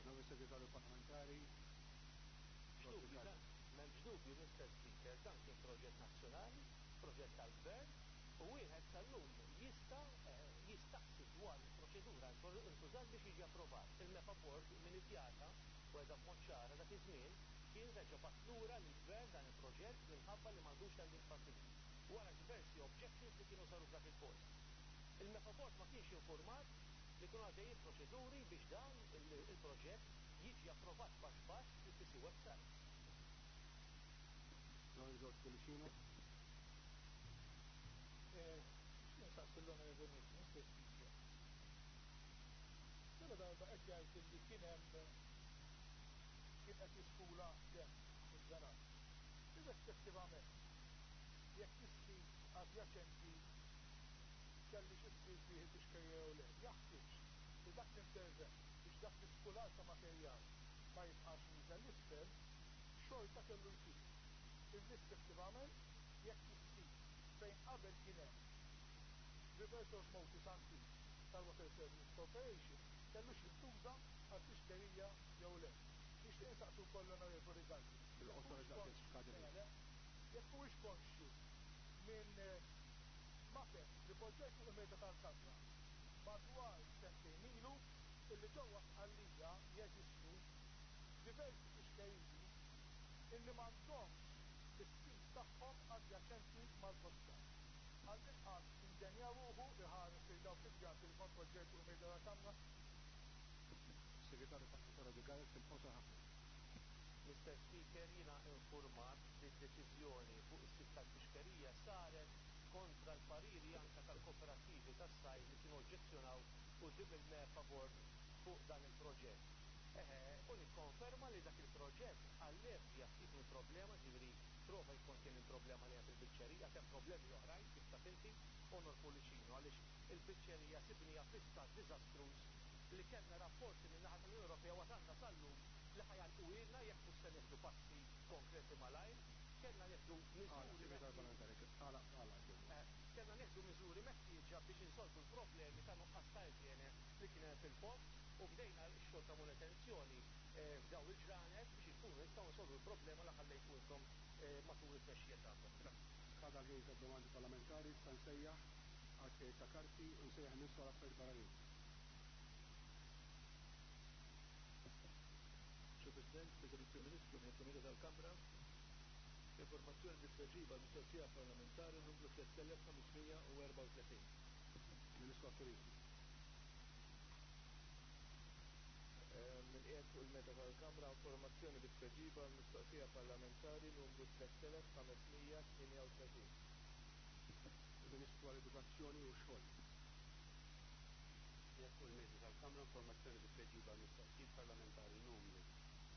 Onorevoli Segretarju Parlamentari, M'hemmx dubju dan, m'hemmx dubju Mister Speaker, dan kien proġett nazzjonali, proġett tal-Gvern u wieħed sal-lum jista' jistaqsi dwar il-proċedura intużat biex jiġi approvat. Il-MEPA Board min iddjata, u għedha b'mod ċara dak iż-żmien, kien reġa' bagħat lura lill-Gvern dan il-proġett minħabba li m'għandux landing facility, wara diversi objections li kienu saru f'dak il-post. Il-MEPA Board ma kienx infurmat li kienu għaddejjin proċeduri biex dan il-proġett jiġi approvat baxx baxx fl-EPC website. L-Onorevoli George Pullicino. Nixtieq insaqsi lill-Onorevoli Ministru, Mister Speaker. Ġala darba qed jgħid illi kien hemm kien qed jiskula demm mill-ġarat. Irrispettivament jekk is-sit adjaċenti kellux issir fih il-fixkerija jew le, jaħtieġ li dak l-intervent biex dak l-iskular ta' materjal ma jibqax nieżel 'l isfel, xorta kellu jsir, irrispettivament jekk is-sit fejn qabel kien hemm reverse osmosis antik tal-Water Services Corporation kellux jintuża għall-fixkerija jew le. Nixtieq insaqsi wkoll l-Onorevoli Dalli jekk Bil-qosor huwiex għax daqshekk konxju, skada le, l-ħin. le, jekk huwiex konxju minn mapep li poġġejt fuq il-mejda tal-Kamra madwar sentejn ilu illi ġewwa Sqallija jeżistu diversi fixkeriji illi m'għandhomx is-sit tagħhom adjaċenti mal-kosta. Għall-inqas inġenja ruħu iħares lejn dawk il-pjanti li kont poġġejt fuq il-mejda tal-Kamra. Segretarju Parlamentari Abigail fil-qosor ħafna. Mister Speaker, jiena infurmat li d-deċiżjoni fuq is-sit tal-fixkerija saret kontra l-pariri anke tal-kooperattivi tas-sajd li kienu oġġezzjonaw quddiem il-MEPA Board fuq dan il-proġett. Eħe, u nikkonferma li dak il-proġett allevja ftit mill-problema, ġifieri prova jikkontjeni l-problema li hemm fil-biċċerija, għad hemm problemi oħrajn kif taf inti, Onor Pullicino, għaliex il-biċċerija sibniha fi stat diżastruż li kellna rapporti min-naħa tal-Unjoni Ewropea u għad għandna sal-lum li ħa jagħlquhielna jekk mhux se nieħdu passi konkreti malajr. Kellna nieħdu Agħlaq, miżuri Segretarju meħtieġa. Parlamentari, agħlaq, agħlaq jogħġbok. Kellna nieħdu miżuri meħtieġa biex insolvu l-problemi ta' nuqqas ta' iġjene li kien hemm fil-post u bdejna x-xogħol ta' manutenzjoni f'dawn il-ġranet biex inkunu nistgħu nsolvu l-problema li ħallejtu intom matul it-tmexxija tagħkom. Grazzi. Skada l-ħin tad-domandi parlamentari, issa nsejjaħ għal tqegħid ta' karti u nsejjaħ il-Ministru għal Affarijiet Barranin. Sur President, President il-Prim Ministru, Ministru Mejda tal-Kamra, informazzjoni bi tweġiba għal mistoqsija parlamentari numru 3534. Ministru għat-Turiżmu. Min qiegħed fuq il-mejda tal-Kamra informazzjoni bi tweġiba għal mistoqsija parlamentari numru 3538. Il-Ministru għall-Edukazzjoni u x-Xogħol. Qiegħed fuq il-mejda tal-Kamra informazzjoni bi tweġiba għal mistoqsijiet parlamentari numru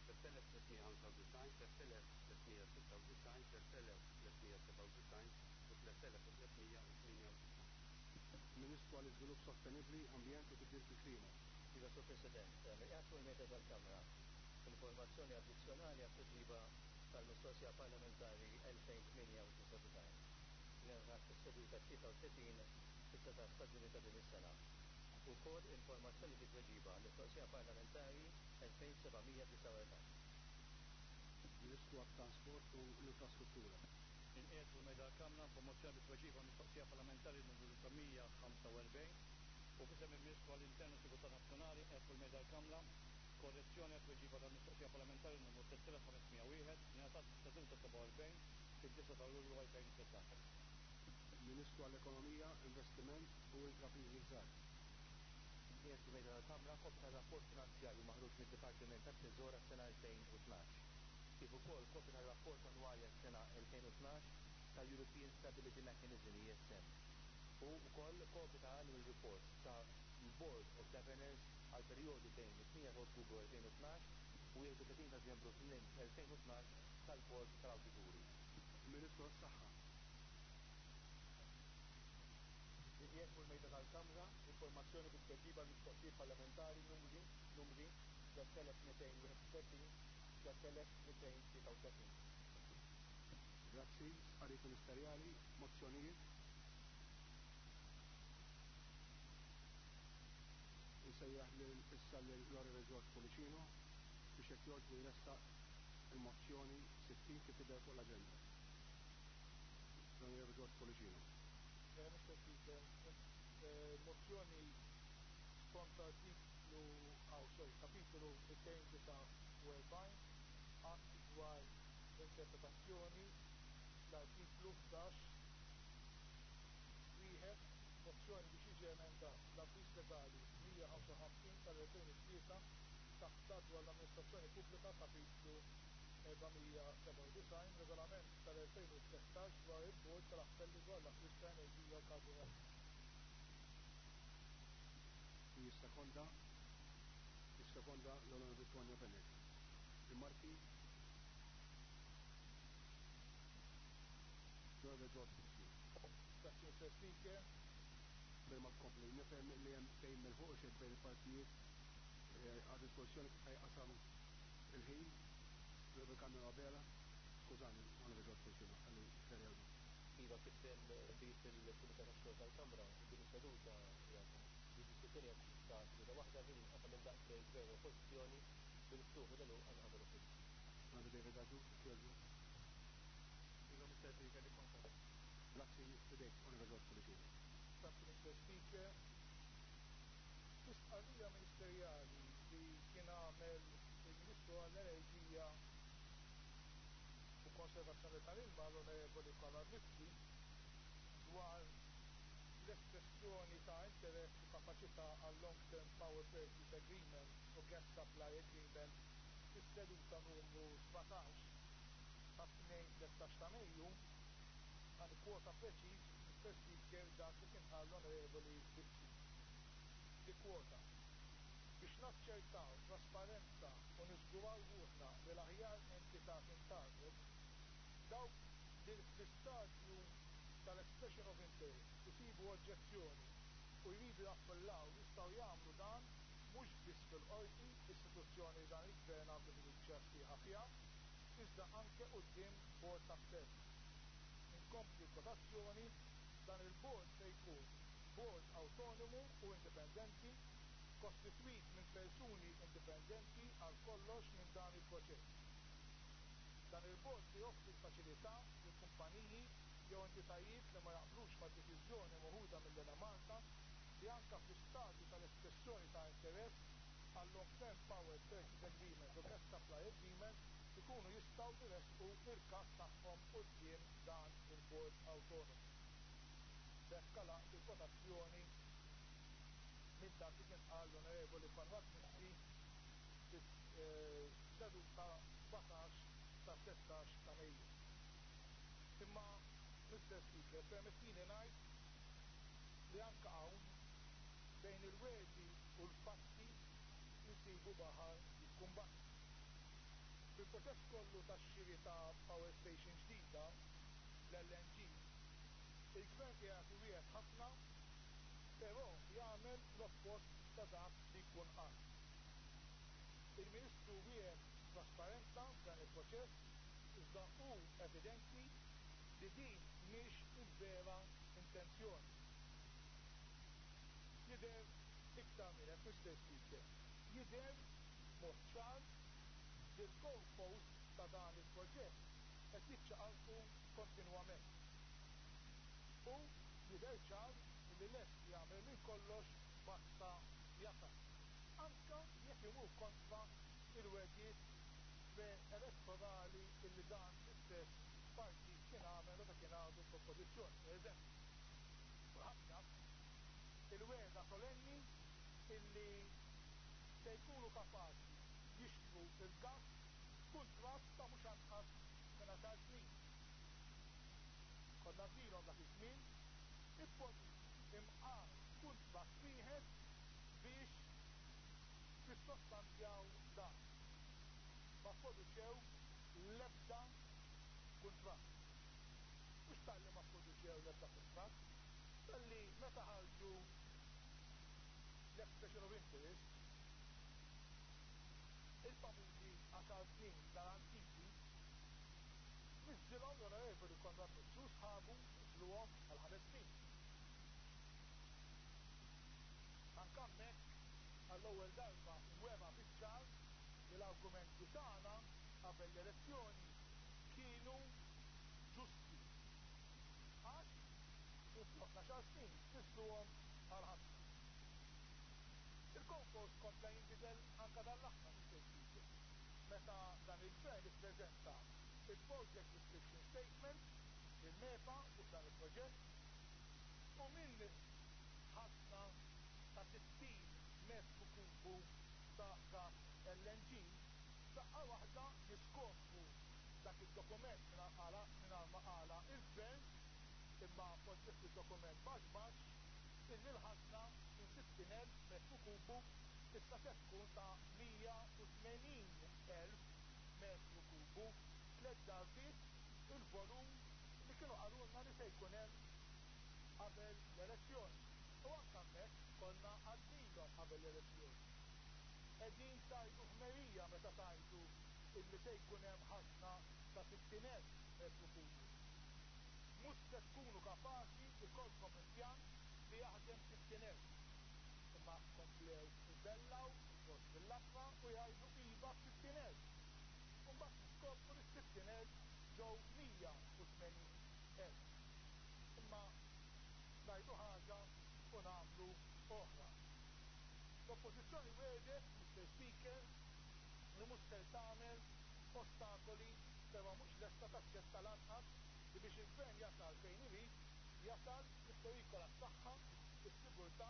3395, 3396, 3397 u 3398. Ministru għall-Iżvilupp Sostenibbli, Ambjent u Tibdil fil-Klima. Iva, Sur President, qiegħed fuq il-mejda tal-Kamra informazzjoni addizzjonali għat-tweġiba tal-mistoqsija parlamentari 2098 li ngħatat fis-seduta 33 fit-19 ta' Ġunju ta' din is-sena. Ukoll informazzjoni bi tweġiba għall-mistoqsija parlamentari 2749. Ministru għat-Trasport u l-Infrastruttura. Inqiegħed fuq il-mejda tal-Kamra informazzjoni bi tweġiba għal mistoqsija parlamentari numru 945 u f'isem il-Ministru għall-Intern u Sigurtà Nazzjonali qiegħed fuq il-mejda tal-Kamra korrezzjoni għat-tweġiba tal-mistoqsija parlamentari numru 3501 li ngħatat fis-seduta 47 fid-9 ta' Lulju 2013. Ministru għall-Ekonomija, Investiment u Intrapriżi Żgħar. Qiegħed fuq il-mejda tal-Kamra kopja tar-rapport finanzjarju maħruġ mid-Dipartiment tat-Teżor għas-sena 2012, kif ukoll kopja tar-rapport annwali għas-sena 2012 tal-European Stability Mechanism ESM u wkoll kopja ta' annual report ta' l-Board of Governors għall-perjodu bejn it-8 ta' Ottubru 2012 u 31 ta' Diċembru 2012 tal-Bord tal-Awdituri. Il-Ministru għas-Saħħa. Inqiegħed fuq il-mejda tal-Kamra informazzjoni bi tweġiba għal mistoqsijiet parlamentari numri numri 3231 3233. Grazzi, stqarrijiet ministerjali, mozzjonijiet. Insejjaħ lil issa lil l-Onorevoli George Pullicino biex jekk jogħġbu jressaq il-mozzjoni 60 kif tidher fuq l-aġenda. L-Onorevoli George Pullicino. Mr. Speaker, mozzjoni skont artiklu, aw sorry, kapitolu 249 att dwar l-interpretazzjoni l-artiklu 11 wieħed mozzjoni biex jiġi emendat l-Avviż Legali 155 tal-2003 taħt l-Att dwar l-Amministrazzjoni Pubblika Kapitlu 497 Regolament tal-2013 dwar il-Bord tal-Appelli dwar l-Akkwist ta' Enerġija u Karburant. Jissekonda Jissekonda l-Onorevoli Tonio Fenech. Rimarki? L-Onorevoli George Pullicino. Grazzi Mr. Speaker. Qabel ma tkompli, nifhem li hemm ftehim milħuq xejn bejn il-partijiet għad-dispożizzjoni kif ħa jqasam il-ħin. L-Onorevoli Carmelo Abela, skużani, Onorevoli George Pullicino, ħalli Sherry Agius. Iva, kif hemm bi fil-Kumitat tax-Xogħol tal-Kamra, din is-seduta hija di-diskussjoni hija ta' seduta waħda ħin inqasam indaqs bejn Gvern u Oppożizzjoni bil-ftuħ u l-għeluq għan-naħa tal-Oppożizzjoni. Onorevoli David Agius, jekk jogħġbok. Iva, Mr. Speaker, nikkonferma. Grazzi, f'idejk, Onorevoli George Pullicino. Grazzi, Mr. Speaker. Fi stqarrija ministerjali li kien għamel il-Ministru għall-Enerġija u Konservazzjoni tal-Ilma l-Onorevoli Konrad Mizzi dwar l-espressjoni ta' interess u kapaċità għal Long Term Power Purchase Agreement u Gas Supply Agreement fis-seduta numru 17 ta' tnejn 13 ta' Mejju, għan kwota preċiż, Mr. Speaker, dak li kien qal l-Onorevoli Mizzi. Nikkwota: Biex naċċertaw trasparenza u niżguraw ruħna li l-aħjar entità tintgħażel, dawk li fl-istadju tal-expression of interest isibu oġġezzjoni u jridu jappellaw jistgħu jagħmlu dan mhux biss fil-Qorti, istituzzjoni li dan il-Gvern għandu fiduċja sħiħa fiha, iżda anke quddiem Bord t'Appell. Inkompli l-kwotazzjoni, dan il-bord se jkun bord awtonomu u indipendenti, kostitwit minn persuni indipendenti għal kollox minn dan il-proċess. Dan il-bord se joffri l-faċilità lil kumpaniji jew entitajiet li ma jaqblux mad-deċiżjoni meħuda mill-Enemalta li anke fl-istadju tal-espressjoni ta' interess għal Long Term Power Purchase Agreement u Gas Supply Agreement ikunu jistgħu jressqu l-każ tagħhom quddiem dan il-bord awtonomu. B'hekk għalaqt il-kwotazzjoni minn dak li kien qal l-Onorevoli Konrad Mizzi fis-seduta 17 ta' 13 ta' Mejju. Imma, Mister Speaker, permettili ngħid li anke hawn bejn il-wegħdi u l-fatti insibu baħar jikkumbatti. Fil-proċess kollu tax-xiri ta' power station ġdida, l-LNG, il-Gvern qiegħed iwiegħed ħafna però jagħmel l-oppost ta' dak li jkun qal. Il-Ministru wiegħed trasparenza f'dan il-proċess iżda hu evidenti li din mhix il-vera intenzjoni. Jidher iktar minn hekk, Mister Speaker, jidher b'mod ċar li l-goal posts ta' dan il-proġett qed jiċċaqalqu kontinwament. U jidher ċar li lest jagħmel minn kollox basta jasal, anke jekk imur kontra l-wegħdiet pre-elettorali illi dan l-istess partit kien għamel meta kien għadu fl-Oppożizzjoni. Per eżempju, kulħadd jaf il-wegħda solenni illi se jkunu kapaċi jixtru l-gass b'kuntratt ta' mhux anqas minn għaxar snin. Konna għidnielhom dak iż-żmien, ippoġġu imqar kuntratt wieħed biex tissostanzjaw dan. Ma pproduċew l-ebda kuntratt. Mhux talli ma pproduċew l-ebda kuntratt, talli meta ħarġu l-expression of interest, il-famużi għaxar snin garantiti, niżżilhom l-Onorevoli Konrad Mizzi u sħabu niżżluhom għal ħames snin. Anke hemmhekk Għall-ewwel darba wera biċ-ċar li l-argumenti tagħna qabel l-elezzjoni kienu ġusti. Għax minflok għaxar snin fissruhom għal ħamsa. Il-goalpost kompla jinbidel anke dan l-aħħar, Mister Speaker, meta dan il-Gvern ippreżenta il-Project Description Statement lill-MEPA fuq dan il-proġett u minn ħażna ta' 60 metru kubu ta' gass LNG, f'daqqa waħda niskopru dak id-dokument mingħajr ma qalha il-Gvern, imma poġġieh fid-dokument baxx baxx, illi l-ħażna minn 60,000 metru kubu issa se tkun ta' 180,000 metru kubu, tlett darbiet il-volum li kienu qalulna li se jkun hemm qabel l-elezzjoni. U anke hemmhekk konna għadnilhom qabel l-elezzjoni. Qegħdin tgħidu ħmerija meta tgħidu illi se jkun hemm ħażna ta' 60,000 metru kubu. Mhux se tkunu kapaċi jkollkom impjant li jaħdem 60,000. Imma komplew ibellaw il-post bil-labra u jgħidu iva b'60,000. U mbagħad niskopru li s-60,000 ġew 180,000. Imma ngħidu ħaġa u nagħmlu oħra. L-Oppożizzjoni wegħdet, Mister Speaker, li mhux ser tagħmel ostakoli però mhux lesta taċċetta lanqas li biex il-Gvern jasal fejn irid jasal jipperikola s-saħħa, is-sigurtà,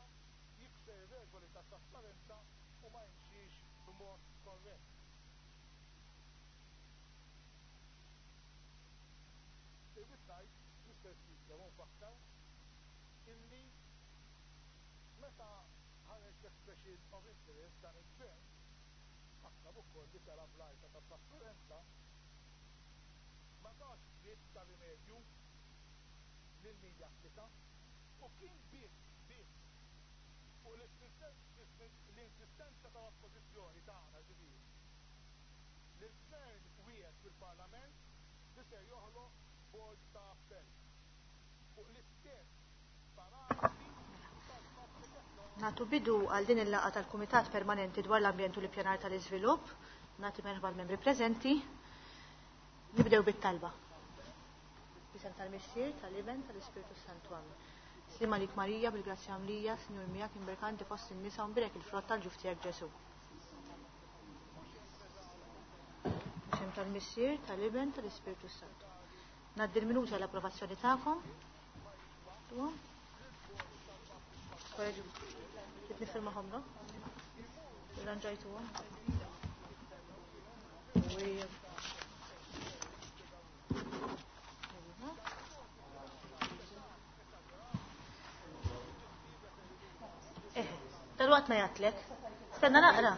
jikser ir-regoli tat-trasparenza u ma jimxix b'mod korrett. Irrid ngħid, Mister Speaker, u nfakkar illi meta ħareġ l-expression of interest dan il-Gvern, fakkar ukoll li tela' bl-għajta tat-trasparenza, ma tax dritt ta' rimedju lil min japplika u kien biss biss fuq l-insistenza tal-Oppożizzjoni tagħna ġifieri li l-Gvern wiegħed fil-Parlament li ser joħloq bord ta' appell fuq l-istess parametri tal-Public Authority. Nagħtu bidu għal din il-laqgħa tal-Kumitat Permanenti dwar l-Ambjent u l-Ippjanar tal-Iżvilupp. Nagħti merħba l-membri preżenti. Nibdew bit-talba. B'isem tal-Missier, tal-Iben, tal-Ispirtu Santu. Amen. Slim għalik Marija, bil-grazzja mlija, Sinjur miegħek imberkanti fost in-nisa u mbierek il-frott tal-ġuf tiegħek Ġesu. B'isem tal-Missier, tal-Iben, tal-Ispirtu Santu. Ngħaddi l-minuta l-approvazzjoni tagħkom. Trid nifirmahom, no? Irranġajtuhom. Dal-waqt ma jgħatlek. Stenna naqra.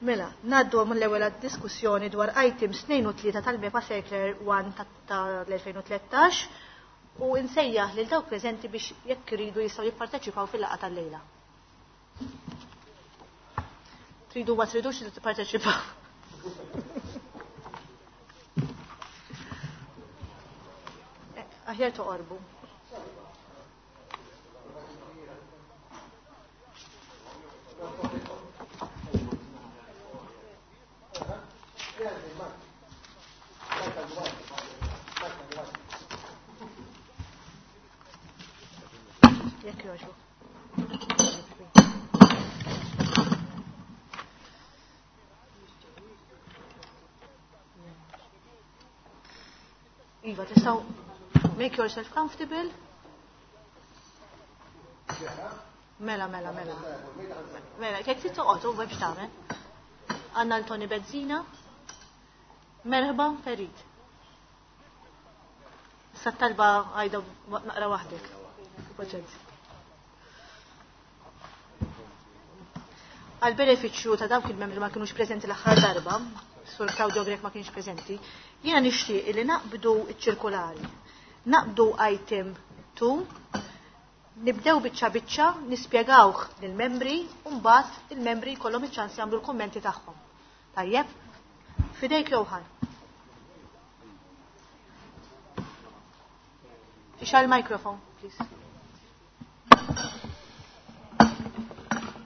Mela, ngħaddu mill-ewwel għad-diskussjoni dwar items 2 u 3 tal-MEPA Circular 1 tal-2013 u nsejjaħ lil dawk preżenti biex jekk iridu jistgħu jipparteċipaw fil-laqgħa tal-lejla. Tridu ma tridux tipparteċipaw. Aħjar toqorbu. Jekk jogħġbok. Iva, tistgħu make yourself comfortable. Mela, mela, mela. Mela, jekk trid toqgħod u biex tagħmel. Għandna l-Tony Bezzina. Merħba, Ferid. Issa talba għajda naqra waħdek. Paċenzja. Għal benefiċċju ta' dawk il-membri ma kienux preżenti l-aħħar darba, Sur Claudio Grech ma kienx preżenti, jiena nixtieq li naqbdu ċ-ċirkulari. Naqbdu item 2, nibdew biċċa biċċa, nispjegawh lill-membri u mbagħad il-membri jkollhom iċ-ċans jagħmlu l-kummenti tagħhom. Tajjeb? Fidejk Johan. Ixgħal il-microphone, please.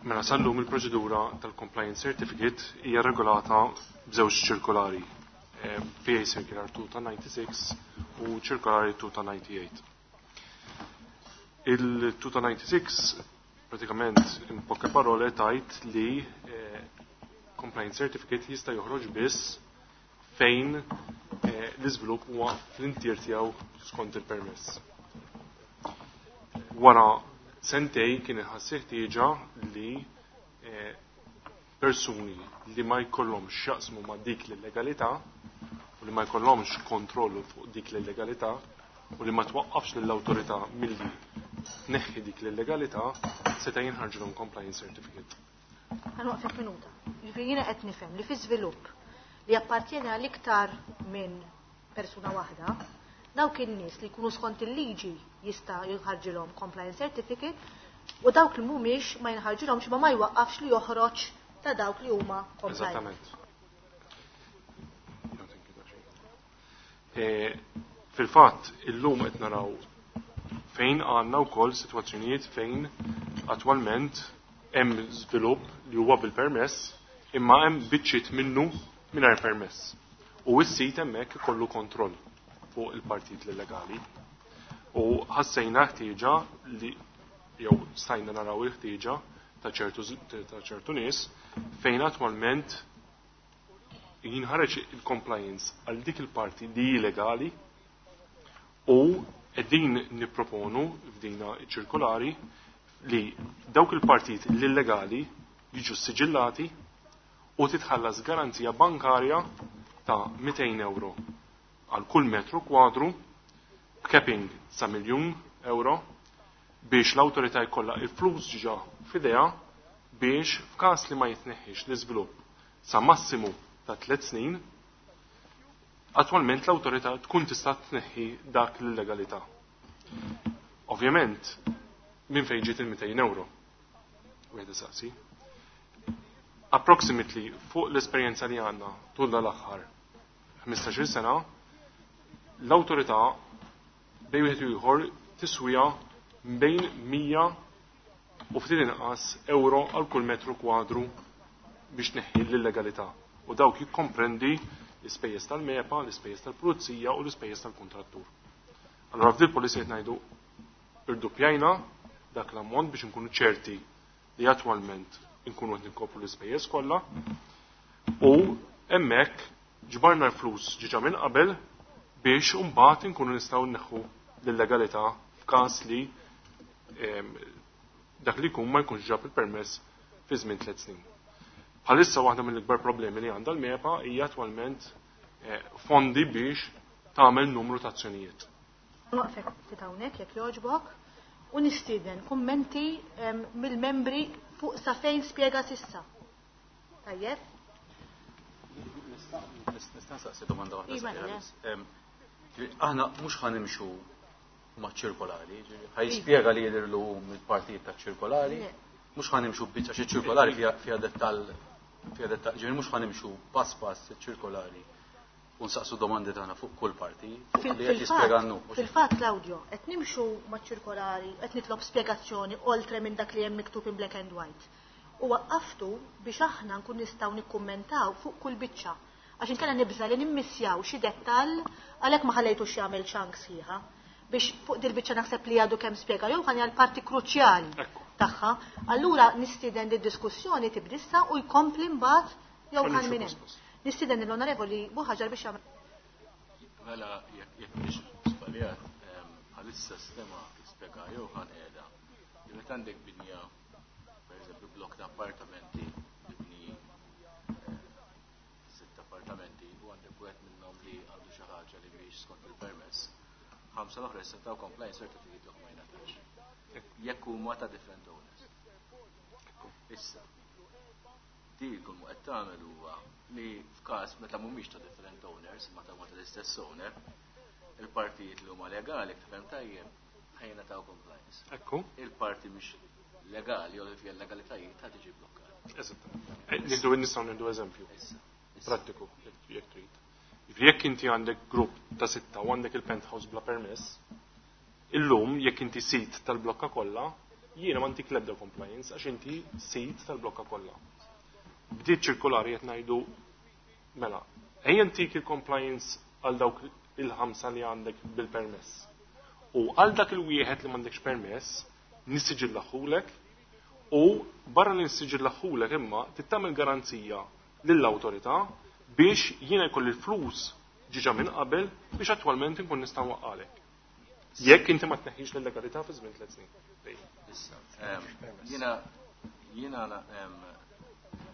Mela sal-lum il-proċedura tal-Compliance Certificate hija regolata b'żewġ ċirkolari, PA Circular 2 ta' 96 u ċirkolari 2 ta' 98. Il-2 ta' 96 pratikament in poche parole tajt li Compliance Certificate jista' joħroġ biss fejn l-iżvilupp huwa fl-intier tiegħu skont il-permess. Wara sentej kien iħass ħtieġa li persuni li ma jkollhomx jaqsmu ma' dik l-illegalità u li ma jkollhomx kontrollu fuq dik l-illegalità u li ma twaqqafx lill-awtorità milli tneħħi dik l-illegalità seta' jinħarġilhom compliance certificate. Ħa nwaqfek minuta. Jiġifieri jiena qed nifhem li fi żvilupp li jappartjeni għal iktar minn persuna waħda, dawk in-nies li jkunu skont il-liġi jista' jinħarġilhom compliance certificate u dawk li mhumiex ma jinħarġilhomx ma jwaqqafx li joħroġ ta' dawk li huma compliant. Eżattament. Fil-fatt, illum qed naraw fejn għandna wkoll sitwazzjonijiet fejn attwalment hemm żvilupp li huwa bil-permess imma hemm biċċiet minnu mingħajr permess. U s-sit hemmhekk ikollu kontroll fuq il-partit illegali. U ħassejna ħtieġa li jew stajna naraw il-ħtieġa ta' ċertu nies fejn attwalment jinħareġ il-compliance għal dik il-parti li hi legali u qegħdin nipproponu f'dina ċirkolari li dawk il-partit l-illegali jiġu siġillati u titħallas garanzija bankarja ta' 200 euro għal kull metru kwadru b'capping sa' 1,000,000 euro biex l-awtorità jkollha il-flus ġa f'idea biex f'każ li ma jitneħħix l-iżvilupp sa' massimu ta' 3 snin, attwalment l-awtorità tkun tista' tneħħi dak l-illegalità. Ovvjament, minn fejn ġiet il-200 euro? Wieħed isaqsi. Approximately fuq l-esperjenza li għandna tul dal-aħħar 15-il sena, l-awtorità bejn wieħed u ieħor tiswija bejn 100 u ftit inqas euro għal kull metru kwadru biex tneħħi l-illegalità. U dawk jikkomprendi l-ispejjeż tal-MEPA, l-ispejjeż tal-pulizija u l-ispejjeż tal-kuntrattur. Allora f'dil policy qed ngħidu irduppjajna dak l-ammont biex inkunu ċerti li attwalment inkunu qed ninkopru l-ispejjeż kollha u hemmhekk ġbarna l-flus ġiġa minn qabel biex imbagħad inkunu nistgħu nneħħu l-illegalità f'każ li dak li jkun ma jkunx ġab il-permess fi żmien 3 snin. Bħalissa waħda mill-ikbar problemi li għandha l-MEPA hija attwalment fondi biex tagħmel numru ta' azzjonijiet. Waqfek ftit hawnhekk jekk jogħġbok u nistieden kummenti mill-membri fuq sa fejn spjega sissa. Tajjeb? Nista' nsaqsi domanda waħda Iva, sabiħa le. biss. Aħna mhux ħanimxu ma' ċirkolari, ġifieri, ħajspjega li jidhirlu mill-partijiet ta' ċirkolari, Le. mhux ħanimxu biċċa xi ċirkolari fiha dettall, fiha dettall, ġifieri mhux ħanimxu pass pass ċirkolari u nsaqsu domandi tagħna fuq kull parti, fuq li qed jispjega għannu. Fil-fatt, Claudio, qed nimxu ma' ċirkolari, qed nitlob spjegazzjoni oltre minn dak li hemm miktub in black and white. U waqqaftu biex aħna nkun nistgħu nikkummentaw fuq kull biċċa. Għax inkella nibża li nimmissjaw xi dettall għalhekk ma ħallejtux jagħmel chunk sħiħa. Biex fuq dil-biċċa naħseb li għadu kemm spjega jew ħanja l-parti kruċjali tagħha. Allura nistieden li d-diskussjoni tibdissa u jkompli mbagħad jew Ħalli ħan nxu minn hemm. pass pass. Nistieden l-Onorevoli Buhaġar biex jagħmel. Mela jekk mhix żbaljat, bħalissa sistema kif spjega Johan qiegħda. Li meta għandek binja, pereżempju blok ta' appartamenti, mibni 6 appartamenti u għandek wieħed minnhom li għandu xi ħaġa li mhijiex skont il-permess. 5 l-oħra jistgħu taw compliance certificate jew ma jingħatax. Jekk huma ta' different owners. Issa, di kull ma qed tagħmel huwa li f'każ meta mhumiex ta' different owners, ma ta' huma tal-istess owner, il-partijiet li huma legali kif hemm tajjeb ħajna taw compliance. Il-parti mhix legali jew li fiha legalitajiet ta' tiġi blokkata. Eżatt. Nistgħu nieħdu eżempju. Issa. Prattiku, jekk trid. Jiġifieri jekk inti għandek grupp ta' 6 u għandek il-penthouse bla permess, illum jekk inti sit tal-blokka kollha, Jiena ma ntik l-ebda compliance għax inti sid tal-blokka kollha. Bdiet ċirkolari qed ngħidu mela, ejja ntik il-compliance għal dawk il-ħamsa li għandek bil-permess. U għal dak il-wieħed li m'għandekx permess, nissiġillaħulek u barra li nissiġillaħulek imma tittamel garanzija lill-awtorità biex jiena jkolli l-flus ġiġa minn qabel biex attwalment inkun nista' nwaqqalek. Jekk inti ma tneħħix l-illegalità fi żmien 3 snin. Issa, jiena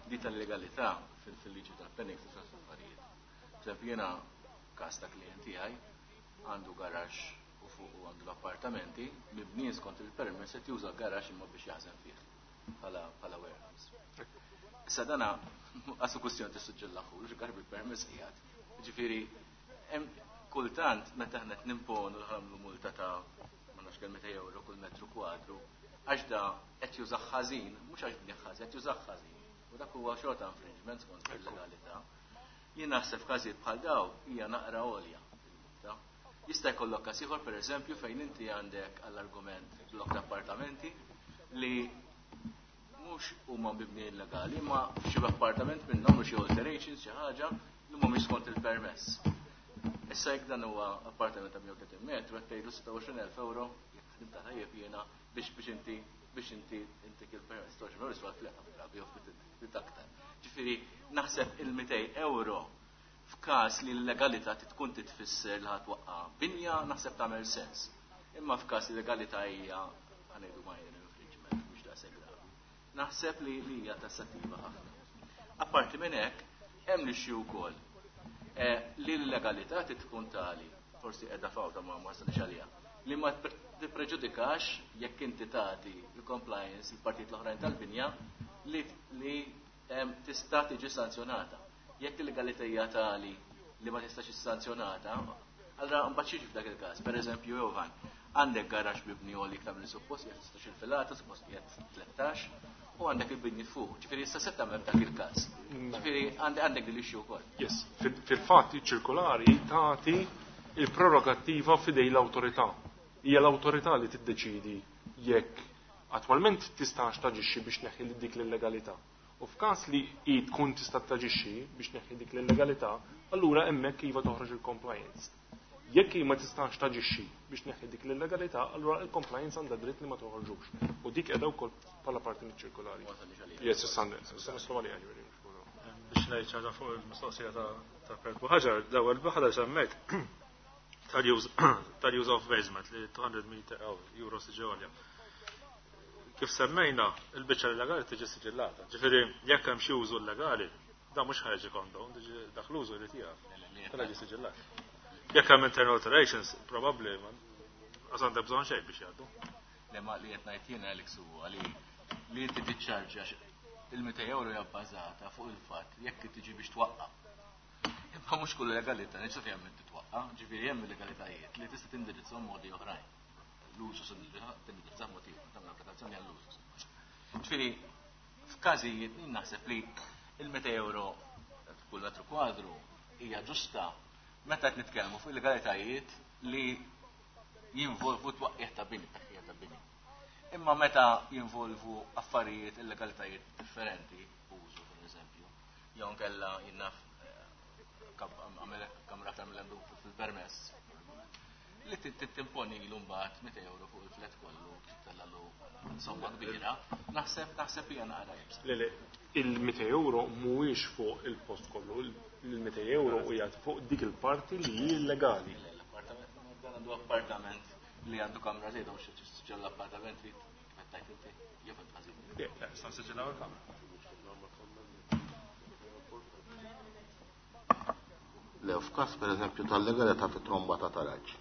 di tal-legalità fil-liġi tal-Phoenix tista' affarijiet. Per jiena każ ta' klient tiegħi għandu garaxx u fuq u għandu l-appartamenti mibnijin skont il-permess qed juża garaxx imma biex jaħżen fih bħala warehouse. Issa dana għasu kwestjoni tissuġġellaħu, x'gar bil-permess qiegħed. Ġifieri, kultant meta aħna qed nimponu l-ħamlu multa ta' ma nafx kemm 200 euro kull metru kwadru, għax da qed jużah ħażin, mhux għax bnieh ħażin, qed jużah ħażin. U dak huwa xorta infringement skont il-legalità. Jien naħseb f'każijiet bħal daw hija naqra għolja il-multa. Jista' jkollok każ ieħor pereżempju fejn inti għandek għall-argument blok ta' appartamenti li mhux huma mibni illegali, ma xi appartament minnhom u xi alterations xi ħaġa li mhumiex skont il-permess. Issa jekk dan huwa appartament ta' 130 metru qed tgħidu 26,000 euro, jekk ħdimt tajjeb jiena biex inti intik il-permess 26 euro iswa flet drabi jew ftit aktar. Ġifieri naħseb il-200 euro f'każ li l-legalità tkun titfisser li ħadd waqqa' binja naħseb tagħmel sens. Imma f'każ li l-legalità hija ħanejdu minor infringement mhux daqshekk gravi. Naħseb li hija tassattiva ħafna. Apparti minn hekk, hemm l-issue wkoll li l-legalità tkun tali, forsi qiegħda fawta ma wasalx għaliha, li ma tippreġudikax jekk inti tagħti l-compliance il-partit l-oħrajn tal-binja li tista' tiġi sanzjonata. Jekk il-legalità hija tali li ma tistax issanzjonata, allura mbagħad xi f'dak il-każ. Pereżempju, Jovan, għandek garaxx mibni għoli iktar milli suppost, jekk tistax il-filata, suppost qiegħed 13, u għandek il-binji fuq. Ġifieri issa se tagħmel f'dak il-każ. Ġifieri għandek din l-issue wkoll. Yes, fil-fatt iċ-ċirkolari tagħti il-prerogattiva f'idej l-awtorità. Hija l-awtorità li tiddeċidi jekk attwalment tistax taġixxi biex neħħi dik l-illegalità. U f'każ li hi tkun tista' taġixxi biex neħħi dik l-illegalità, allura hemmhekk iva toħroġ il-compliance. Jekk hi ma tistax taġixxi biex neħħi dik l-illegalità, allura il-compliance għandha dritt li ma toħorġux. U dik qiegħda wkoll bħala parti miċ-ċirkolari. Yes, issa naslu għaliha ġifieri. Biex ngħid ħaġa fuq il-mistoqsija ta' Kurt Buhagiar, l-ewwel waħda semmejt tal-use of basement li 200 meter euro siġi għolja. Kif semmejna, il-biċċa illegali tiġi siġillata. Ġifieri jekk hemm xi użu illegali, da mhux ħareġ condone, tiġi dak l-użu li tiegħek. Tela ġi siġillat. Jekk hemm internal alterations, probabbli għas għandek bżonn xejn biex jgħaddu. Le ma li qed ngħid jien Alex huwa li inti tiċċarġa il-200 euro hija bbażata fuq il-fatt jekk tiġi biex twaqqa'. Imma mhux kull legalità neċessarjament hemm titwaqqa', ġifieri hemm legalitajiet li tista' tindirizzhom modi oħrajn. L-użu se tindirizza mod ieħor, tagħmel applikazzjoni għall-użu. Ġifieri f'każijiet jien naħseb li il-200 euro kull metru kwadru hija ġusta meta qed nitkellmu fuq legalitajiet li jinvolvu twaqqih ta' bini, tneħħija ta' bini. Imma meta jinvolvu affarijiet illegalitajiet differenti, użu per eżempju, jew nkella jinnaf kamra aktar mill-għandu fil-permess, li timponi l mbagħad 200 euro fuq il-flat kollu, tellalu somma kbira, naħseb hija naqra jibsa. Le, le, il-200 euro mhuwiex fuq il-post kollu, il-200 euro hija fuq dik il-parti li hi illegali. Le, l-appartament, dan għandu appartament li għandu kamra żejda mhux ġol l-appartament li kif tajt inti, jew fint ħażin. Le, le, sta nsiġillaw il-kamra. Le, f'każ pereżempju tal-legalità fit-tromba ta' taraġ.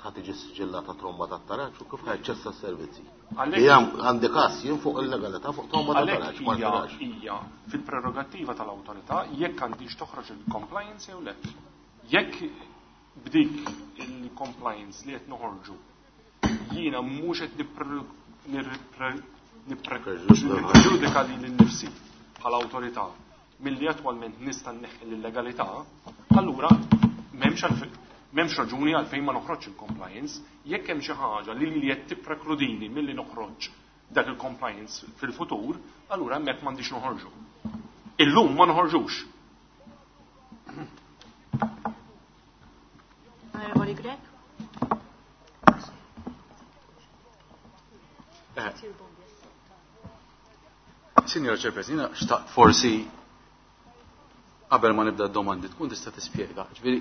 Ħa tiġi siġillata tromba ta' taraġ u kif ħajċessa s-servizzi. Għandi każ jien fuq il-legalità fuq tromba ta' taraġ, ma taraġ. Hija fil-prerogattiva tal-awtorità jekk għandix toħroġ il-compliance jew le. Jekk b'dik il-compliance li qed noħorġu jiena mhux qed nippreġudika lili nnifsi bħala awtorità milli attwalment nista' nneħħi l-illegalità, allura M'hemmx raġuni għalfejn ma noħroġx il-compliance. Jekk hemm xi ħaġa li li qed tipprekludini milli noħroġ dak il-compliance fil-futur, allura hemmhekk m'għandix noħorġu. Illum ma noħorġux. Onorevoli Grech. Signora Chairperson, jiena xtaqt forsi qabel ma nibda d-domandi tkun tista' tispjega. Ġifieri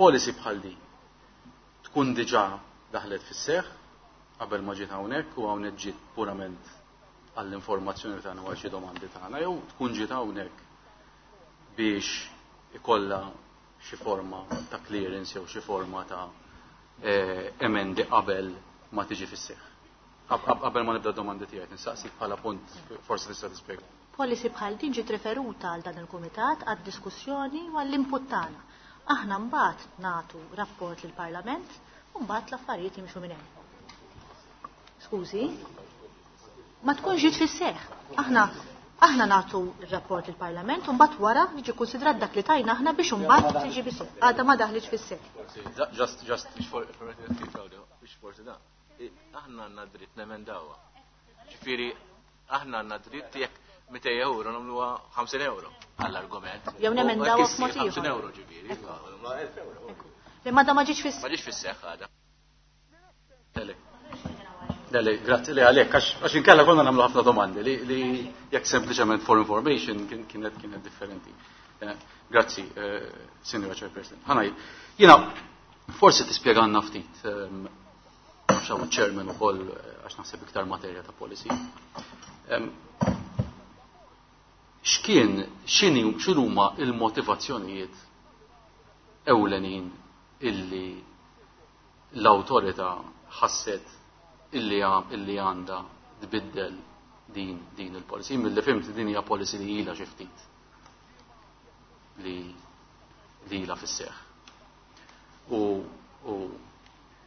policy bħal din tkun diġà daħlet fis-seħħ qabel ma ġiet hawnhekk u hawnhekk ġiet purament għall-informazzjoni tagħna u għal xi domandi tagħna jew tkun ġiet hawnhekk biex ikollha xi forma ta' clearance jew xi forma ta' emendi qabel ma tiġi fis-seħħ. Qabel ma nibda d-domandi tiegħi nistaqsik bħala punt forsi tista' tispjega. Policy bħal din ġiet referuta għal dan il-kumitat għad-diskussjoni u għall-input tagħna. Aħna mbagħad nagħtu rapport lill-Parlament u mbagħad l-affarijiet jimxu minn hemm. Skużi? Ma tkunx ġiet fis-seħħ. Aħna aħna nagħtu r-rapport lill-Parlament u mbagħad wara jiġi konsidrat dak li tajna aħna biex imbagħad tiġi fis-seħħ. Għadha ma daħlitx fis-seħħ. Just, just, biex forsi da. Aħna għandna dritt nemendawha. Ġifieri aħna għandna dritt jekk 200 euro nagħmluha 50 euro għall-argument. Jew nemendawha f'mod ieħor. 50 euro ġifieri, nagħmluha 1000 euro. Li ma ma ġietx fis Ma ġietx fis-seħħ għadha. Le, grazzi li għalek, għax inkella konna nagħmlu ħafna domandi li jekk sempliċement for information kienet differenti. Grazzi, Signora Chairperson. Ħanaj, jiena forsi tispjegalna ftit, xaw chairman ukoll għax naħseb iktar materja ta' policy. X'kien, x'inhi, x'inhuma il-motivazzjonijiet ewlenin illi l-awtorità ħasset illi għandha tbiddel din il-policy. Milli fhimt din hija policy li ilha xi ftit li ilha fis-seħħ. U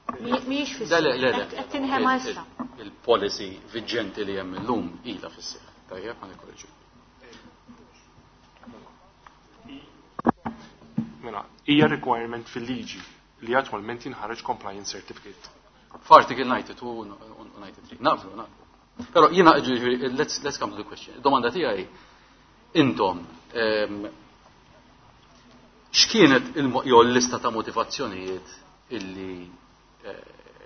Mhijiex fis-seħħ. Le, le, le. Qed tinħema issa. Il-policy viġenti li hemm illum ilha fis-seħħ. Tajjeb, ħa nikkorreġu. Mela, hija requirement fil-liġi li attwalment jinħareġ compliance certificate. F'article 92 u 93. Naqblu, naqblu. Però jiena, ġifieri, let's come to the question. Domanda tiegħi, intom, x'kienet jew l-lista ta' motivazzjonijiet illi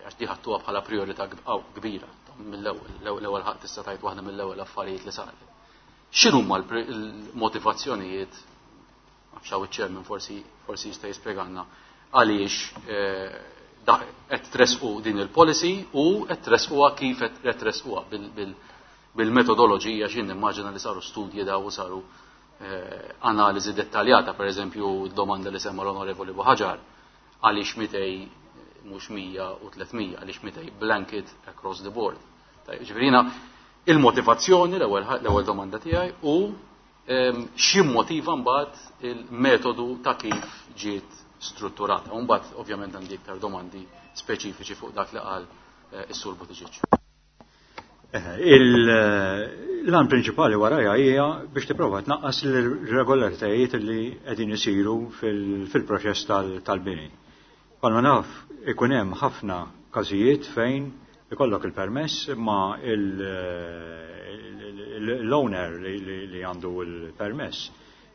għax di ħadtuha bħala priorità kbira mill-ewwel, l-ewwel ħadd tista' tgħid waħda mill-ewwel affarijiet li saret. X'inhuma l-motivazzjonijiet, għax hawn iċ-chairman forsi jista' jispjegalna għaliex qed tresqu din il-policy u qed tresquha kif qed tresquha bil-metodoloġija x'in nimmaġina li saru studji daw u saru analiżi dettaljata, per eżempju domanda li semma l-Onorevoli Buhagiar, għaliex 200 mhux 100 u 300, għaliex 200 blanket across the board. Ġifieri il-motivazzjoni l-ewwel domanda tiegħi u x'immotiva mbagħad il-metodu ta' kif ġiet strutturata. U mbagħad ovvjament għandi iktar domandi speċifiċi fuq dak li qal is-Sur Buttigieg. L-għan prinċipali warajja hija biex tipprova tnaqqas l-irregolaritajiet li qegħdin isiru fil-proċess tal-bini. Palma naf ikun hemm ħafna każijiet fejn ikollok il-permess ma l-owner li għandu il-permess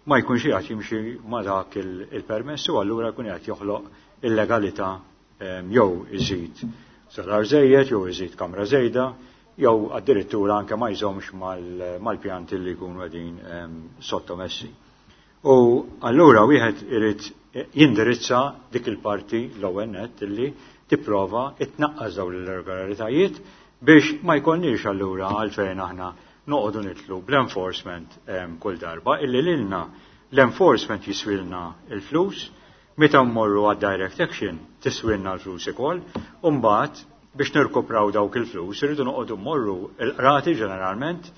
ma jkunx qiegħed jimxi ma dak il-permess u allura jkun qiegħed joħloq illegalità jew iżid solar żejjed jew iżid kamra żejda jew addirittura anke ma jżommx mal-pjanti li jkunu qegħdin sottomessi. U allura wieħed irid jindirizza dik il-parti l-ewwel nett illi tipprova itnaqqas dawn l-irregolaritajiet biex ma jkollniex allura għalfejn aħna noqogħdu nitlu bl-enforcement kull darba illi lilna l-enforcement jiswilna il-flus, meta mmorru għad direct action tiswilna l-flus ukoll, u mbagħad biex nirkupraw dawk il-flus irridu noqogħdu mmorru l-qrati ġeneralment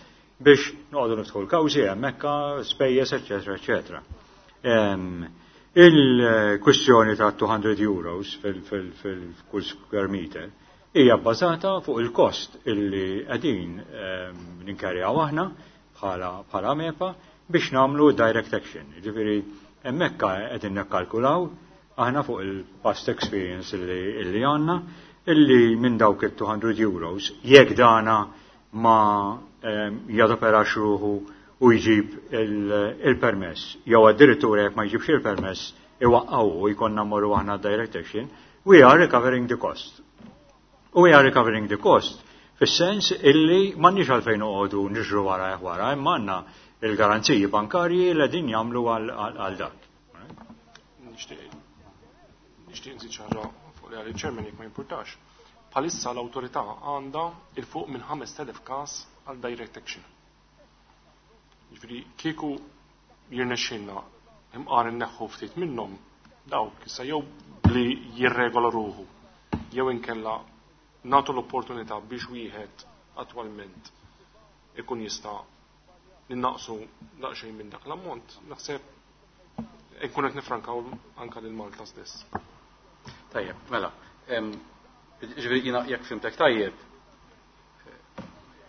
biex noqogħdu niftħu l-kawżi hemmhekk spejjeż eċetera eċetera. Il-kwistjoni ta' 200 euros fil-kull square meter hija bbażata fuq il-kost illi qegħdin ninkarjaw aħna bħala MEPA biex nagħmlu direct action. Ġifieri hemmhekk qegħdin nikkalkulaw. aħna fuq il-past experience illi għandna, illi minn dawk il-200 euros, jekk dana ma jadoperax ruħu u jġib il-permess, jew addirittura jekk ma jġibx il-permess iwaqqgħu u jkollna mmorru aħna direct action, we are recovering the cost. We are recovering the cost fis-sens illi m'għandniex għalfejn noqogħdu niġru wara wara, imma għandna il-garanziji bankarji li din jagħmlu għal dak. Nixtieq nżid xi ħaġa fuq li għal chairman jekk ma jimpurtax. Bħalissa l-awtorità għandha il fuq minn 5000 każ għal direct action. Jiġifieri kieku jirnexxilna imqar inneħħu ftit minnhom dawk issa jew li jirregola ruħu jew inkella nagħtu l-opportunità biex wieħed attwalment ikun jista' ninnaqsu daqsxejn minn dak l-ammont, naħseb nkun qed nifrankaw anke lil Malta stess. Tajjeb, mela, ġifieri jiena jekk fimtek tajjeb,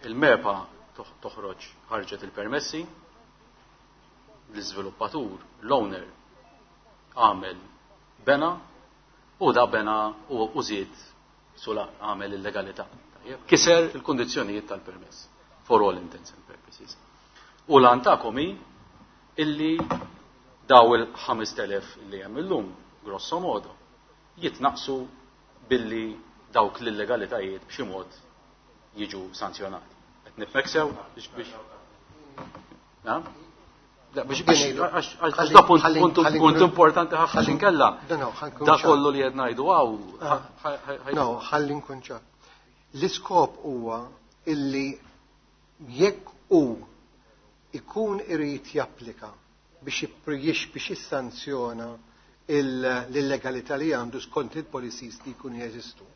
il-MEPA toħroġ ħarġet il-permessi, l-iżviluppatur, l-owner, għamel bena u da bena u żied solar, għamel illegalità. Kiser il-kondizzjonijiet tal-permess, for all intents and purposes. U lan tagħkom hi illi daw il-5000 li hemm illum, grosso modo, jitnaqsu billi dawk l-illegalitajiet b'xi mod jiġu sanzjonati. Qed nifhmek sew biex biex għax da punt importanti ħafna inkella. Da kollu li qed ngħidu hawn. No, ħalli nkun ċar. L-iskop huwa illi jekk hu ikun irid japplika biex biex jissanzjona l-illegalità li għandu skont il-policies li jkunu jeżistu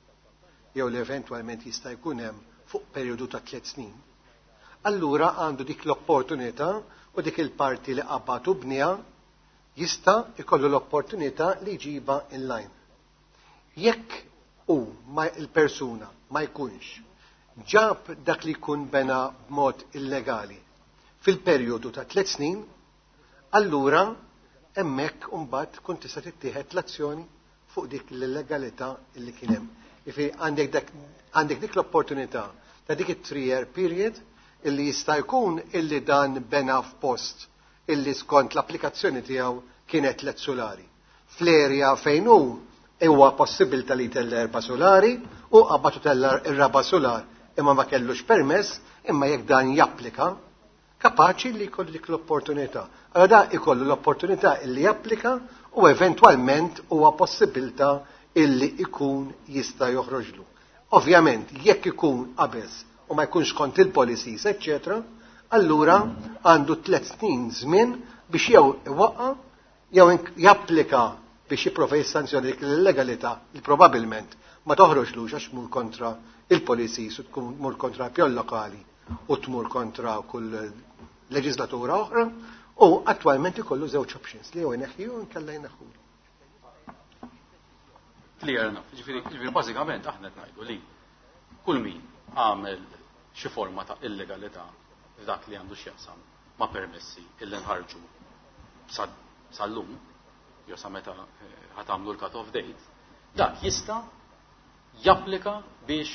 jew li eventwalment jista' jkun hemm fuq perjodu ta' 3 snin. Allura għandu dik l-opportunità u dik il-parti li qabad u bniha jista' jkollu l-opportunità li jġibha inline. Jekk hu il-persuna ma jkunx ġab dak li jkun bena b'mod illegali fil-perjodu ta' 3 snin, allura hemmhekk imbagħad tkun tista' tittieħed l-azzjoni fuq dik l-illegalità li kien hemm. Jifieri għandek dik l-opportunità ta' dik it-3-year period illi jista' jkun illi dan bena f'post illi skont l-applikazzjoni tiegħu kienet 3 solari. Fl-area fejn hu huwa possibilità li jtella 4 solari u qabad tella r-raba' solar imma ma kellux permess, imma jekk dan japplika kapaċi li jkollu dik l-opportunità. Allora da ikollu l-opportunità illi japplika u eventwalment huwa possibilità illi ikun jista' joħroġlu. Ovvjament, jekk ikun qabeż u ma jkunx kont il-policies, eccetera, allura għandu 3 snin żmien biex jew iwaqqa' jew japplika biex jipprova jissanzjoni dik l-illegalità li probabbilment ma toħroġlux għax tmur kontra il-policies u tkun tmur kontra pjon lokali u tmur kontra kull leġislatura oħra, u attwalment ikollu żewġ options li jew ineħħi u nkella jneħħulu. Clear enough. Ġifieri bażikament aħna qed ngħidu li kull min għamel xi forma ta' illegalità f'dak li għandu x'jaqsam ma' permessi illi nħarġu sal-lum, jew sa meta ħatamlu l-cut-off date, dak jista' japplika biex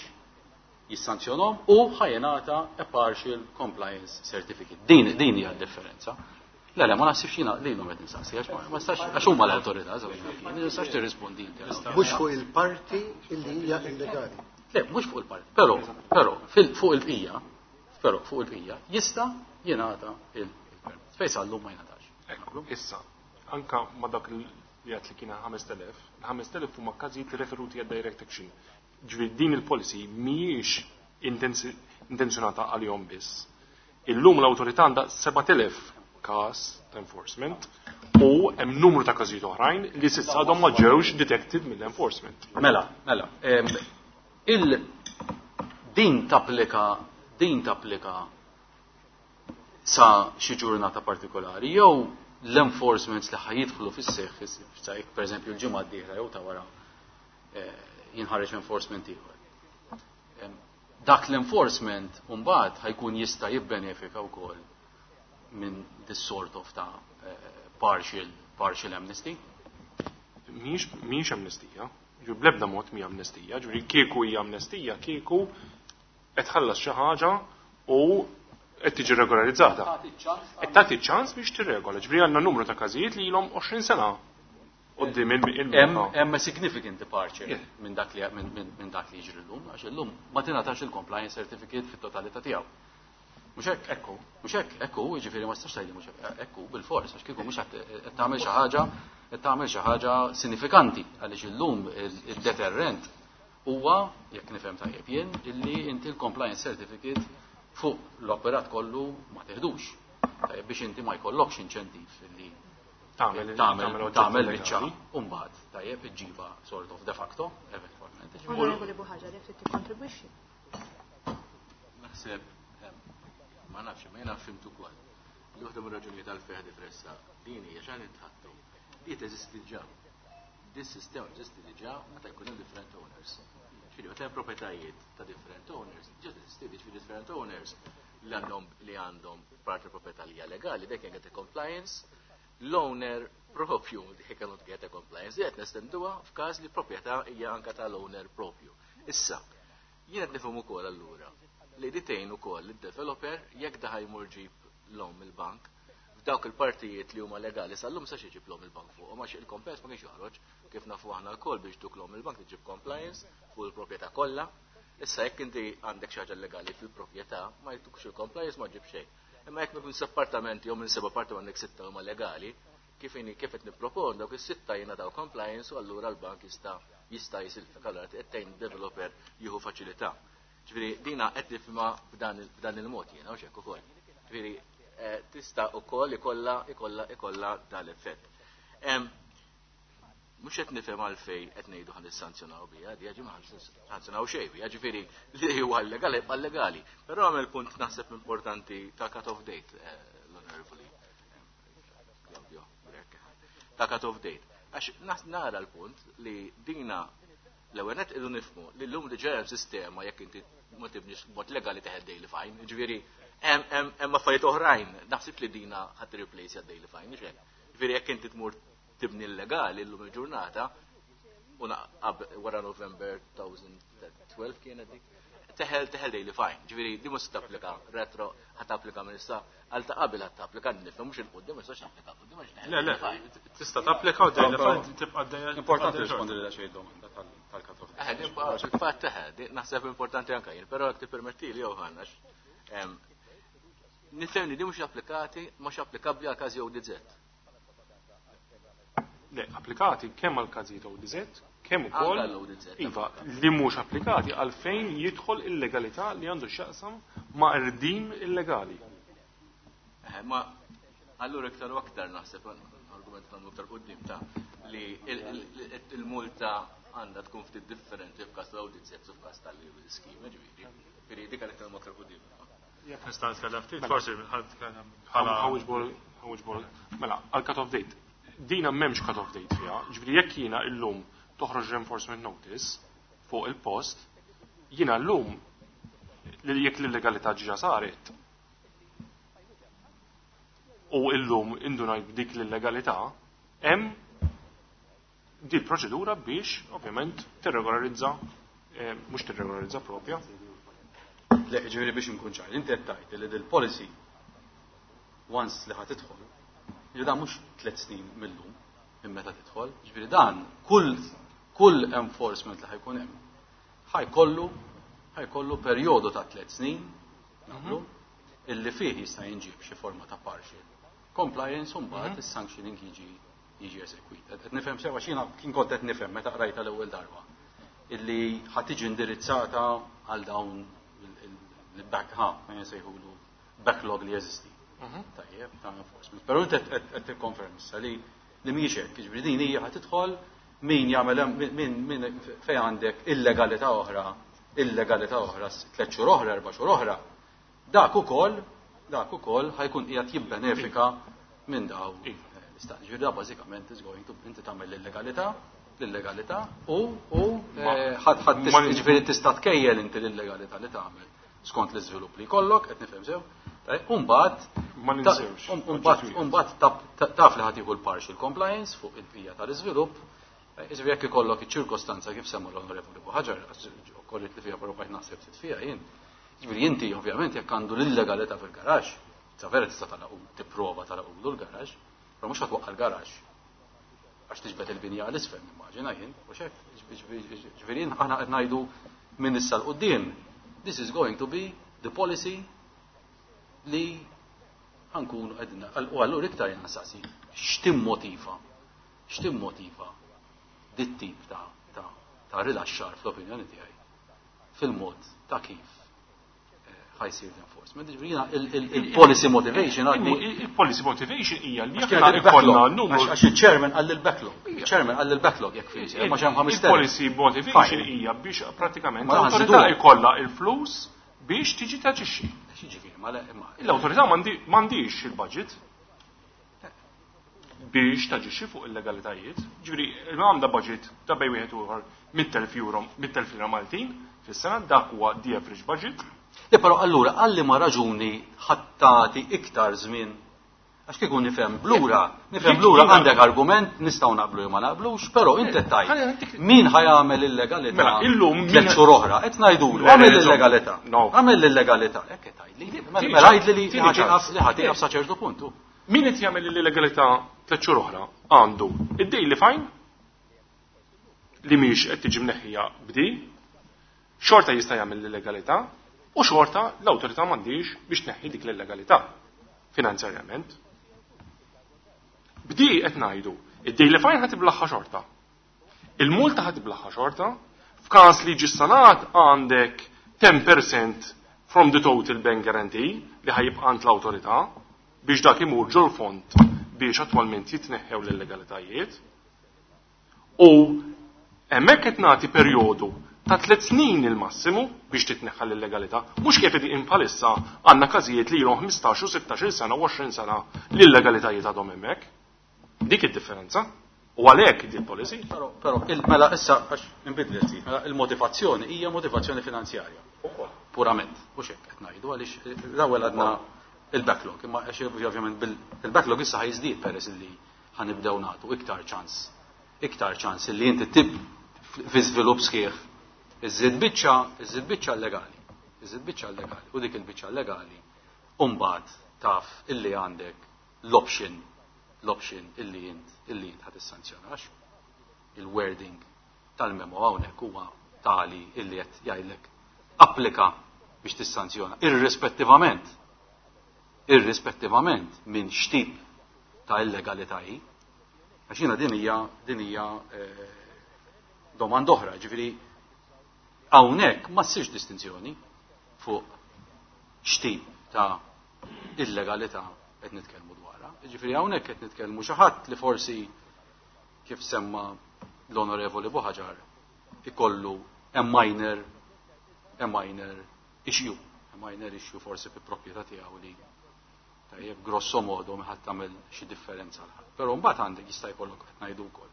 jissanzjonom u ħajenata a partial compliance certificate. Din hija d-differenza. Le, le, ma naħsibx jiena lilhom qed nistaqsi, għax ma nistax, għax huma l-awtorità, żewġ, ma nistax tirrispondi inti. Mhux fuq il-parti illi hija illegali. Le, mhux fuq il-parti, però fuq il-bqija, però fuq il-bqija jista' jingħata il-permess. Fejn sal-lum ma jingħatax. Ekku, issa, anka ma dak li għedt li kien 5000, il-5000 huma każijiet referuti għad direct action. Ġifieri din il-policy mhijiex intenzjonata għalihom biss. Illum l-awtorità għandha 7000 każ ta' enforcement u hemm numru ta' każijiet oħrajn li s'issa għadhom ma ġewx detected mill-enforcement. Mela, mela, il din tapplika, din tapplika sa xi ġurnata partikolari jew l-enforcements li ħajjidħlu fis-seħħ, sa jekk pereżempju l-ġimgħa d-dieħla jew ta' wara jinħareġ enforcement ieħor. Dak l-enforcement mbagħad ħajkun jista' jibbenefika wkoll minn this sort of ta' partial amnesty. Mhijiex amnestija. Ġifieri bl-ebda mod mhija amnestija, ġifieri kieku hija amnestija, kieku qed tħallas xi ħaġa u qed tiġi regolarizzata. Qed tagħti ċans biex tirregola. Ġifieri għandna numru ta' każijiet li ilhom 20 sena quddiem il Hemm a significant departure minn dak li minn dak li jiġri llum, għax illum ma tingħatax il-compliance certificate fit-totalità tiegħu. Mhux hekk? Ekku. Mhux hekk, ekku, jiġifieri ma tistax tgħidli mhux hekk, ekku bilfors, għax kieku mhux qed tagħmel xi ħaġa qed tagħmel xi ħaġa sinifikanti għaliex illum id-deterrent huwa, jekk nifhem tajjeb jien, illi inti l-compliance certificate fuq l-operat kollu ma teħdux. Tajjeb biex inti ma jkollokx inċentiv illi tagħmel tagħmel biċċa u mbagħad tajjeb iġġibha sort of de facto eventwalment. Onorevoli Buhaġar, jekk trid tikkontribwixxi. Naħseb ma nafx, ma jiena fhimt ukoll li waħda mir-raġunijiet għalfejn ħadd tressaq din hija x'għan nitħattu. Di teżisti diġà. Dis sistema teżisti diġà meta jkun hemm different owners. Ġifieri meta hemm proprjetajiet ta' different owners, diġà teżisti ġifieri different owners li għandhom li għandhom parti proprjetà li hija legali, they can get a compliance, l-owner propju they cannot get a compliance, di qed nestenduha f'każ li proprjetà hija anka tal-owner propju. Issa, jien qed nifhem ukoll allura li di tgħin ukoll id-developer jekk daħ jmur ġib loan mill-bank f'dawk il-partijiet li huma legali sal-lum sa iġib loan il-bank fuq għax il-compliance ma kienx joħroġ kif nafu aħna lkoll biex tuk loan il-bank tiġib compliance fuq il-proprjetà kollha. Issa jekk inti għandek xi ħaġa legali fil-proprjetà ma jtukx il-compliance ma ġib xejn. Imma jekk minn appartamenti jew minn seba' appartamenti għandek sitta huma legali, kif inhi kif qed nippropon dawk is-sitta jingħataw compliance u allura l-bank jista' jista' jisilfek allura qed tgħin developer jieħu faċilità. Ġifieri dina qed nifhimha b'dan il-mod jiena u hekk ukoll. Ġifieri tista' ukoll ikollha ikollha ikollha dal-effett. Mhux qed nifhem għalfejn qed ngħidu ħa nissanzjonaw biha, di ġi ma sanzjonaw xejn biha, ġifieri li huwa legali jibqa' legali. Però għamel punt naħseb importanti ta' cut-off date l-Onorevoli Claudio Grech. Ta' cut-off date. Għax nara l-punt li dina l-ewwel nett irridu nifhmu li llum diġà hemm sistema jekk inti ma tibniex b'mod legali teħed daily fine, ġifieri hemm affarijiet oħrajn, naħseb li dina ħadd replace daily fine, mhux hekk. Ġifieri jekk inti tmur tibni l-legali llum il-ġurnata u wara November 2012 kienet dik, teħel teħel daily fine. Ġifieri di mhux tapplika retro, ħa tapplika minn issa għal ta' qabel ħa tapplika nifhem mhux il-quddiem ma jistax tapplika quddiem għax Le, le, tista' tapplika u daily fine tibqa' dejjem. Importanti rispondi li xejn domanda tal-cut-off. Fil-fatt eħe, naħseb importanti anke jien, però jekk tippermettili Johan għax nifhem li di mhux applikati, mhux applikabbli għal każi ODZ. Le, applikati kemm għal każijiet ODZ, kemm ukoll Anke l-ODZ. Iva, li mhux applikati għalfejn jidħol illegalità li għandu x'jaqsam ma' irdim illegali. Ma allura iktar u aktar naħseb argument nagħmlu iktar quddiem ta' li il-multa għandha tkun ftit differenti f'każ tal-ODZ u f'każ tal-scheme, ġifieri. Ġifieri dik għalhekk nagħmlu aktar quddiem. Jekk nista' nitkellem ftit, forsi ħadd nitkellem bħala Ħawġ bol. Mela, għal cut-off date. Dina m'hemmx cut-off date fiha, ġifieri jekk jiena illum toħroġ reinforcement notice fuq il-post, jiena llum li jekk l-illegalità ġiġa saret u illum indunajt b'dik l-illegalità, hemm di proċedura biex ovvjament tirregolarizza, mhux tirregolarizza propja. Le, ġifieri biex nkun ċar, inti qed tgħid li dil-policy once li ħa tidħol, ġifieri dan mhux 3 snin mill-lum minn meta tidħol, ġifieri dan kull enforcement li ħajkun hemm ħajkollu perjodu ta' 3 snin nagħmlu illi fih jista' jinġib xi forma ta' partial compliance u mbagħad is-sanctioning jiġi eżekwit. Qed nifhem sewa x'jiena kien kont qed nifhem meta qrajta l-ewwel darba illi ħa tiġi indirizzata għal dawn il-back ha, ma nsejħulu backlog li jeżisti. Tajjeb, ta' enforcement. Però inti qed tikkonferm issa li mhijiex hekk, jiġifieri din hija ħa tidħol min jagħmel min min fejn għandek illegalità oħra, illegalità oħra, 3 xhur oħra, 4 xhur oħra, dak ukoll ħajkun qiegħed jibbenefika minn daw l-istat. Ġifieri da bażikament is going to inti tagħmel l-illegalità, l-illegalità u ħadd ħadd ġifieri tista' tkejjel inti l-illegalità li tagħmel skont l-iżvilupp li jkollok, qed nifhem sew. Tajjeb, u mbagħad Ma ninsewx. u mbagħad taf li ħadd jieħu l-partial compliance fuq il-bqija tal-iżvilupp. Jiġifieri jekk ikollok iċ-ċirkostanza kif semma l-Onorevoli Buhaġar, okkorriet li fiha però bqajt naħseb ftit fiha jien. Jiġifieri inti ovvjament jekk għandu l-illegalità fil-garaxx, sa vera tista' tagħlaqu tipprova tagħlaqulu l-garaxx, però mhux ħa twaqqa' l-garaxx għax tiġbed il-binja għal isfel nimmaġina jien, u xek, ġifieri aħna qed ngħidu minn issa 'l quddiem, this is going to be the policy li ħa nkunu qegħdin u allura iktar jien nsaqsi x'timmotiva x'timmotiva dit-tip ta' ta' ta' rilaxxar fl-opinjoni tiegħi fil-mod ta' kif ħa jsir l-enforcement. Ġifieri jiena il-policy motivation għadni. Il-policy motivation hija li aħna ikollna numru. Għax il-chairman qal il-backlog. Il-chairman qal il-backlog jekk fih, ma hemm ħames Il-policy motivation hija biex pratikament l-awtorità jkollha il-flus biex tiġi taġixxi. Ġifieri, ma le L-awtorità m'għandix il-budget biex taġixxi fuq il-legalitajiet. Ġifieri, għandha budget ta' bejn wieħed u ieħor 100,000 euro, 100,000 lira Maltin fis-sena, dak huwa the average budget. Le, però allura għal liema raġuni ħa tagħti iktar żmien? Għax kieku nifhem blura, nifhem blura għandek argument nistgħu naqblu jew ma naqblux, però inti qed tgħid min ħa jagħmel illegalità Mela, illum tliet xhur oħra, qed ngħidulu għamel illegalità. Għamel l-illegalità, hekk qed tgħidli. Mela għidli li ħa tieqaf li ħa tieqaf sa ċertu punt. Min qed jagħmel l-illegalità 3 xhur oħra għandu id-daily fine li mhix qed tiġi mneħħija b'di, xorta jista' jagħmel l-illegalità u xorta l-awtorità m'għandix biex tneħħi dik l-illegalità finanzjarjament. B'di qed ngħidu, id-daily fine ħa tiblaħħa xorta. Il-multa ħa tiblaħħa xorta, f'każ li ġi sanat għandek 10% from the total bank guarantee li ħa jibqa' għand l-awtorità biex dak imur ġol fond biex attwalment jitneħħew l-illegalitajiet. U hemmhekk qed nagħti perjodu ta' 3 snin il-massimu biex titneħħa l-illegalità, mhux kif qegħdin bħalissa għandna każijiet li ilhom 15 u 16 sena u 20 sena li l-illegalitajiet għadhom hemmhekk. Dik id-differenza. U għalhekk di policy. Però, però, mela issa għax inbidlet ftit, mela il-motivazzjoni hija motivazzjoni finanzjarja. Purament, mhux hekk qed ngħidu għaliex l-ewwel għadna il-backlog, imma għax ovvjament il-backlog issa ħa jiżdied peress li ħa nibdew nagħtu iktar ċans, iktar ċans li inti tib fi żvilupp sħiħ iżżid biċċa, iżżid biċċa legali, iżżid biċċa legali, u dik il-biċċa legali u mbagħad taf illi għandek l-option, l-option illi int, illi int ħa tissanzjonax. Il-wording tal-memo hawnhekk huwa tali illi qed jgħidlek applika biex tissanzjona irrispettivament, irrispettivament minn x'tip ta' illegalità hi. Għax jiena din hija, din hija domanda oħra, ġifieri hawnhekk ma ssirx distinzjoni fuq x'tip ta' illegalità qed nitkellmu dwarha. Ġifieri hawnhekk qed nitkellmu xi ħadd li forsi kif semma l-Onorevoli Buhaġar ikollu a minor, a minor issue, a minor issue forsi fi proprjetà tiegħu li tajjeb grosso modo ma ħadd tagħmel xi differenza għal ħadd. Però mbagħad għandek jista' jkollok qed ngħidu wkoll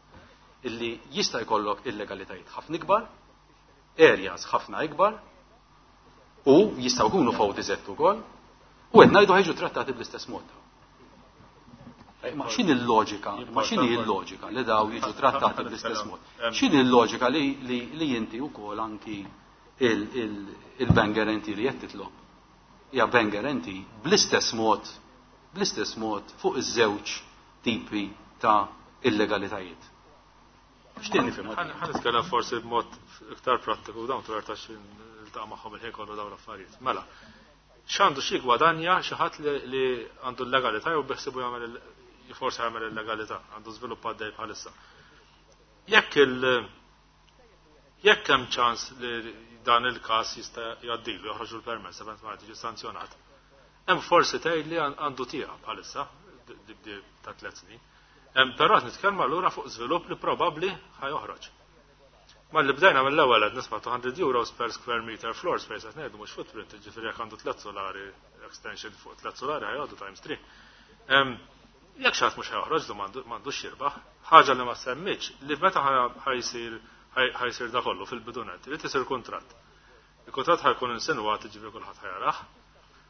illi jista' jkollok illegalitajiet ħafna ikbar, areas ħafna ikbar, u jistgħu jkunu f'ODZ ukoll, u qed ngħidu ħa jiġu trattati bl-istess mod. Ma x'inhi l-loġika? Ma x'inhi l-loġika li daw jiġu trattati bl-istess mod? X'inhi l-loġika li inti wkoll anki il-bank guarantee li qed titlob hija bank guarantee bl-istess mod, bl-istess mod fuq iż-żewġ tipi ta' illegalitajiet. X'tieni nifhem? Ħa nitkellem forsi b'mod iktar prattiku dawn twertax niltaqa' magħhom il-ħin kollu dawn l-affarijiet. Mela, x'għandu xi gwadanja xi ħadd li għandu l-legalità jew biħsibu jagħmel forsi jagħmel il-legalità, għandu żvilupp għaddej bħalissa. Jekk hemm ċans li dan il-każ jista' jgħaddilu, joħroġu l-permess, eventwalment jiġi sanzjonat, hemm forsi tgħid li għandu tieqa bħalissa ta' 3 snin. Però qed nitkellmu allura fuq żvilupp li probabbli ħa joħroġ. Ma li bdejna mill-ewwel qed nisma' 200 euros per square meter floor space qed ngħidu mhux footprint, jiġifieri jekk għandu 3 solari extension fuq 3 solari ħa jgħoddu times 3. Jekk xi ħadd mhux ħa joħroġ m'għandux jirbaħ, ħaġa li ma semmitx li meta ħajsir da kollu fil-bidunet, irid isir kuntratt. Il-kuntratt ħajkun insinwat, jiġifieri kulħadd ħajarah.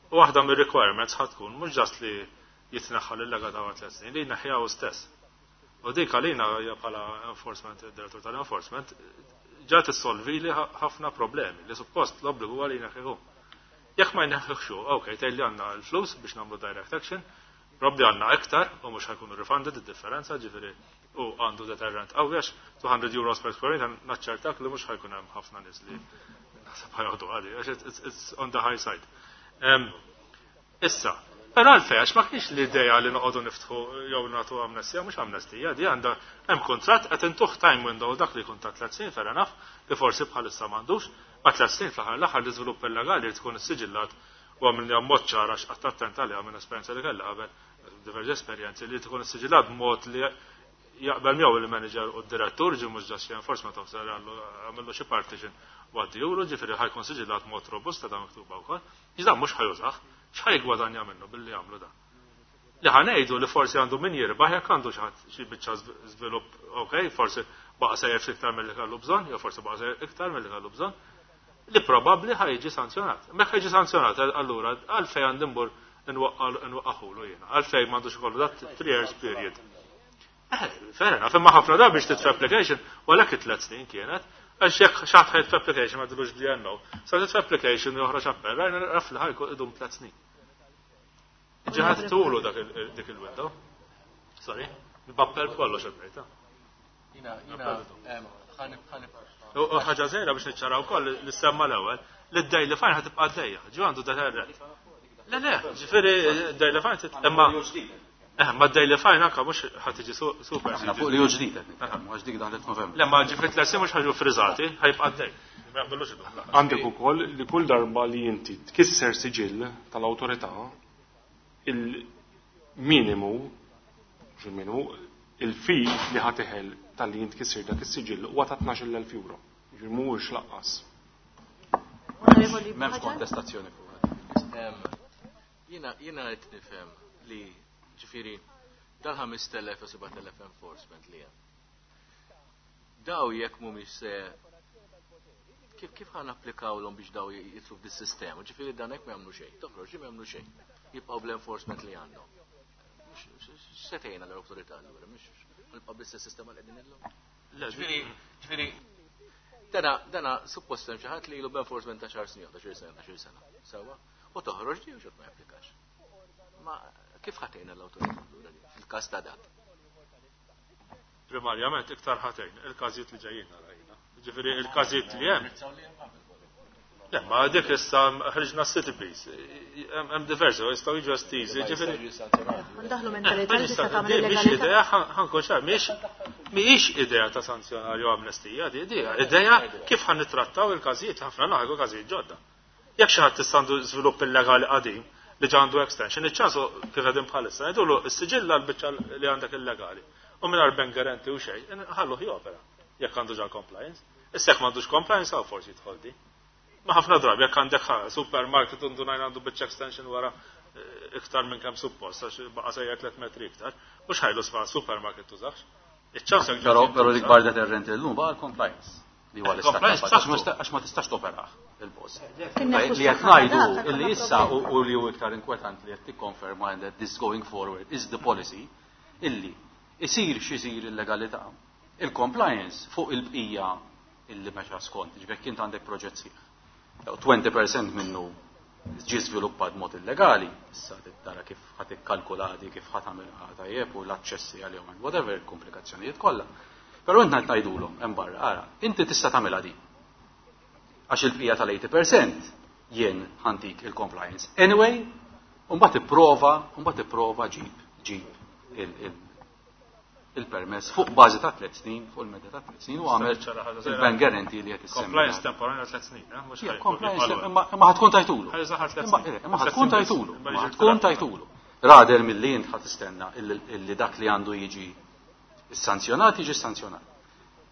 U waħda mir-requirements ħa tkun mhux ġast li jitneħħa l-illegalità wara 3 snin, li jneħħiha hu stess. U dik għalina hija bħala enforcement, direttur tal-enforcement, ġa tissolvi li ħafna problemi li suppost l-obbligu għalina kieku. Jekk ma jneħħux, ok, tgħid li għandna l-flus biex nagħmlu direct action, probabli għandna iktar u mhux ħa jkunu refunded id-differenza, ġifieri u għandu deterrent qawwi għax 200 euros per square meter naċċertak li mhux ħa jkun hemm ħafna nies li naħseb ħa joħdu għadi, għax it's on the high side. Issa, però għalfejn, għax ma kienx l-idea li noqogħdu niftħu jew nagħtu amnestija, mhux amnestija, di għandha hemm kuntratt qed intuh time window dak li jkun ta' 3 snin, fair enough, li forsi bħalissa m'għandux, ma 3 snin fl-aħħar l-aħħar l-iżvilupp illegali li tkun issiġillat u għamilni mod ċara x'qatt attent għaliha minn esperjenza li kellha qabel, diversi esperjenzi li tkun issiġillat b'mod li jaqbel miegħu il-manager u d-direttur, ġi mhux ġast enforcement officer għamillu xi partition u għaddijulu, ġifieri ħa jkun siġillat mod robusta da miktuba wkoll. Iżda mhux ħa jużah, x'ħa jiggwadanja minnu billi jagħmlu dan? Li ħa ngħidu li forsi għandu min jirbaħ jekk għandu xi ħadd xi biċċa żvilupp, ok, forsi baqa' sejjer ftit iktar milli kellu bżonn, jew forsi baqa' sejjer iktar milli kellu bżonn, li probabbli ħa jiġi sanzjonat. Mekk jiġi sanzjonat, allura għalfejn għandi mbur nwaqqaħulu jiena, għalfejn m'għandux ikollu dat 3 years period. Fair enough, imma ħafna drabi biex titfa' application, u għalhekk it-3 snin kienet, għax jekk xi ħadd ħa jitfa' application ma dilux DNO, sa titfa' application u joħroġ appell, rajna naf li ħa jkun idum 3 snin. Ġiħat tulu dak dik il-window. Sorry, b'appell b'kollox il-brejta. Jina, jina, ħanib, ħanib. U ħaġa żgħira biex niċċaraw ukoll li semma l-ewwel, li d-daily fine ħa tibqa' għaddejja, ġu għandu deterrent. Le, le, ġifieri daily fine imma ma daily fine anka mhux ħa tiġi super. Aħna fuq li hu ġdid qed nitkellmu, għax dik daħlet Novembru. Le, ma ġifieri tlessi mhux ħaġu friżati, ħa jibqa' għaddej. Ma jaqbillux idum. Għandek ukoll li kull darba li inti tkisser siġill tal-awtorità, il-minimu, mhux il-minimu, il-fee li ħa teħel tal-li int tkisser dak is-siġill huwa ta' 12,000 euro. Ġifieri mhuwiex laqqas. Onorevoli M'hemmx Buhaġar? kontestazzjoni fuq. Jiena qed nifhem li ġifieri dal-5,000 u 7,000 enforcement li hemm. Daw jekk mhumiex se kif ħa napplikawlhom biex daw jitlu f'dis-sistema, ġifieri dan hekk ma jagħmlu xejn, toħroġ ma jagħmlu xejn. Jibqgħu bl-enforcement li għandhom. X'setejna l-awtorità allura, mhux nibqa' bl-istess sistema li qegħdin illum. Le, Ġifieri, dana suppost hemm xi ħadd li ilu b'enforcement ta' xar snin, ta' xi sena, ta' xi sena. Sewwa? U toħroġ di u xort ma japplikax. Ma kif ħa tgħinna l-awtorità allura di fil-każ ta' dak? Primarjament iktar ħa tgħin il-każijiet li ġejjin għalajna. Ġifieri il-każijiet li hemm. Le, ma dik issa ħriġna City Peace. Hemm diversi, jistgħu jiġu estiżi, ġifieri. Ndaħlu mentalità li tista' tagħmel Mhix illegalità. idea, ħa nkun ċar, mhijiex idea ta' sanzjonar jew amnestija, di idea kif ħa nittrattaw il-każijiet, ħafna naħgu każijiet ġodda. Jekk xi ħadd issa għandu żvilupp illegali qadim li ġa għandu extension, iċ-ċansu kif qegħdin bħalissa, ngħidulu s-siġilla l-biċċa li għandek illegali. U mingħajr bank guarantee u xejn, ħalluh jopera jekk għandu ġa compliance. Issa jekk m'għandux compliance, hawn forsi jidħol di. Ma ħafna drabi jekk għandek supermarket undu ngħid għandu biċċa extension wara iktar minn kemm suppost, għax baqa' sejjer 3 metri iktar, mhux ħajlu sfa supermarket tużax. Iċ-ċans jekk Però ġie l-ikbar deterrent illum baqa' l-compliance. Li huwa l-istat Compliance ta' b'saħħtu. għax ma tistax toperaħ il-post. Kien neħu Li qed s-saħħa ngħidu dak, illi għandna issa problema. u li hu iktar inkwetant li qed tikkonferma that this going forward is the policy illi isir x'isir illegalità. Il-compliance fuq il-bqija illi mexa skont, ġifieri jekk int għandek proġett sieħ. Jew 20% minnu ġie żviluppat mod illegali, issa tara kif ħa tikkalkulati, kif ħa tagħmilha tajjeb u l-aċċessi għalihom and whatever, il-komplikazzjonijiet kollha. Però int ngħid ngħidulhom hemm barra, ara, inti tista' tagħmilha din. Għax il-bqija tal-80% jien ħa ntik il-compliance. Anyway, u mbagħad ipprova, u mbagħad ipprova ġib il-permess fuq bażi ta' 3 snin, fuq il-medda ta' 3 snin u għamel il-bank guarantee li qed issemmi. Compliance temporanja 3 snin, mhux Yeah, ħajkun compliance jibqa' imma ħa tkun tajtulu. Ħa jużaha 3 Imma snin. imma ħa Tliet tkun snin biss. tajtulu. Imma Imma jiġi ħa tkun tliet. tajtulu. Rather milli int ħa tistenna illi dak li għandu jiġi sanzjonat jiġi sanzjonat.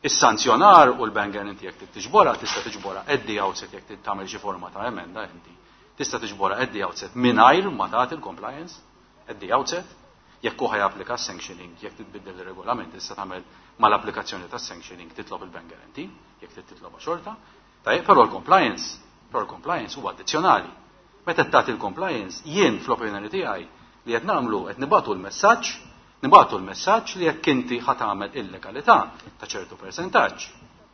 Is-sanzjonar u l-bank guarantee jekk tiġbora, tista' tiġbora at the outset jekk tagħmel xi forma ta' emenda inti. Tista' tiġbora at the outset mingħajr ma tagħti il-compliance at the outset. Jekk hu ħajapplika sanctioning, jekk titbiddel ir-regolament, tista' tagħmel mal-applikazzjoni tas sanctioning titlob il-bank guarantee, jekk trid titloba xorta. Tajjeb, però l-compliance huwa addizzjonali. Meta tagħti l-compliance, jien fl-opinjoni tiegħi li qed nagħmlu qed nibatu l-messaġġ Nibagħtu l-messaġġ li jekk inti ħa tagħmel illegalità ta' ċertu persentaġġ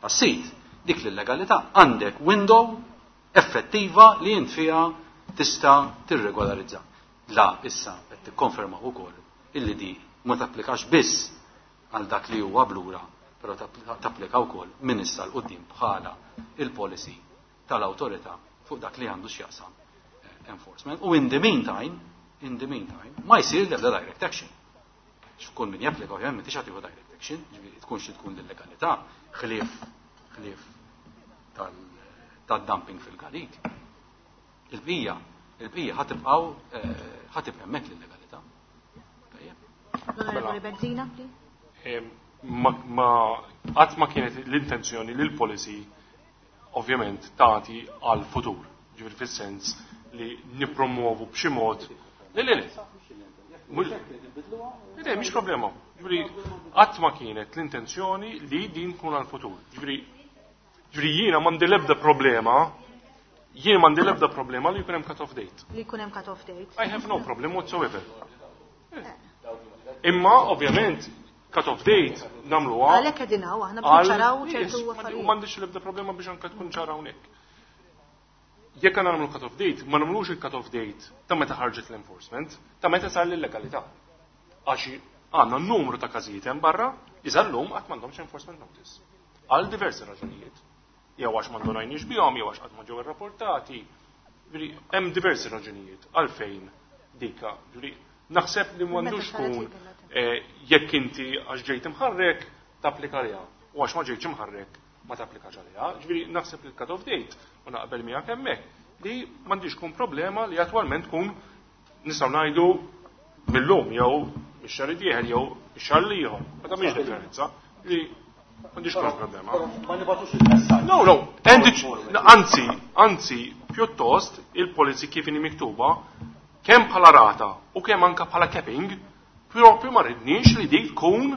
tas-sit, dik l-illegalità għandek window effettiva li int fiha tista' tirregolarizza. La issa qed tikkonfermaw ukoll illi di ma tapplikax biss għal dak li huwa blura, però tapplika wkoll minn issa 'l quddiem bħala il-policy tal-awtorità fuq dak li għandu x'jaqsam enforcement. U in the meantime, in the meantime, ma jsir l-ebda direct action. X'kull min japplika ovvjament m'intix ħa tieħu direct action, ġifieri tkun xi tkun l-illegalità, ħlief ħlief tad-dumping fil-garik. Il-bqija, il-bqija ħa tibqgħu ħa tibqa' hemmhekk l-illegalità. L-Onorevoli Bezzina, please. Ma qatt ma kienet l-intenzjoni li l-policy ovvjament tagħti għal futur. Ġifieri fis-sens li nippromuovu b'xi mod. Le, le, le. Le, mhix problema. Ġifieri qatt ma kienet l-intenzjoni li din tkun għal futur. Ġifieri ġifieri jiena m'għandi l-ebda problema jien m'għandi l-ebda problema li jkun hemm cut-off date. Li jkun hemm cut-off date. I have no problem whatsoever. Imma ovvjament cut-off date nagħmluha. Għalhekk qegħdin hawn aħna biex niċċaraw ċertu affarijiet. U m'għandix l-ebda problema biex anke tkun ċara hawnhekk. Jekk għandna nagħmlu cut-off date, ma nagħmlux il-cut-off date ta' meta ħarġet l-enforcement, ta' meta sar l-illegalità. Għax għandna numru ta' każijiet hemm barra li sal-lum qatt m'għandhomx enforcement notice. Għal diversi raġunijiet. Jew għax ma ndunajniex bihom, jew għax qatt ma ġew irrapportati. Hemm diversi raġunijiet għalfejn dika. Naħseb li m'għandux tkun jekk inti għax ġejt imħarrek tapplika għaliha u għax ma ġejtx imħarrek ma tapplikax għaliha. Ġifieri naħseb li l-cut-off date u naqbel miegħek hemmhekk li m'għandix tkun problema li attwalment tkun nistgħu ngħidu mill-lum jew mix-xahar id-dieħel jew ix-xahar l-ieħor. Ma tagħmilx differenza li m'għandix tkun problema. Ma nibgħatux il-messaġġ. No, no, anzi, anzi, pjuttost il-policy kif inhi miktuba kemm bħala rata u kemm anka bħala capping, propju ma rridniex li dik tkun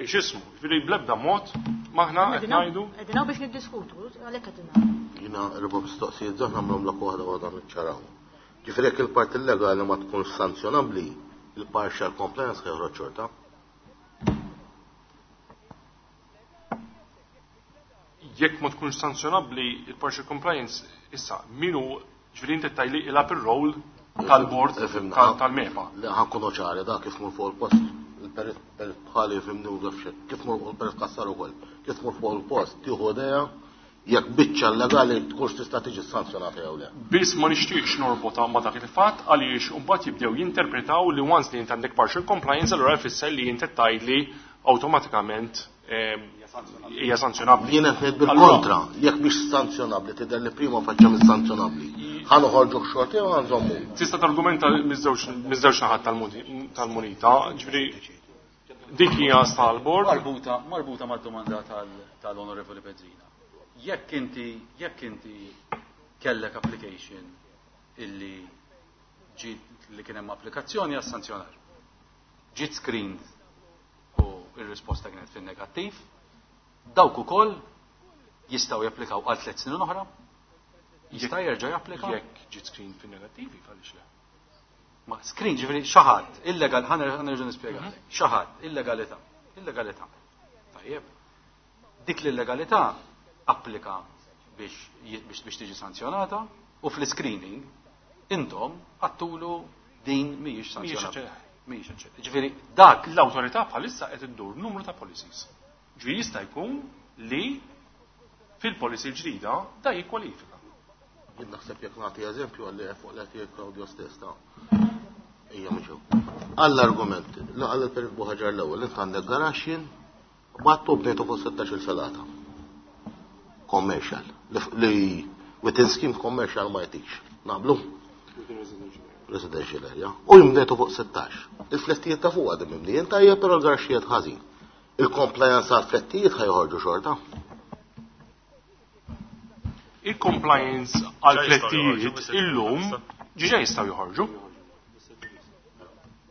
x'ismu, ġifieri bl-ebda mod maħna qed ngħidu. Qegħdin hawn biex niddiskutu, għalhekk qegħdin hawn. Jiena erba' mistoqsijiet żgħar nagħmlhom lok waħda waħda niċċaraw. Ġifieri jekk il-parti legali ma tkunx sanzjonabbli, il-partial compliance ħa joħroġ xorta. Jekk ma tkunx sanzjonabbli, il-partial compliance issa minu ġifieri inti tgħidli ilgħab ir-role tal-board tal-MEPA. Le ħa nkunu ċari da kif mur fuq il-post, il-perit bħali fimni u għafxek, kif mur fuq il-perit Cassar ukoll, kif mur fuq il-post tieħu idea jekk biċċa legali tkunx tista' tiġi sanzjonata jew le. Biss ma nixtieqx norbotha ma' dak il-fatt għaliex imbagħad jibdew jinterpretaw li once li int għandek partial compliance allura jfisser li int qed tgħidli awtomatikament hija sanzjonabbli. Jien qed ngħid bil-kontra, jekk mhix sanzjonabbli tidher li prima faċċa mhix sanzjonabbli. Ħa noħorġu xorti jew ħa nżommu. Tista' targumenta miż-żewġ naħat tal-munita, ġifieri dik hija tal-bord. Marbuta, marbuta mad-domanda tal-Onorevoli Bezzina. Jekk inti kellek application illi ġiet li kien hemm applikazzjoni għas sanzjonar. Ġiet screened u r-risposta kienet fin-negattiv, dawk ukoll jistgħu japplikaw għal 3 snin oħra? Jista' jerġa' japplika? Jekk ġiet screened fin-negattiv, għaliex le? Ma screen ġifieri xi ħadd illegal, ħa nerġa' nispjega. Xi ħadd illegalità, illegalità. Tajjeb. Dik l-illegalità applika biex tiġi sanzjonata u fl-screening intom għattulu din mhijiex sanzjonata. Mhijiex aċċettabbli. Ġifieri dak l-awtorità bħalissa qed iddur numru ta' policies. Ġifieri jista' jkun li fil-policy l-ġdida da jikkwalifika. Jien naħseb jekk nagħti eżempju għalli fuq l qed Claudio stess ta' hija mhux hekk. Għall-argument, la għal il-Perit Buhaġar l-ewwel, int għandek garaxxin battu bnejtu fuq 16-il filata. Commercial. Li within scheme commercial ma jtix. Naqblu? Residential area. U jimdejtu fuq 16. Il-flettijiet ta' fuq għadhom mimlijin tajjeb, però l-garaxxijiet ħażin. Il-compliance għal flettijiet ħajħorġu xorta. Il-compliance għal flettijiet illum ġiġa jistgħu joħorġu.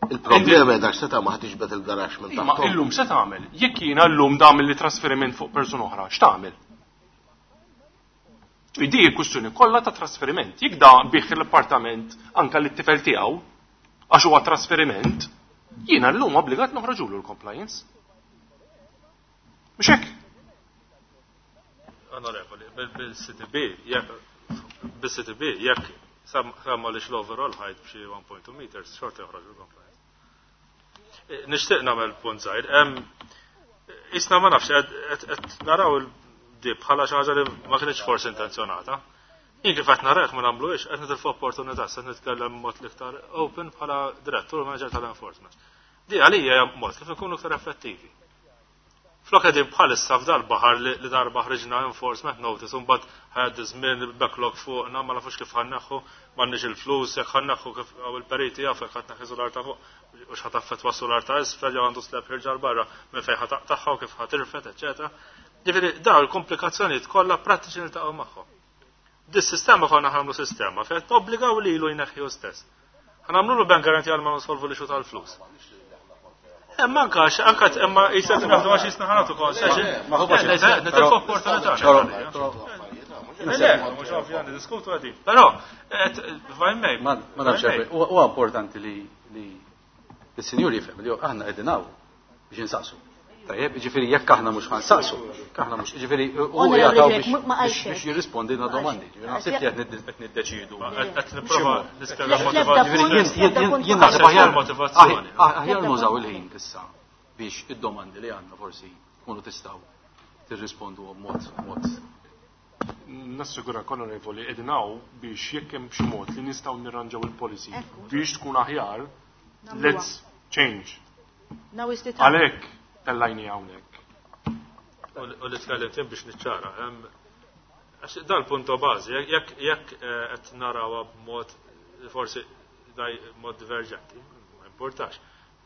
Il-problema hija dak se tagħmel ħa tiġbed il-garaxx minn Ma taħt. illum se tagħmel? Jekk jiena llum tagħmel li trasferiment fuq persuna oħra, x'tagħmel? Di kwistjoni kollha ta' trasferiment. Jekk da bih l-appartament anka lit-tifel tiegħu għax huwa trasferiment, Jiena llum obbligat noħroġulu l-compliance. Mhux hekk? Onorevoli, bil-CTB, jekk bil-CTB, jekk samma li l-overall height b'xi 1.2 meters, xorta joħroġ il-compliance. Nixtieq nagħmel punt żgħir. Isna ma nafx qed naraw il-dib bħala xi ħaġa li ma kienx forsi intenzjonata. Jien kif qed narah ma nagħmluhiex qed nitilfu opportunità se nitkellem mod l-iktar open bħala direttur manager tal-enforcement. Di għalija hija mod kif ikunu iktar effettivi. Flok qegħdin bħalissa f'dal baħar li darba ħriġna enforcement notice u mbagħad ħajgħaddi żmien backlog fuqna ma nafux kif ħanneħħu, m'għandniex il-flus, jekk ħanneħħu kif hawn il-periti jafu jekk ħadd neħħi sular ta' fuq u x'ħa taffettwa s-sular ta' isfel jew għandu slab ħirġa 'l barra minn fejn ħa taqtagħha u kif ħa tirfed, eċċetera. Ġifieri dawn il-komplikazzjonijiet kollha prattiċi niltaqgħu magħhom. Dis-sistema konna ħamlu sistema fejn tobbligaw lilu jneħħi hu stess. Ħanamlu bank guarantee għal ma nsolvu li xu tal-flus. Imma anka anka imma jisek naħdu għax jisna ħanatu concession. Ma huwa nitilfu opportunità. Le, mhux ovvja diskutu għadi. Però, vajmej. Ma nafx, huwa importanti li l-sinjur jifhem li aħna qegħdin hawn biex insaqsu. Tajjeb, ġifieri jekk aħna mhux ħansaqsu, jekk aħna mhux, ġifieri u jagħtaw biex jirrispondi na domandi. Ġifieri naħseb li qed niddeċiedu. Qed nipprova nispjega motivazzjoni. Jien naħseb aħjar motivazzjoni. Aħjar nużaw il-ħin issa biex id-domandi li għandna forsi tkunu tistgħu tirrispondu b'mod mod Nassigurak onorevoli qegħdin hawn biex jekk hemm xi mod li nistgħu nirranġaw il-policy biex tkun aħjar, let's change. Now is the time. Għalhekk tellajni hawnhekk. U li tkellimt jien biex niċċara. Għax dal-punto bażi, jekk jekk qed narawha b'mod forsi daj mod diverġenti, ma importax.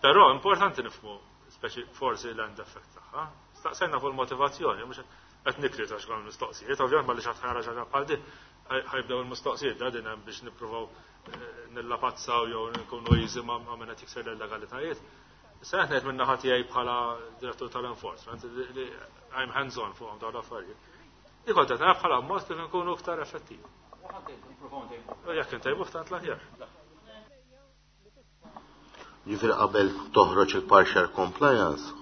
Però importanti nifhmu speċi forsi l-end effect tagħha. Staqsejna fuq il-motivazzjoni, mhux qed nikrita x'kon mistoqsijiet, ovvjament ma li xi ħara xi bħal din ħajbdew il-mistoqsijiet da din hemm biex nippruvaw nillapazzaw jew nkunu easy ma' min qed jikser l-illegalitajiet. Issa qed ngħid min-naħa tiegħi bħala direttur tal-enforcement li I'm hands on fuqhom dawn l-affarijiet. Li kont qed nara bħala mod kif nkunu iktar effettivi. U jekk intejbuh tant l-aħjar. Ġifieri qabel toħroġ il-partial compliance,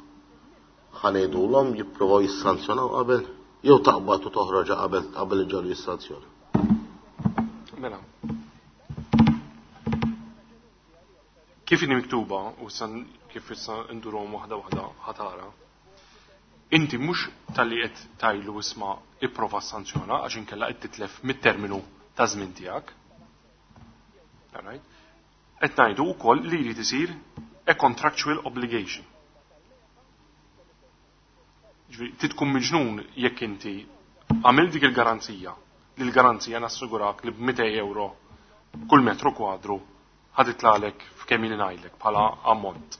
ħa ngħidulhom jippruvaw jissanzjonaw qabel jew taqbad u toħroġha qabel qabel iġġagħlu jissanzjona. Mela. Kif inhi miktuba u issa kif issa ndurhom waħda waħda ħatara, inti mhux talli qed tgħidlu isma' ipprova ssanzjona għax inkella qed titlef mit-terminu ta' żmien tiegħek. All right? Qed ngħidu wkoll li jrid isir a contractual obligation. Ġifieri trid tkun miġnun jekk inti għamilt dik il-garanzija, li l-garanzija nassigurak li b'200 euro kull metru kwadru ħa titlagħlek f'kemm ili ngħidlek bħala ammont.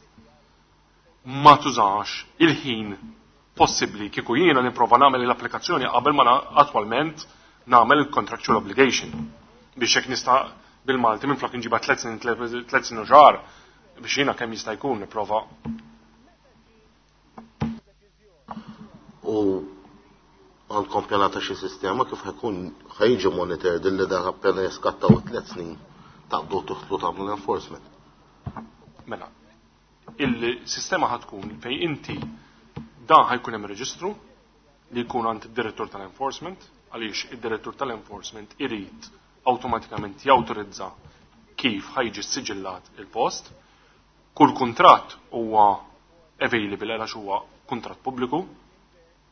Ma tużax il-ħin possibbli kieku jiena nipprova nagħmel l-applikazzjoni qabel ma attwalment nagħmel il-contractual obligation biex hekk nista' bil-Malti minflok inġibha tliet snin 3 snin u xahar biex jiena kemm jista' jkun nipprova. U għandkom pjanata xi sistema kif ħajkun ħajġi monitored illi dak appena jiskattaw it-3 snin taqbdu tidħlu tagħmlu l-enforcement? Mela, il-sistema ħa tkun fej inti dan ħajkun hemm reġistru li jkun għand id-direttur tal-enforcement, għaliex id-direttur tal-enforcement irid awtomatikament jawtorizza kif ħajġi siġillat il-post. Kull kuntratt huwa available għax huwa kuntratt pubbliku.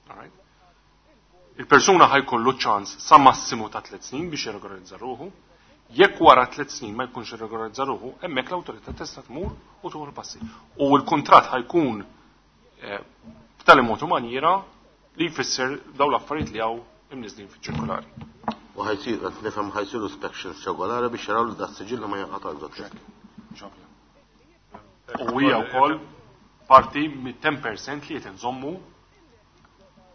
Alright. Il-persuna ħajkollu ċans sa massimu ta' 3 snin biex jirregolarizza ruħu. Jekk wara 3 snin ma jkunx irregolarizza ruħu, hemmhekk l-awtorità tista' tmur u tieħu l-passi. U l-kuntratt ħajkun b'tali mod u maniera li jfisser dawn l-affarijiet li hawn imniżlin fiċ-ċirkolari. U ħajsir, qed nifhem ħajsiru inspections regolari biex jaraw li da siġilli ma jinqatax dak U hija wkoll parti mit-10% li qed inżommu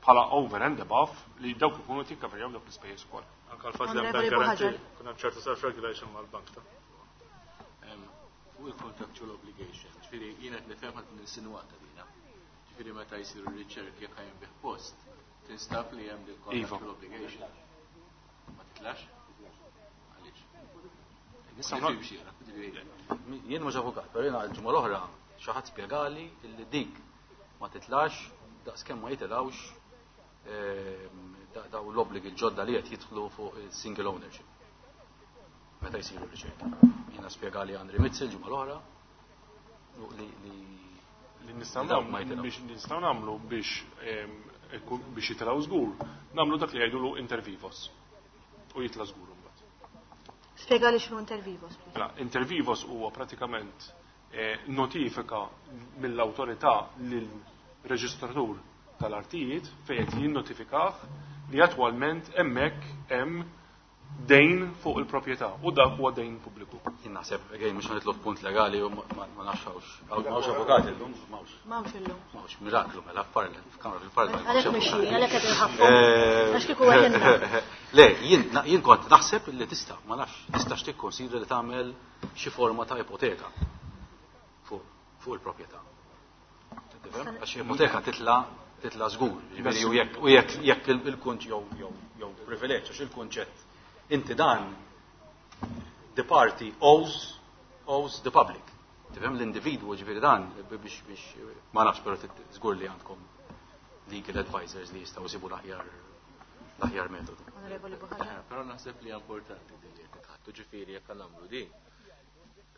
bħala over and above li dawk ikunu tikkaverjaw dawk l-ispejjeż ukoll. Anka l-fatt li hemm bank guarantee, kun hemm ċertu self-regulation mal-bank ta' Fuq il-contractual obligation, ġifieri jien qed nifhem ħadd insinwata dina. Ġifieri meta jsiru riċerki jekk ħajn bih post, tinstab li hemm il contractual obligation. Ma titlax? Għaliex? Jien mhux avukat, però jiena l-ġimgħa l-oħra Xi ħadd spjegali li dik ma titlax daqskemm ma jitilgħux daw l-obbligi l-ġodda li qed jidħlu fuq single ownership meta jsiru riċerki. Jiena spjegali Andri Mizzi l-ġimgħa l-oħra li li nistgħu nagħmlu biex nistgħu nagħmlu biex jitilgħu żgur, nagħmlu dak li jgħidulu inter vivos u jitla' żgur imbagħad. Spjegali x'inhu inter vivos. Mela, inter vivos huwa pratikament notifika mill-awtorità lill-reġistratur tal-artijiet fejn qed jinnotifikah li attwalment hemmhekk hemm dejn fuq il-proprjetà u dak huwa dejn pubbliku. Jien naħseb, again, mhux nitlob punt legali u ma nafx hawnx. M'hawnx avukati llum, m'hawnx. M'hawnx illum. M'hawnx miraklu mela f'kamra fil-parlament. Għalhekk mhix jien, għalhekk qed inħaffu. Għax kieku għedinna. Le, jien kont naħseb li tista', ma nafx, tistax tikkonsidra li tagħmel xi forma ta' ipoteka fuq il-proprjetà. Għax ipoteka titla' titla' żgur, jiġifieri u jekk jekk il-kunt jew jew jew privileġġ għax il-kunċett inti dan the party owes the public. Tifhem l-individwu ġifieri dan biex biex ma nafx però żgur li għandkom legal advisors li jistgħu jsibu l-aħjar metodu. Onorevoli Buhaġar. Però naħseb li importanti din li qed nitħattu ġifieri jekk nagħmlu din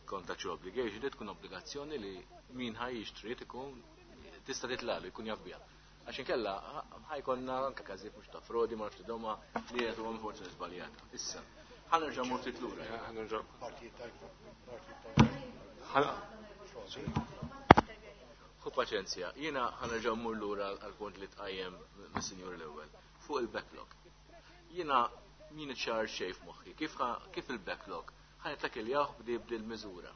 contractual obligation li tkun obbligazzjoni li min ħa jixtri ikun tista' titlalu jkun jaf biha. Għax inkella ħajkonna anke każijiet mhux ta' frodi ma nafx domma li qed huwa forsi żbaljata. Issa, ħa nerġa' mmur ftit lura. Ħa nerġa' Ħu paċenzja, jiena ħa nerġa' mmur lura għall-punt li tqajjem mis-sinjur l-ewwel fuq il-backlog. Jiena min ċar xejn f'moħħi kif il-backlog ħa nittakiljaw b'di b'dil miżura.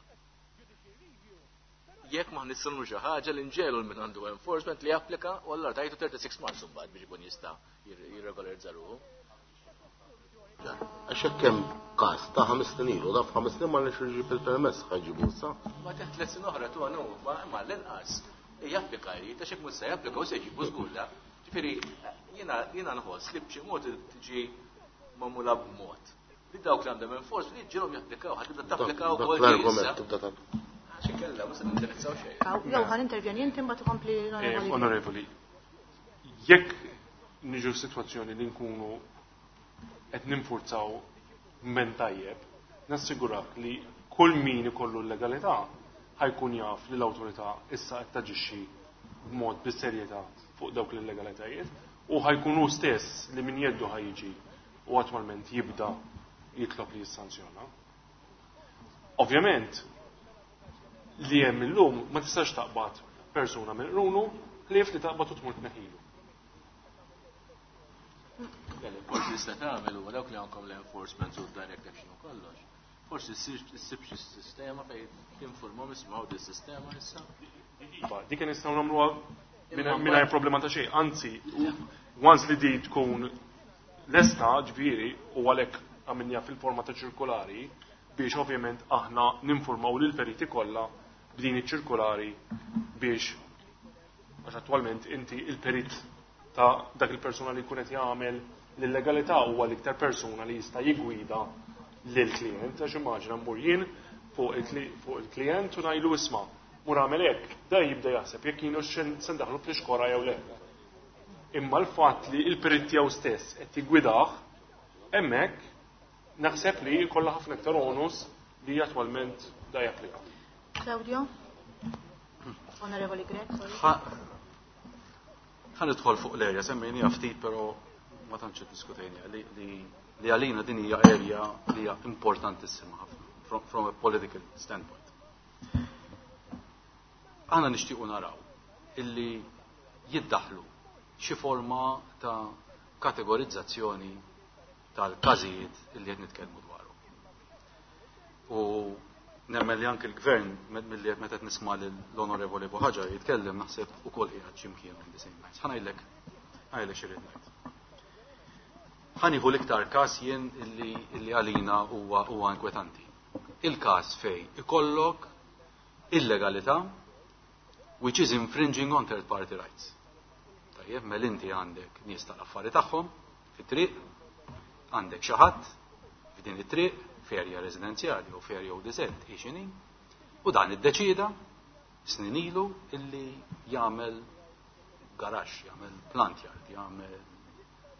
Jekk ma nistgħu xi ħaġa li nġelu min għandu enforcement li japplika u allura tajtu 36 months imbagħad biex ikun jista' jirregolarizza ruħu. Għax hekk hemm każ ta' 5 snin ilu, da f'ħames snin ma nix iġib il-permess ħa jġibu issa. Ma teħt tliet snin oħra tu għanu, ma l-inqas japplika jrid, għax hekk mhux se japplika u se jġibu żgur da. Ġifieri jiena nħoss li b'xi mod tiġi magħmula b'mod li dawk li għandhom enforcement li ġilhom japplikaw, ħa tibda tapplikaw ukoll L-argument tibda tapplika. Għax inkella mhux se nindirizzaw xejn. Jew ħa nintervjeni inti mbagħad tkompli l-onorevoli. Onorevoli, jekk niġu f'sitwazzjoni li nkunu qed ninfurzaw men tajjeb, nassigurak li kull min ikollu l-legalità ħajkun jaf li l-awtorità issa qed taġixxi b'mod bis-serjetà fuq dawk l-illegalitajiet u ħajkun hu stess li min jeddu ħajġi u attwalment jibda jitlob li jissanzjona. Ovvjament, li hemm illum ma tistax taqbad persuna minn qrunu ħlief li taqbad u tmur tneħħilu. Forsi tista' tagħmel huwa dawk li għandkom l-enforcement u direct action u kollox. Forsi ssib xi sistema fejn tinformhom ismgħu di sistema issa. Iva, dik nistgħu nagħmluha mingħajr problema ta' xejn. Anzi, once li di tkun lesta ġifieri u għalhekk għamilniha fil-forma ta' ċirkolari biex ovvjament aħna ninformaw lil periti kollha b'din iċ-ċirkolari biex għax attwalment inti il-perit ta' dak il-persuna li jkun qed jagħmel l-illegalità huwa l-iktar persuna li jista' jiggwida lill-klient għax immaġina mmur jien fuq il-klient u ngħidlu isma' mur għamel hekk, da jibda jaħseb jekk jienu se ndaħlu fl-ixkora jew le. Imma l-fatt li l-perit tiegħu stess qed jiggwidah hemmhekk naħseb li jkollha ħafna iktar onus li attwalment da japplika. Claudio? Onorevoli Grech, sorry. Ħa nidħol fuq l-area, semmejniha ftit però ma tantx iddiskutejniha li għalina din hija area li hija importantissima ħafna from a political standpoint. Aħna nixtiequ naraw illi jiddaħlu xi forma ta' kategorizzazzjoni tal-każijiet illi qed nitkellmu dwarhom. U nemmen li anke l-gvern milli meta qed nisma' lill-Onorevoli Buhaġar jitkellem naħseb ukoll qiegħed x'imkien on the same lines. Ħa ngħidlek xi rrid ngħid. Ħa nieħu l-iktar każ jien illi għalina huwa inkwetanti. Il-każ fej ikollok illegalità which is infringing on third party rights. Tajjeb, mela inti għandek nies tal-affari tagħhom fit-triq, għandek xi ħadd f'din it-triq f'erja residenzjali u f'erja u diżert hi x'inhi, u dan iddeċieda snin ilu illi jagħmel garaxx, jagħmel plant yard, jagħmel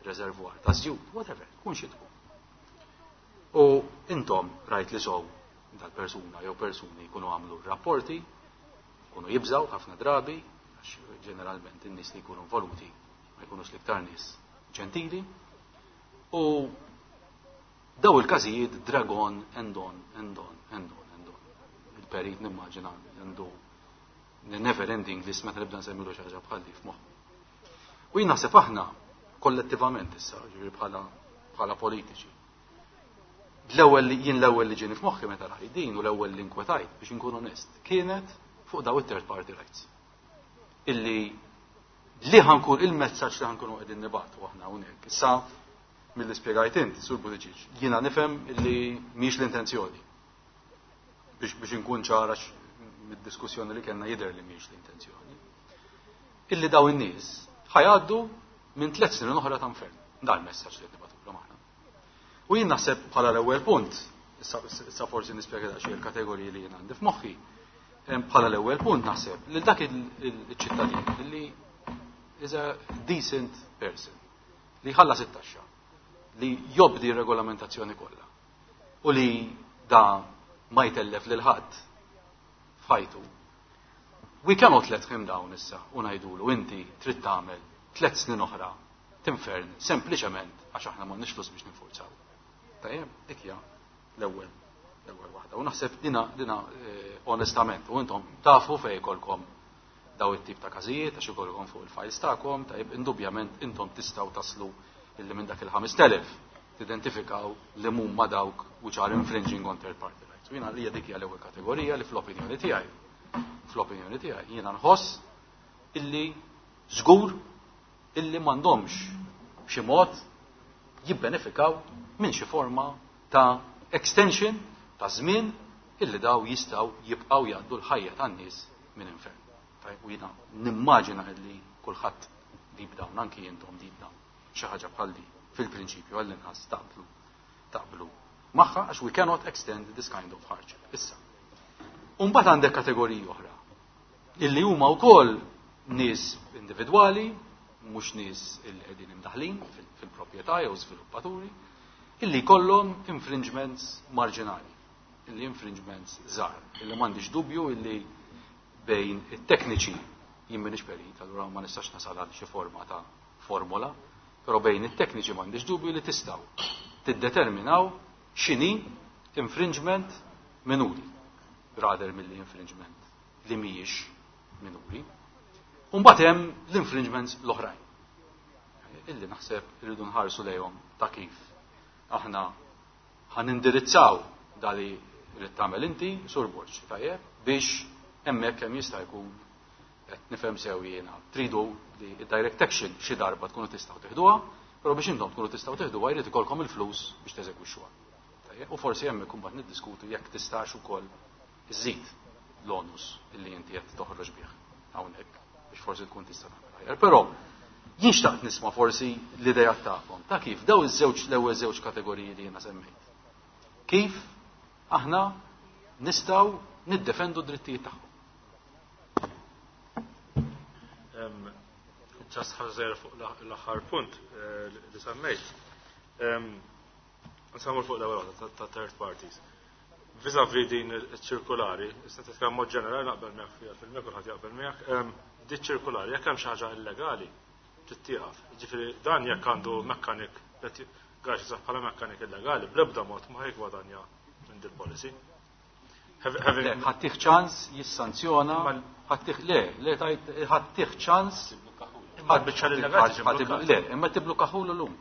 reservoir ta' żjut, whatever, tkun xi tkun. U intom rajt li sow dal-persuna jew persuni jkunu għamlu rapporti, jkunu jibżaw ħafna drabi, għax ġeneralment in-nies li jkunu involuti ma jkunux l-iktar nies ġentili. U daw il-każijiet drag on and on and on and on and on. Il-perit nimmaġina għandu never ending list meta nibda nsemmilu xi ħaġa bħal di f'moħħu. U jien naħseb aħna kollettivament issa, ġifieri bħala politiċi. L-ewwel li jien l-ewwel li ġieni f'moħħi meta rajt din u l-ewwel li nkwetajt biex inkun onest kienet fuq daw it-third party rights. Illi li ħankun il-messaġġ li ħankunu qegħdin nibgħatu aħna hawnhekk. Issa milli spjegajt int, Sur Buttigieg, jiena nifhem illi mhijiex l-intenzjoni. Biex inkun ċara mid-diskussjoni li kellna jidher li mhijiex l-intenzjoni. Illi daw in-nies ħajgħaddu minn 3 snin oħra ta' infern. Dan il-messaġġ li qed nibgħatulhom aħna. U jien naħseb bħala l-ewwel punt, issa forsi nispjega daqsxejn il-kategoriji li jien għandi f'moħħi, bħala l-ewwel punt naħseb li dak il-ċittadin li is a decent person, li jħallas it-taxxa, li jobdi r-regolamentazzjoni kollha u li da ma jtellef lil ħadd f'ħajtu. We cannot let him down issa u ngħidulu inti trid tagħmel 3 snin oħra tinfern sempliċement għax aħna m'għandniex flus biex ninfurzaw. Tajjeb, dik hija l-ewwel waħda. U naħseb dina onestament, u intom tafu fejn jkollkom daw it-tip ta' każijiet għax ikollkom fuq il-files tagħkom, tajjeb, indubjament intom tistgħu taslu illi minn dak il-5000 tidentifikaw li huma dawk which are infringing on third party rights. U jiena li dik hija l-ewwel kategorija li fl-opinjoni tiegħi jiena nħoss illi żgur illi m'għandhomx b'xi mod jibbenefikaw minn xi forma ta' extension ta' żmien illi daw jistgħu jibqgħu jgħaddu l-ħajja tan-nies minn infern. Tajb, u jiena nimmaġina illi kulħadd deep down, anki intom deep down, xi ħaġa bħal di fil-prinċipju għall-inqas taqblu magħha għax we cannot extend this kind of hardship. Issa. U mbagħad għandek kategoriji oħra illi huma wkoll nies individwali, mhux nies illi qegħdin imdaħlin fil-proprjetà jew żviluppaturi, illi jkollhom infringements marġinali, illi infringements żgħar, illi m'għandix dubju illi bejn it-tekniċi, jien m'iniex perit, allura ma nistax nasal għal xi forma ta' formola, però bejn it-tekniċi m'għandix dubju li tistgħu tiddeterminaw x'inhi infringement minuri, rather milli infringement li mhijiex minuri. U mbagħad hemm l-infringements l-oħrajn, illi naħseb irridu nħarsu lejhom ta' kif aħna ħanindirizzaw dali rrid tagħmel inti, Sur Borg, tajjeb, biex hemmhekk kemm jista' jkun qed nifhem sew jiena tridu li direct action xi darba tkunu tistgħu teħduha, però biex intom tkunu tistgħu teħduha jrid ikollkom il-flus biex teżegwixxuha. Tajjeb, u forsi hemmhekk imbagħad niddiskutu jekk tistax ukoll iżid l-onus illi inti qed toħroġ bih hawnhekk biex forsi tkun tista' tagħmel aħjar. Però jien xtaqt nisma' forsi l-idea tagħkom ta' kif daw iż-żewġ l-ewwel żewġ kategoriji li jiena semmejt. Kif aħna nistgħu niddefendu d-drittijiet tagħhom. Ġast ħażer fuq l-aħħar punt li semmejt. Nsemmu fuq l-ewwel waħda ta' third parties. Vis-a-vis din iċ-ċirkulari, issa titkellem mod ġenerali naqbel miegħek fiha fil-mija kulħadd jaqbel miegħek, di ċirkulari jekk hemm xi ħaġa illegali trid tieqaf. Jiġifieri dan jekk għandu mekkanik qed għax jisab bħala mekkanik illegali, bl-ebda mod ma ħajgwadanja minn dil policy. Le, ħattih ċans jissanzjona, ħattih, le, le, tajt, ħattih ċans. Imma l-biċċa li legali ġi blukkat. Le, imma tiblukkaħulu llum.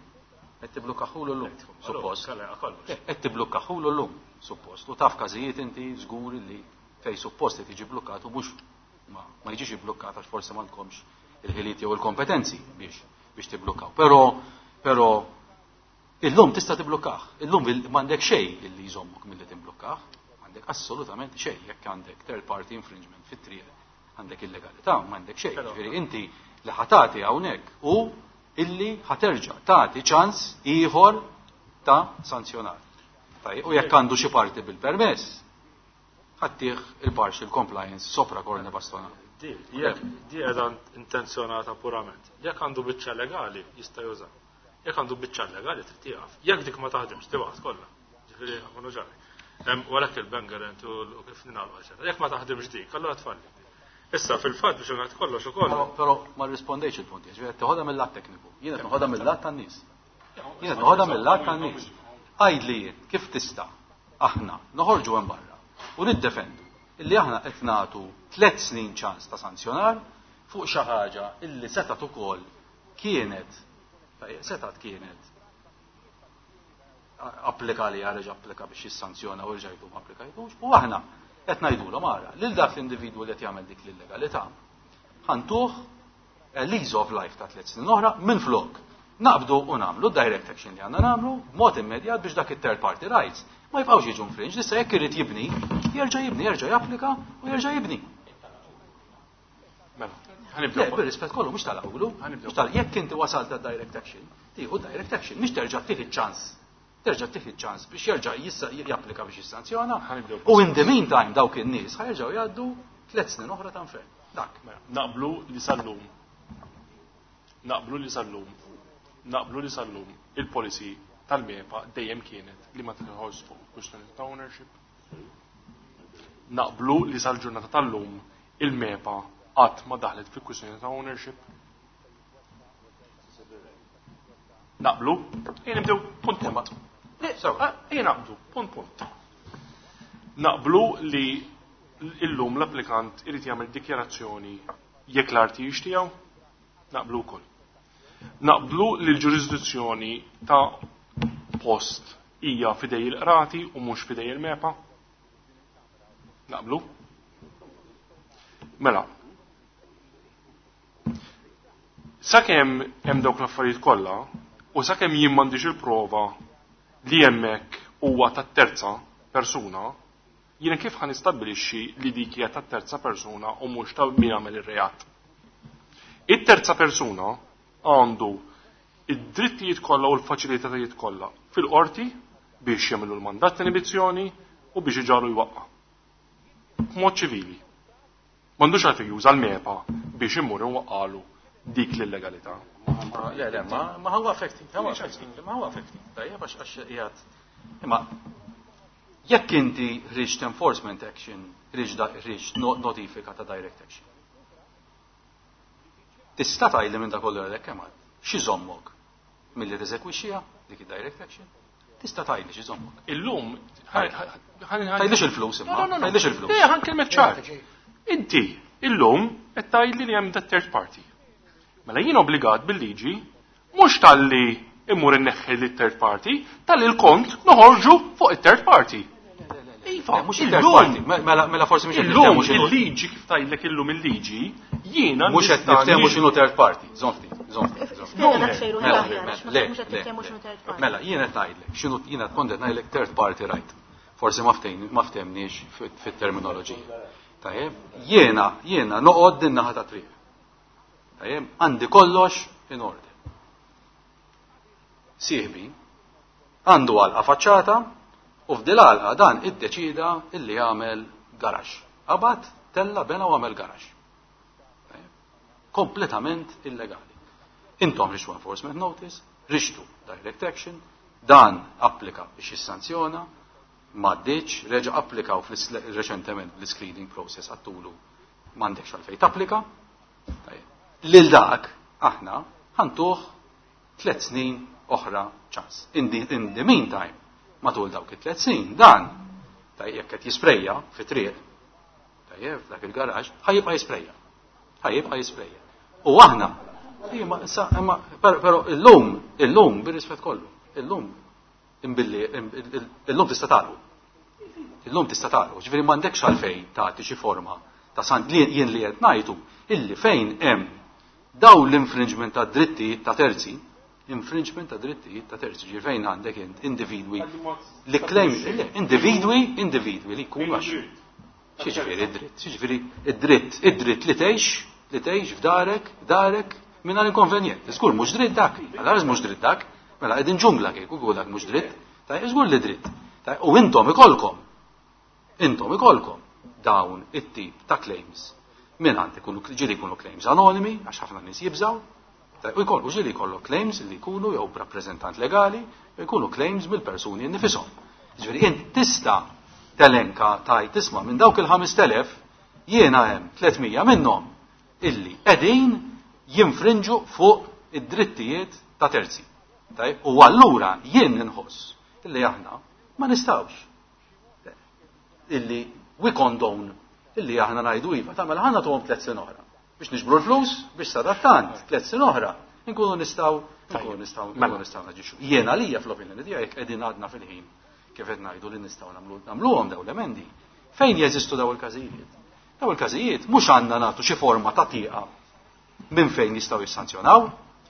Qed tiblukkaħulu llum, suppost. Kalla, kollox. Le, qed tiblukkaħulu llum, suppost. U taf każijiet inti żgur li fej suppost qed jiġi blukkat u mhux ma jiġix iblukkat għax forsi m'għandkomx il-ħiliet jew il-kompetenzi biex tiblukkaw. Però illum tista' tiblukkah. Illum m'għandek xejn illi jżommok milli timblukkah. M'għandek assolutament xejn jekk għandek third party infringement fit-triq, għandek illegalità, m'għandek xejn. Però Ġifieri inti li ħatati hawnhekk u illi ħaterġa' tagħti ċans ieħor ta' sanzjonar. Tajjeb, u jekk għandu xi parti bil-permess, Ħa ttih il-partial compliance sopra corne bastona. Di, jekk di qiegħda intenzjonata purament. Jekk għandu biċċa legali jista' juża. Jekk għandu biċċa legali trid tieqaf. Jekk dik ma taħdimx tibgħat kollha. Ġifieri nkunu ċari. U għalhekk il-bank guarantee u kif ningħalqu eċetera. Jekk ma taħdimx dik, allura tfalli. Issa fil-fatt biex ngħid kollox ukoll. Però ma rrispondejx il-punt, ġifieri qed teħodha mill-lat tekniku. Jien qed noħodha mill-lat tan-nies. Jien qed noħodha mill-lat tan-nies. Għidli jien kif tista' aħna noħorġu hemm barra u niddefendu illi aħna qed nagħtu tliet snin ċans ta' sanzjonar fuq xi ħaġa illi setgħet ukoll kienet setgħet kienet applika li reġa' applika biex jissanzjona u rġa' jdu ma applikajtux u aħna qed ngħidulhom ara lil dak l-individwu li qed jagħmel dik l-illegalità ħa ntuh a lease of life ta' 3 snin oħra minflok naqbdu u nagħmlu direct action li għandna nagħmlu b'mod immedjat biex dak it-third party rights ma jibqgħux jiġu infringed. Issa jekk irid jibni, jerġa' jibni, jerġa' japplika u jerġa' jibni. Mela, ħa nibdew. Le, bir-rispett kollu mhux tal-awlu, mhux tal jekk inti wasalt għad-direct action, tieħu direct action, mhux terġa' tieħu ċans. Terġa' tieħu ċans biex jerġa' japplika biex jissanzjona. U in the meantime dawk in-nies ħa jerġgħu jgħaddu 3 snin oħra ta' infern. Dak. Mela, naqblu li sal-lum. Naqblu li sal-lum. Naqblu li sal-lum il-policy tal-MEPA dejjem kienet li ma tidħolx fuq kwistjoni ta' ownership. Naqblu li sal-ġurnata tal-lum il-MEPA qatt ma daħlet fi kwistjoni ta' ownership. Naqblu? Ejja nibdew punt punt. Ejja naqblu, punt punt. Naqblu li illum l-applikant irid jagħmel dikjarazzjoni jekk l-art hijiex tiegħu? Naqblu wkoll. Naqblu li l-ġurisdizzjoni ta' post hija fidej il-qrati u mhux fidej il-MEPA? Naqblu? Mela, sakemm hemm dawk l-affarijiet kollha u sakemm jien m'għandix il-prova li hemmhekk huwa tat-terza persuna, jiena kif ħa nistabbilixxi li dik hija tat-terza persuna u mhux ta' min għamel ir-reat? It-terza persuna għandu id-drittijiet kollha u l-faċilitajiet kollha fil-qorti biex jagħmlu l-mandat ta' inibizzjoni u biex iġalu jwaqqa'. B'mod ċivili. M'għandux għalfejn juża l-MEPA biex imur iwaqqalu dik l-illegalità. Le, le, ma huwa affecting, huwa affecting, ma huwa affecting. Tajjeb għax qiegħed. Imma jekk inti ħriġt enforcement action, ħriġt notifika ta' direct action. Tista' tgħidli minn dak kollu għalhekk kemm għad, x'iżommok milli teżekwixxiha dik id-direct action? Tista' tgħidli x'iżommok. Illum, Tgħidlix il-flus imma, No, no, no. tgħidlix il-flus. Le, ħa nkellmek ċar. Inti, illum, qed tgħidli li hemm that third party. Mela jien obbligat bil-liġi mhux talli immur inneħħi lit third party, talli l-kont noħorġu fuq it-third party. Iva, Le, mhux it-third party. Mela, mela forsi mhux qed Illum niftehmu x'inhu. il-liġi kif tgħidlek illum il-liġi, jiena Mhux qed nista' niftehmu nix- x'inhu third party. Żomm ftit, żomm ftit, żomm ftit. Spjega dak xejn Mela, aħjar, għax ma le, mhux qed le, niftehmu le. x'inhu third party. Mela, jien qed ngħidlek, x'inhu jien qed kont qed ngħidlek third party right. Forsi ma ftehmniex fit-terminoloġija. Tajjeb, jiena noqgħod din naħa ta' triq. Tajjeb, għandi kollox in order. Sieħbi għandu għalqa faċċata u f'dil għalqa dan iddeċida illi jagħmel garax. Qabad, tella bena u għamel garax. Tajjeb? Kompletament illegali. Intom rixtu enforcement notice, rixtu direct action, dan applika biex jissanzjona, m'għaddiċ, reġa' applikaw reċentement l-screening process għattulu m'għandekx għalfejn tapplika. Tajjeb. Lil dak aħna ħa ntuh 3 snin oħra ċans. In the meantime, matul dawk it-3 snin, dan tajjeb jekk qed jisprejja fi triq, tajjeb f'dak il-garaġ, ħa jibqa' jisprejja. Ħa jibqa' jisprejja. U aħna, imma issa, imma, però illum, illum bir-rispett kollu, illum imbilli, illum tista' tagħlqu. Illum tista' tagħlqu, ġifieri m'għandekx għalfejn tagħti xi forma ta' san li jien li qed ngħidu illi fejn hemm daw l-infringement ta' drittijiet ta' terzi, infringement ta' drittijiet ta' terzi, ġifieri fejn għandek int individwi li claim, le, individwi, individwi li jkunu għax. Xi ġifieri id-dritt? Xi ġifieri id-dritt? Id-dritt li tgħix, li tgħix f'darek, darek mingħajr inkonvenjent. Żgur mhux dritt dak, għal mhux dritt dak, mela qegħdin ġungla kieku kieku dak mhux dritt, tajjeb żgur li dritt. Tajjeb, u intom ikolkom. Intom ikolkom. dawn it-tip ta' claims mingħand ikunu ġieli jkunu claims anonimi għax ħafna nies jibżgħu, u jkollu ġieli jkollok claims li jkunu jew b'rappreżentant legali, jew jkunu claims mill-persuni nnifisom. Ġifieri int tista' telenka tgħid tisma' minn dawk il-5000 jiena hemm 300 minnhom illi qegħdin jinfrinġu fuq id-drittijiet ta' terzi. Tajjeb, u allura jien inħoss illi aħna ma nistgħux illi we condone illi aħna ngħidu iva, tagħmel ħa nagħtuhom 3 snin oħra biex niġbru l-flus biex sadattant 3 snin oħra nkunu nistgħu nkunu nistgħu nkunu nistgħu naġixxu. Jien għalija fl-opinjoni tiegħi jekk qegħdin għadna fil-ħin kif qed ngħidu li nistgħu nagħmlu nagħmluhom dawn l-emendi. Fejn jeżistu daw il-każijiet? Daw il-każijiet mhux għandna nagħtu xi forma ta' tieqa minn fejn jistgħu jissanzjonaw,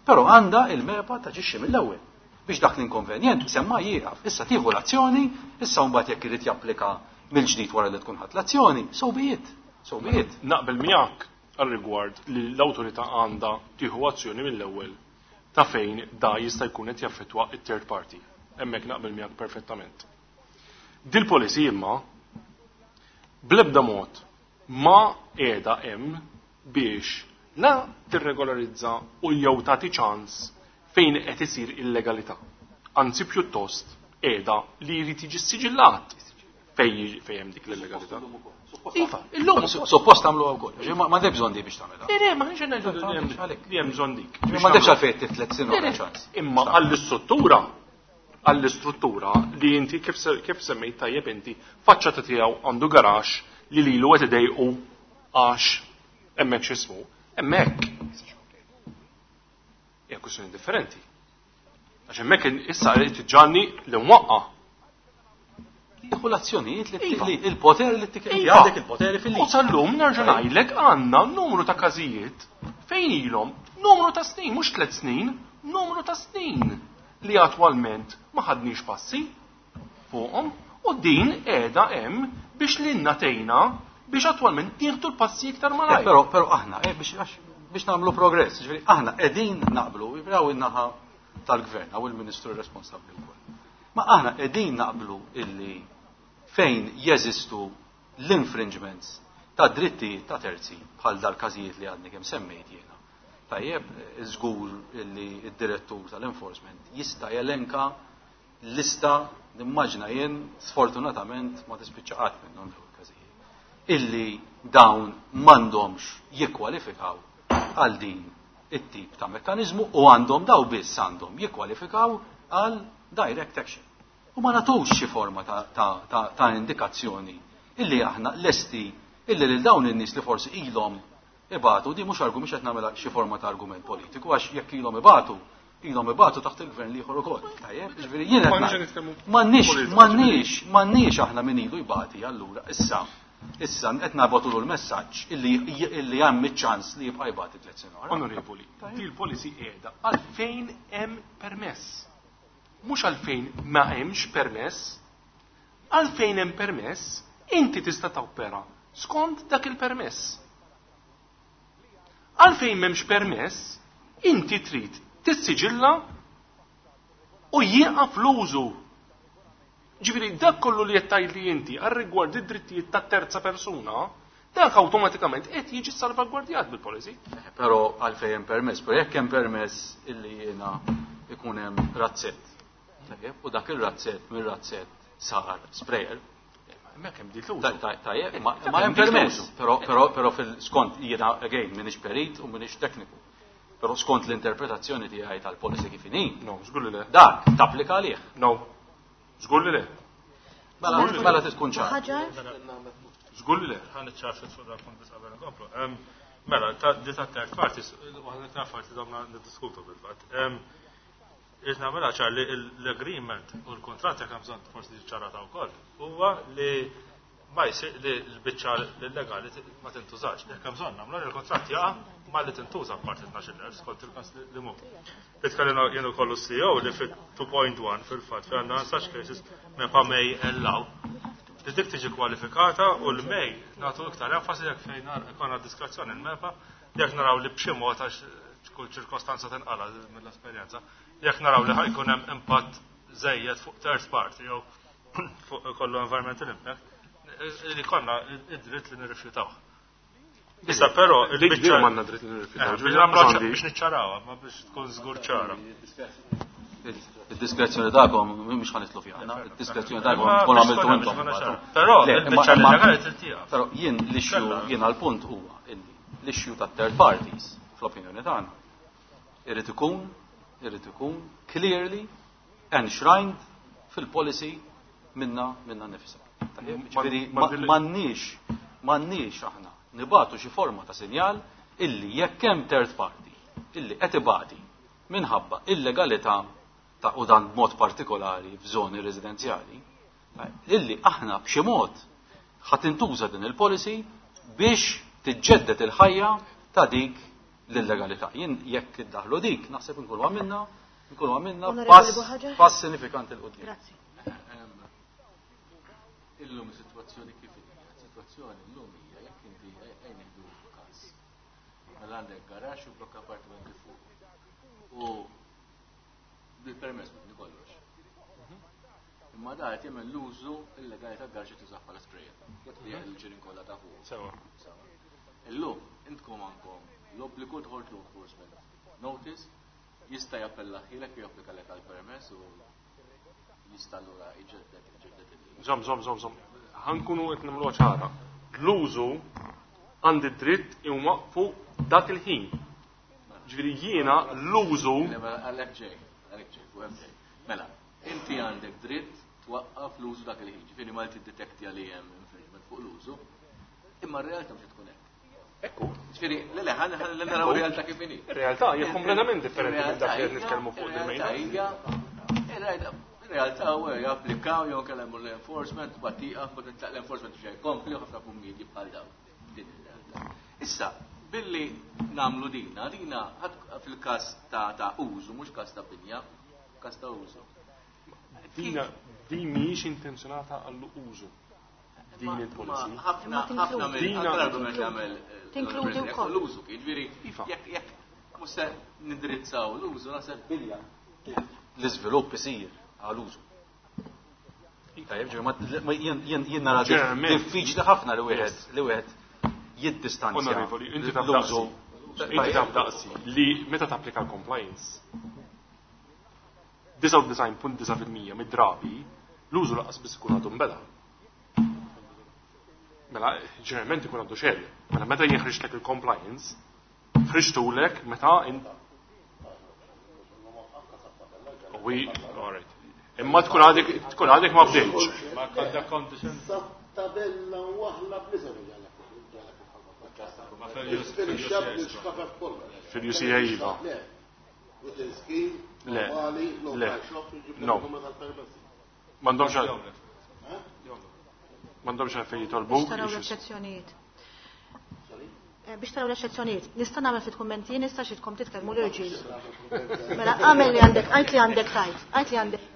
però għandha il-MEPA taġixxi mill-ewwel biex dak l-inkonvenjent semma jieqaf. Issa tieħu l-azzjoni, issa mbagħad jekk irid japplika mill-ġdid wara li tkun ħadd l-azzjoni, so be it. So be it. Naqbel miegħek għal-rigward li l-awtorità għandha tieħu azzjoni mill-ewwel ta' fejn da jista' jkun qed jaffettwa it-third party. Hemmhekk naqbel miegħek perfettament. Dil-policy imma bl-ebda mod ma qiegħda hemm biex la tirregolarizza u jew tagħti ċans fejn qed isir illegalità. Anzi pjuttost qiegħda li jrid jiġi siġillat fejn hemm dik l-illegalità. Iva, illum Suppost tagħmluha wkoll. Ma m'għandek bżonn di biex tagħmilha. Le, ma ħniex ngħidu li hemm bżonn dik. Ma m'għandekx għalfejn tiflet sin oħra ċans. Imma għall-istruttura li inti kif semmejt tajjeb inti, faċċata tiegħu għandu garax li lilu qed idejqu għax hemmhekk x'ismu, hemmhekk. Hija kwistjoni differenti. Għax hemmhekk issa qed tiġġanni li nwaqqa'. Tieħu l-azzjonijiet li il-poter li tik għandek il-poteri fil-liġi. U sal-lum nerġa' ngħidlek għandna numru ta' każijiet fejn ilhom numru ta' snin, mhux 3 snin, numru ta' snin li attwalment ma ħadniex passi fuqhom u din qiegħda hemm biex lilna tgħinna biex attwalment nieħdu l-passi iktar malajr. Però aħna biex nagħmlu progress, ġifieri aħna qegħdin naqblu, jibraw in-naħa tal-gvern hawn il-ministru responsabbli wkoll. Ma aħna qegħdin naqblu illi fejn jeżistu l-infringements ta' drittijiet ta' terzi bħal dal-każijiet li għadni kemm semmejt jiena. Tajjeb, żgur illi d-direttur tal-enforcement jista' jelenka lista, nimmaġina jien, sfortunatament ma tispiċċa qatt minnhom dawn il-każijiet, illi dawn m'għandhomx jikkwalifikaw għal din it-tip ta' mekkaniżmu u għandhom daw biss għandhom jikkwalifikaw għal direct action. U ma nagħtux xi forma ta' indikazzjoni illi aħna lesti illi lil dawn in-nies li forsi ilhom ibatu, di mhux argument, mhux qed nagħmilha xi forma ta' argument politiku, għax jekk ilhom ibatu, ilhom ibatu taħt il-gvern l-ieħor ukoll. Tajjeb, ġifieri jien qed M'għandniex ngħid, nitkellmu politika, ġifieri. m'għandniex aħna min ilu jbati allura issa. Issa qed nagħbatulu l-messaġġ illi hemm iċ-ċans li jibqa' jbati 3 snin oħra. Onorevoli, di l-policy qiegħda għalfejn hemm permess. Mhux għalfejn ma hemmx permess, għalfejn hemm permess, inti tista' topera skont dak il-permess. Għalfejn m'hemmx permess, inti trid tissiġilla u jieqaf l-użu. Ġifieri dak kollu li qed tgħid li inti għar-rigward id-drittijiet ta' terza persuna, dak awtomatikament qed jiġi salvagwardjat bil-policy. Però għalfejn hemm permess, però jekk hemm permess illi jiena ikun hemm razzett. Tajjeb, u dak ir-razzett mir-razzett sar sprayer. Hemmhekk hemm dik l-użu. Tajjeb, Hemmhekk ma hemm hemm dik permess, l-użu. però fil-skont jiena again m'iniex perit u m'iniex tekniku. Però skont l-interpretazzjoni tiegħi tal-policy kif inhi. No, żgur li le. Dak tapplika għalih. No. Żgur li le. Mela, Żgur li le. mela tkun ċar. Ħaġar? Żgur li le. Ħa niċċarfet fuq dak punt biss qabel nkomplu. Mela, di ta' third parties, waħda ta' parti domna niddiskutu bil-fatt. Irrid nagħmilha ċar li l-agreement u l-kuntratt jekk hemm bżonn forsi ċarata wkoll, huwa li ma jsir li l-biċċa illegali ma tintużax. Jekk hemm bżonn nagħmlu li l-kuntratt jaqa' ma li tintuża parti 12,000 skont il-każ li mhu. Itkellimna jien ukoll CEO li fit 2.1 fil-fatt fejn għandna such cases MEPA may allow li dik tiġi kwalifikata u l-may nagħtu iktar enfasi jekk fejn ikollna diskrezzjoni l-MEPA jekk naraw li b'xi mod għax kull ċirkostanza tinqala mill-esperjenza, jekk naraw li ħajkun hemm impatt żejjed fuq third party jew fuq kollu environmental impact, Li konna id-dritt li nirrifjutaw. Issa però il-biċċa m'għandna dritt li nirrifjutaw. Eh, biex niċċarawha, ma biex tkun żgur ċara. Id-diskrezzjoni tagħkom mhux ħanitlu fiha, id-diskrezzjoni tagħkom tkun għamiltu intom. Però il-biċċa legali trid Però jien l-issue jien għall-punt huwa illi l-issue tat-third parties fl-opinjoni tagħna irid ikun irid ikun clearly enshrined fil-policy minna minna nifsa. Ġifieri m'għandniex m'għandniex aħna nibatu xi forma ta' sinjal illi jekk hemm third party illi qed ibati minħabba illegalità ta' u dan b'mod partikolari f'żoni residenzjali, illi aħna b'xi mod ħa tintuża din il-policy biex tiġġedded il-ħajja ta' dik l-illegalità. Jien jekk iddaħlu dik, naħseb inkunu għamilna nkunu għamilna pass, pass sinifikanti 'l quddiem. Grazzi. Illum is-sitwazzjoni kif hija? Is-sitwazzjoni llum hija jekk inti ejja nieħdu każ. Mela għandek garaxx u blokk appartamenti fuq. U bil-permess mibni kollox. Imma da qed jagħmel l-użu illegali tal-garaxx qed jużah bħala sprayer. Qed tbigħ il-ġirien kollha ta' fuq. Sewa. Illum intkom għandkom l-obbligu toħorġu enforcement notice jista' jappellahielek jew japplikalek għal permess u jista' allura jġedded iġedded il Żomm, żomm, żomm, żomm. Ħa nkunu qed nagħmluha ċara. L-użu għandi dritt inwaqqfu dak il-ħin. Ġifieri jiena l-użu. Għalhekk ġej, għalhekk ġej, fuq hemm ġej. Mela, inti għandek dritt twaqqaf l-użu dak il-ħin. Ġifieri ma tiddetektja li hemm infringement fuq l-użu, imma r-realtà mhux tkun hekk. Ekku. Ġifieri, le le, ħa naraw realtà kif inhi. Ir-realtà hija kompletament differenti minn dak li qed nitkellmu fuq il-mejda. Ir-realtà huwa japplikaw jew kellem l-enforcement, battiqa, l-enforcement xejn jkompli u ħafna kummidi bħal dawn. Din ir-realtà. Issa, billi nagħmlu dina, dina fil-każ ta' użu, mhux każ ta' binja, każ ta' użu. Dina din mhijiex intenzjonata għall-użu din il-policy. Ħafna ħafna mill-argument li għamel tinkludi wkoll l-użu, jiġifieri jekk jekk mhux se nindirizzaw l-użu naħseb bilja. L-iżvilupp isir għal użu. Tajjeb, ġifieri jien nara diffiċli ħafna li wieħed li wieħed jiddistanzja. Onorevoli, inti taf daqsi. Inti taf daqsi li meta tapplika l-compliance 99.9% mid-drabi l-użu lanqas biss ikun għadu nbeda. Mela, ġeneralment ikun għadu xejn. Mela meta jien ħriġtlek il-compliance, ħriġtulek meta in We, all right. Imma tkun għadek tkun għadek ma bdejtx. Ma għandha condition. Tabella waħla bl-isem Fil-UCA iva. Le. Le. No. M'għandhomx m'għandhomx għalfejn jitolbu. Biex taraw l-eċċezzjonijiet. Biex taraw l-eċċezzjonijiet. Nista' nagħmel ftit kummenti, nista' xitkom titkellmu l-irġiel. Mela għamel li għandek, għajt li għandek tajt, għajt li għandek.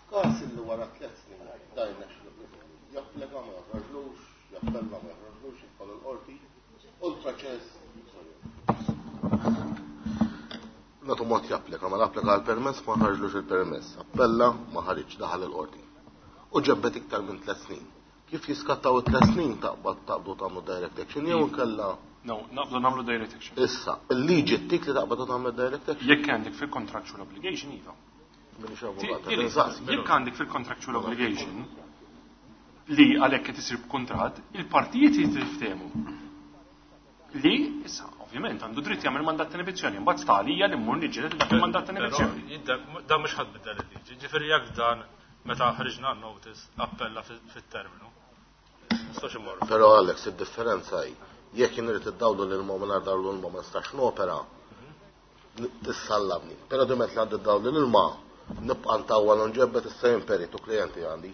F'każ li wara tliet snin dajna japplika ma joħroġlux, jappella ma joħroġlux, jidħol il-qorti, u l-proċess Natu mod japplika, ma applika għal-permess ma ħarġlux il-permess, appella ma ħariġ daħal il-qorti. U ġebbet iktar minn tliet snin. Kif jiskattaw it-tliet snin taqbad taqbdu tagħmlu direct action jew inkella No, naqbdu nagħmlu direct action. Issa, il-liġi ttik li taqbad tagħmel direct action? Jekk għandek fil-contractual obligation iva. Minix avukat, insaqsi. Jekk għandek fil-contractual obligation li għalhekk qed isir b'kuntratt, il-partijiet jiftehmu. Li issa ovvjament għandu dritt jagħmel mandat ta' inibizzjoni, imbagħad sta għalija li mmur niġġieled dak il-mandat ta' inibizzjoni. Dan mhux ħadd biddel il-liġi, ġifieri jekk dan meta ħriġna notice appella fit-terminu. Nistax immorru. Però Alex, id-differenza hi jekk jien irid iddawlu lil ma mingħajr dawlu l-ma ma nistax nopera, tissallamni. Però diment li għandi dawlu l-ilma, nibqa' ntawwal u nġebbet issa jien peritu klijenti għandi.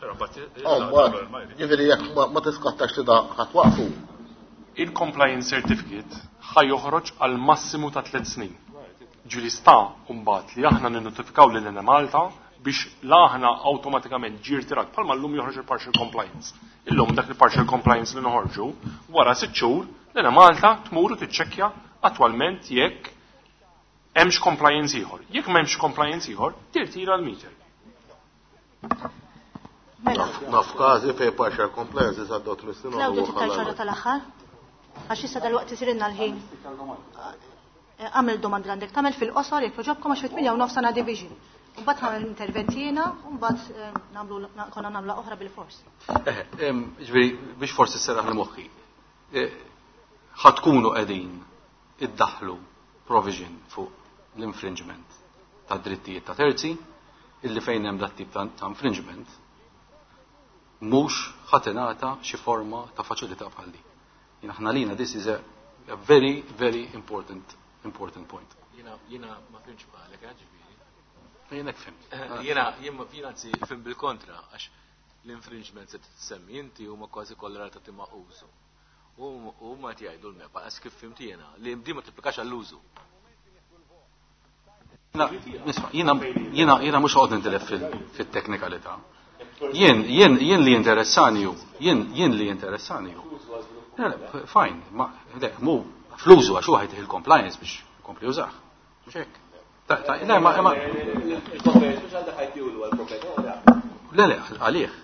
Ġifieri jekk ma tiskattax li da ħadd waqfu. Il-compliance certificate ħa joħroġ għal massimu ta' tliet snin. Ġifieri sta mbagħad li aħna ninnotifikaw lil Malta biex la aħna awtomatikament ġie rtirat bħalma llum joħroġ il-partial compliance. Illum dak il-partial compliance li noħorġu wara sitt xhur l Malta tmur u tiċċekkja attwalment jekk hemmx compliance ieħor. Jekk m'hemmx compliance ieħor, tirtira l-meter. Mela. Naf każi fejn partial compliance għaddew tmien snin u Claudio trid tgħid xi ħaġa tal-aħħar? Għax issa dalwaqt isirilna l-ħin. Agħmel domanda li għandek tagħmel fil-qosor jekk jogħġobkom għax fit-8 u nofs għandna division. Mbagħad nagħmel intervent jiena u mbagħad nagħmlu konna nagħmlu oħra bil-fors. Ġifieri biex forsi sserraħ li moħħi. Ħa tkunu qegħdin iddaħħlu provision fuq l-infringement ta' drittijiet ta' terzi illi fejn hemm dat tip ta' infringement mhux ħa tingħata xi forma ta' faċilità bħal din. Jiena aħna lina this is a very, very important, important point. Jiena, jiena ma fhimtx bħalek, ġifieri. Jiena hekk fhimt. Jiena, jien ma, jiena anzi fhimt bil-kontra, għax l-infringement se tissemmi inti huma kważi kollha relatati ma' użu. U huma qed jgħidu l-MEPA, għax kif fhimt jiena, li din ma tipplikax għall-użu. Nisma', jiena, jiena, jiena mhux ħoqgħod nintilef fit-teknikalità. Jien, jien, jien li interessani hu, jien, jien li interessani hu. Le, le, fine, ma, le, mu, fl-użu għax hu ħajtih il-compliance biex jkompli jużah. Mhux hekk. Ta, ta, le, ma, ma. Il-compliance mhux għal dak ħajtihulu għall-proprjetà. Le, le, għalih.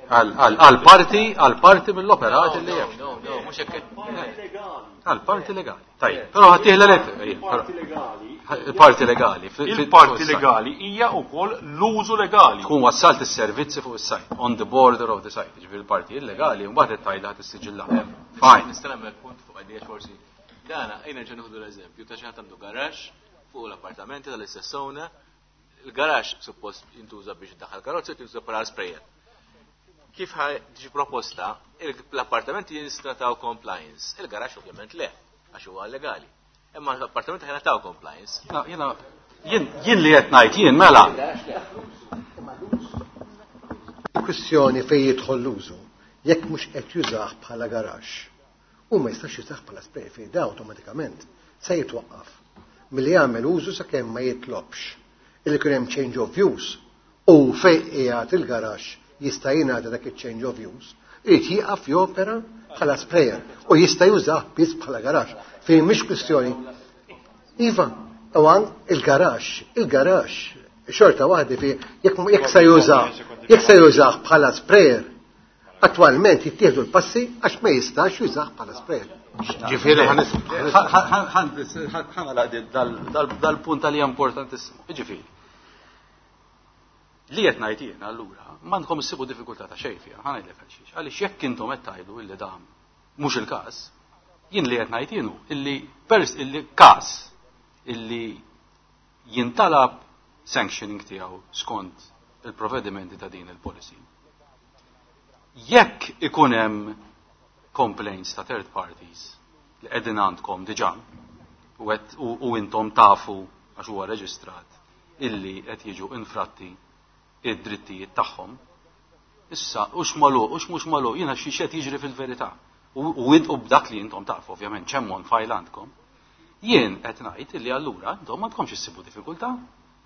Għal parti, għal parti mill-operat li hemm. No, no, mhux hekk. Għal parti legali. Tajjeb, però ħadd tieħla let. Il-parti legali. Il-parti legali. Il-parti legali hija wkoll l-użu legali. Tkun wassalt is-servizzi fuq is-site, on the border of the site. Ġifieri il-parti illegali mbagħad qed tgħidha ħadd issiġillah. Fine. Nista' nagħmel punt fuq għadija forsi. Dana, ejna nerġa' nieħdu l-eżempju ta' xi ħadd għandu garaxx fuq l-appartamenti tal-istess owner. Il-garaxx suppost jintuża biex iddaħħal karozzi, jintuża bħala sprayer. Kif tiġi proposta, l-appartamenti jinstrataw compliance, il-garaxx ovvjament le, għax huwa legali. Imma l-appartamenti ħajnataw compliance. Na, jiena, jien, jien li qed ngħid jien mela. Kwistjoni fejn jidħol l-użu, jekk mhux qed jużah bħala garaxx, u ma jistax jużah bħala spray fejn da awtomatikament se jitwaqqaf milli jagħmel użu sakemm ma jitlobx illi kien hemm change of use u fejn qiegħed il-garaxx jista' jingħata dak il-change of use, irid jieqaf jopera bħala sprayer u jista' jużah biss bħala garaxx. Fejn mhix kwistjoni. Iva, għan il-garaxx, il-garaxx, xorta waħda fi jekk se jużah, jekk se jużah bħala sprayer, attwalment jittieħdu l-passi għax ma jistax jużah bħala sprayer. Ġifieri dal-punt li importantissimu. Ġifieri. Li qed ngħid jien allura m'għandkom issibu diffikultà ta' xejn fiha, ħa ngħidlek għal xiex. Għaliex jekk intom qed tgħidu illi dan mhux il-każ, jien li qed ngħid jien hu illi pers illi każ illi jintalab sanctioning tiegħu skont il-provvedimenti ta' din il-policy. Jekk ikun hemm complaints ta' third parties li qegħdin għandkom diġà u intom tafu għax huwa reġistrat illi qed jiġu infratti id-drittijiet tagħhom, issa hux magħluq, hux mhux magħluq, jiena xi qed jiġri fil-verità. U b'dak li intom tafu, ovvjament, ċemm on file għandkom, jien qed ngħid illi allura intom m'għandkomx issibu diffikultà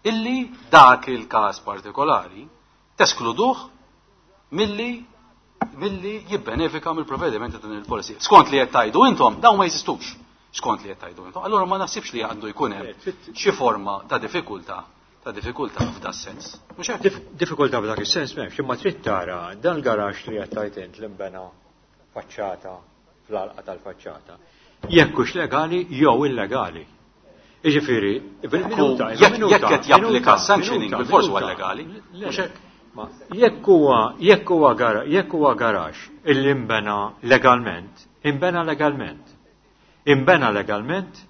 illi dak il-każ partikolari teskluduh milli jibbenefika mill-provvedimenti ta' din il-policy. Skont li qed tgħidu intom, dawn ma jeżistux. Skont li qed tgħidu intom. Allura ma naħsibx li għandu jkun hemm xi forma ta' diffikultà ta' diffikultà f'da sens. Mhux hekk? Diffikultà f'dak is-sens m'hemmx, imma trid tara dan il-garaxx li qed tgħid int li nbena faċċata fl-għalqa tal-faċċata. Jekk hux legali jew illegali. Jiġifieri, bil-minuta, Jekk minuta, qed japplika minuta, sanctioning minuta, bil-fors huwa minuta. legali. Le, Mhux hekk? Ma jekk huwa garaxx illi nbena legalment, imbena legalment. Imbena legalment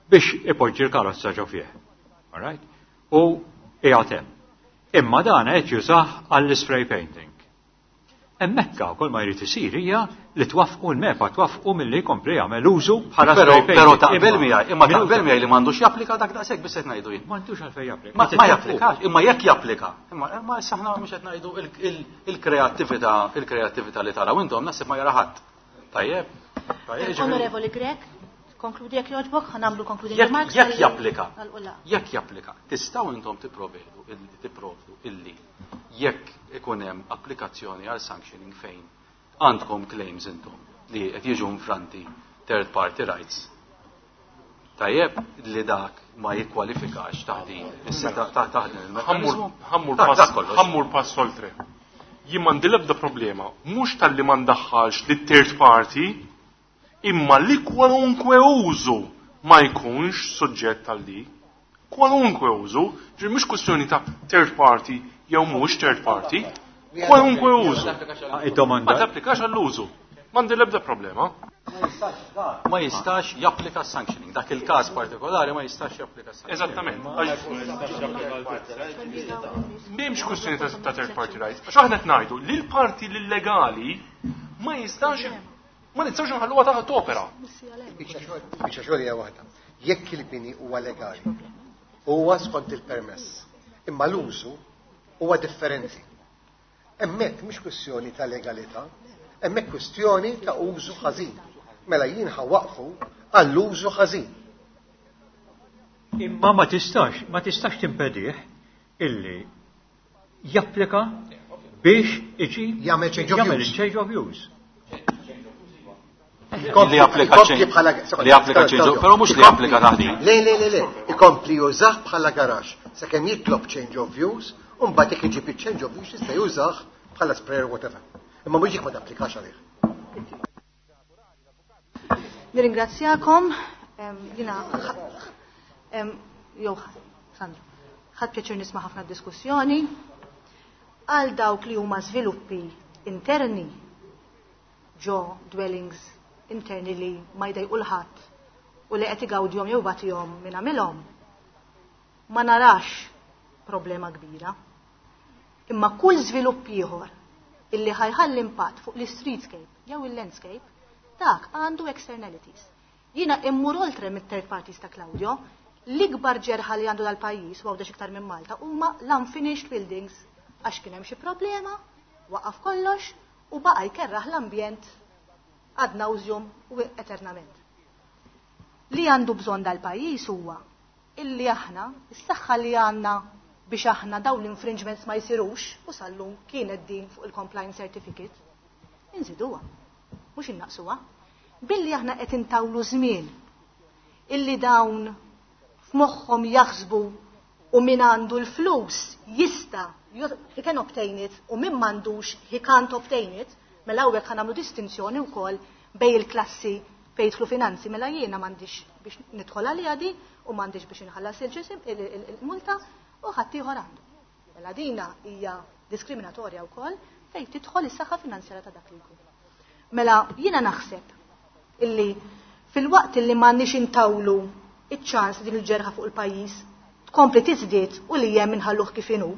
biex ipoġġi l-karozza ġo fih. All right? U qiegħed hemm. Imma dan qed jużah għall-spray painting. Hemmhekk kull ma jrid isir hija li twaffqu l-MEPA, twaffqu milli jkompli jagħmel użu bħala Però spray painting. taqbel Imma miegħi, imma minuta. taqbel miegħi li m'għandux japplika dak daqshekk biss qed ngħidu jien. M'għandux għalfejn japplika. Ma Qed japplikax, twaffqu. imma jekk japplika. Imma issa aħna mhux qed ngħidu il-kreattività li taraw intom naħseb ma jara ħadd. Tajjeb. Tajjeb, ġifieri. Onorevoli Grech, konkludi jekk jogħġbok, ħa nagħmlu concluding Jekk remarks tal- japplika. tal-qula. Jekk japplika, tistgħu intom tipprovdu illi jekk ikun hemm applikazzjoni għal sanctioning fejn għandkom claims intom li qed jiġu infranti third party rights. Tajjeb li dak ma jikkwalifikax taħt din is-seta taħt din il-mekkaniżmu. Ħammur Dak kollox. pass oltre. Jien m'għandi l-ebda problema, mhux talli ma ndaħħalx lit-third party, imma li kwalunkwe użu ma jkunx suġġett għal di. Kwalunkwe użu, ġifieri mhux kwestjoni ta' third party jew mhux third party, kwalunkwe użu. Id-domanda. Ma tapplikax għall-użu. M'għandi l-ebda problema. Ma jistax japplika sanctioning. Dak il-każ partikolari ma jistax japplika sanctioning. Eżattament. M'hemmx kwestjoni ta' third party rights. Għax aħna qed ngħidu li l-parti l-illegali ma jistax ma nistgħux nħalluha taħt opera. Biċċa xogħol hija waħda. Jekk il-bini huwa legali, huwa skont il-permess, imma l-użu huwa differenti. Hemmhekk mhux kwestjoni ta' legalità, hemmhekk kwestjoni ta' użu ħażin. Mela jien ħa waqfu għall-użu ħażin. Imma ma tistax timpedih illi japplika biex iġi jagħmel change of jagħmel use. change of use. Li japplika Ikompli change- bħala li japplika change of, però mhux li japplika taħdin. Le, le, le, le, ikompli jużah bħala garax, sakemm jitlob change of use, u mbagħad jekk iġib il-change of use jista' jużah bħala sprayer whatever. Imma mhux dik ma tapplikax għalih. Nirringrazzjakom, jiena jew Sandra, ħadt pjaċir nisma' ħafna diskussjoni. Għal dawk li huma żviluppi interni ġo dwellings interni li ma jdejqu l-ħadd u li qed igawdihom jew bagħtihom minn għamilhom, ma narax problema kbira. Imma kull żvilupp ieħor illi ħajħalli impatt fuq l-streetscape jew il-landscape, dak għandu externalities. Jiena immur oltre mit-third parties ta' Claudio, l-ikbar ġerħa li għandu dal-pajjiż u għawdex iktar minn Malta huma l-unfinished buildings għax kien hemm xi problema, waqaf kollox u baqa' jkerraħ l-ambjent ad nauseum u eternament. Li għandu bżonn dal-pajjiż huwa illi aħna, is-saħħa li għandna biex aħna dawn l-infringements ma jsirux, u sallum kienet din fuq il-compliance certificate, inżiduha, mhux innaqsuha. Billi aħna qed intawlu żmien illi dawn f'moħħhom jaħsbu u min għandu l-flus jista' he can obtain it u min m'għandux he can't obtain it, mela hawnhekk ħa nagħmlu distinzjoni wkoll bej il-klassi fejn jidħlu finanzi, mela jiena m'għandix biex nidħol għaliha di u m'għandix biex inħallas il-ġisim il-multa u ħadd ieħor għandu. Mela dina hija diskriminatorja wkoll fejn tidħol is-saħħa finanzjarja ta' dak li jkun. Mela jiena naħseb illi fil-waqt illi m'għandniex intawlu iċ-ċans din il-ġerħa fuq il-pajjiż tkompli tiżdied u li hemm inħalluh kif inhu,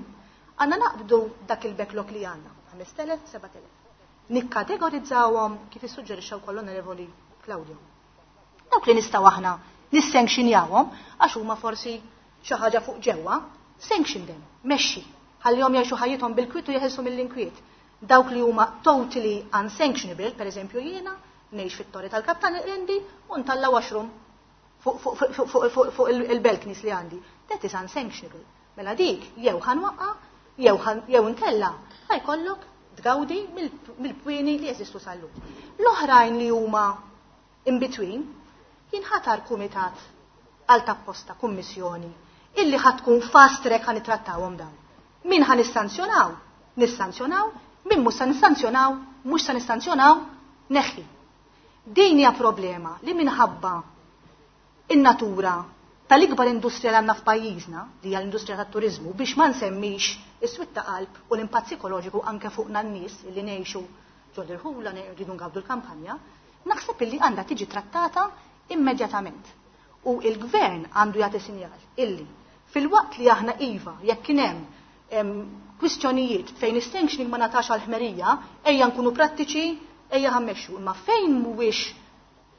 għandna naqbdu dak il-backlog li għandna, 5,000, 7,000. Nikkategorizzawhom kif issuġġerixxa wkoll l-Onorevoli Claudio. Dawk li nistgħu aħna nissanctionjawhom għax huma forsi xi ħaġa fuq ġewwa, sanction them, mexxi, ħallihom jgħixu ħajjithom bil-kwiet u jeħilsu mill-inkwiet. Dawk li huma totally unsanctionable, per eżempju jiena, ngħix fit-torri tal-Kaptan Rendi u ntalla washroom fuq il-balconies li għandi. That is unsanctionable. Mela dik jew ħanwaqqa, jew inkella ħajkollok tgawdi mill-pwieni li jeżistu sal-lum. L-oħrajn li huma in between jinħatar kumitat għal tapposta kummissjoni illi ħad tkun fast track ħan nittrattawhom dawn. Min ħan nissanzjonaw? Nissanzjonaw, min mhux sa nissanzjonaw, mhux sa nissanzjonaw, neħħi. Din hija problema li minħabba in-natura tal-ikbar industrija li għandna f'pajjiżna, li hija l-industrija tat-turiżmu, biex ma nsemmix is-swit ta' qalb u l-impatt psikoloġiku anke fuqna n-nies li ngħixu ġol irħula, rridu ngawdu l-kampanja, naħseb illi għandha tiġi trattata immedjatament. U il-gvern għandu jagħti sinjal illi fil-waqt li aħna iva jekk kien hemm kwistjonijiet fejn is-sanctioning ma natax għal ħmerija, ejja nkunu prattiċi, ejja ħammexxu, imma fejn mhuwiex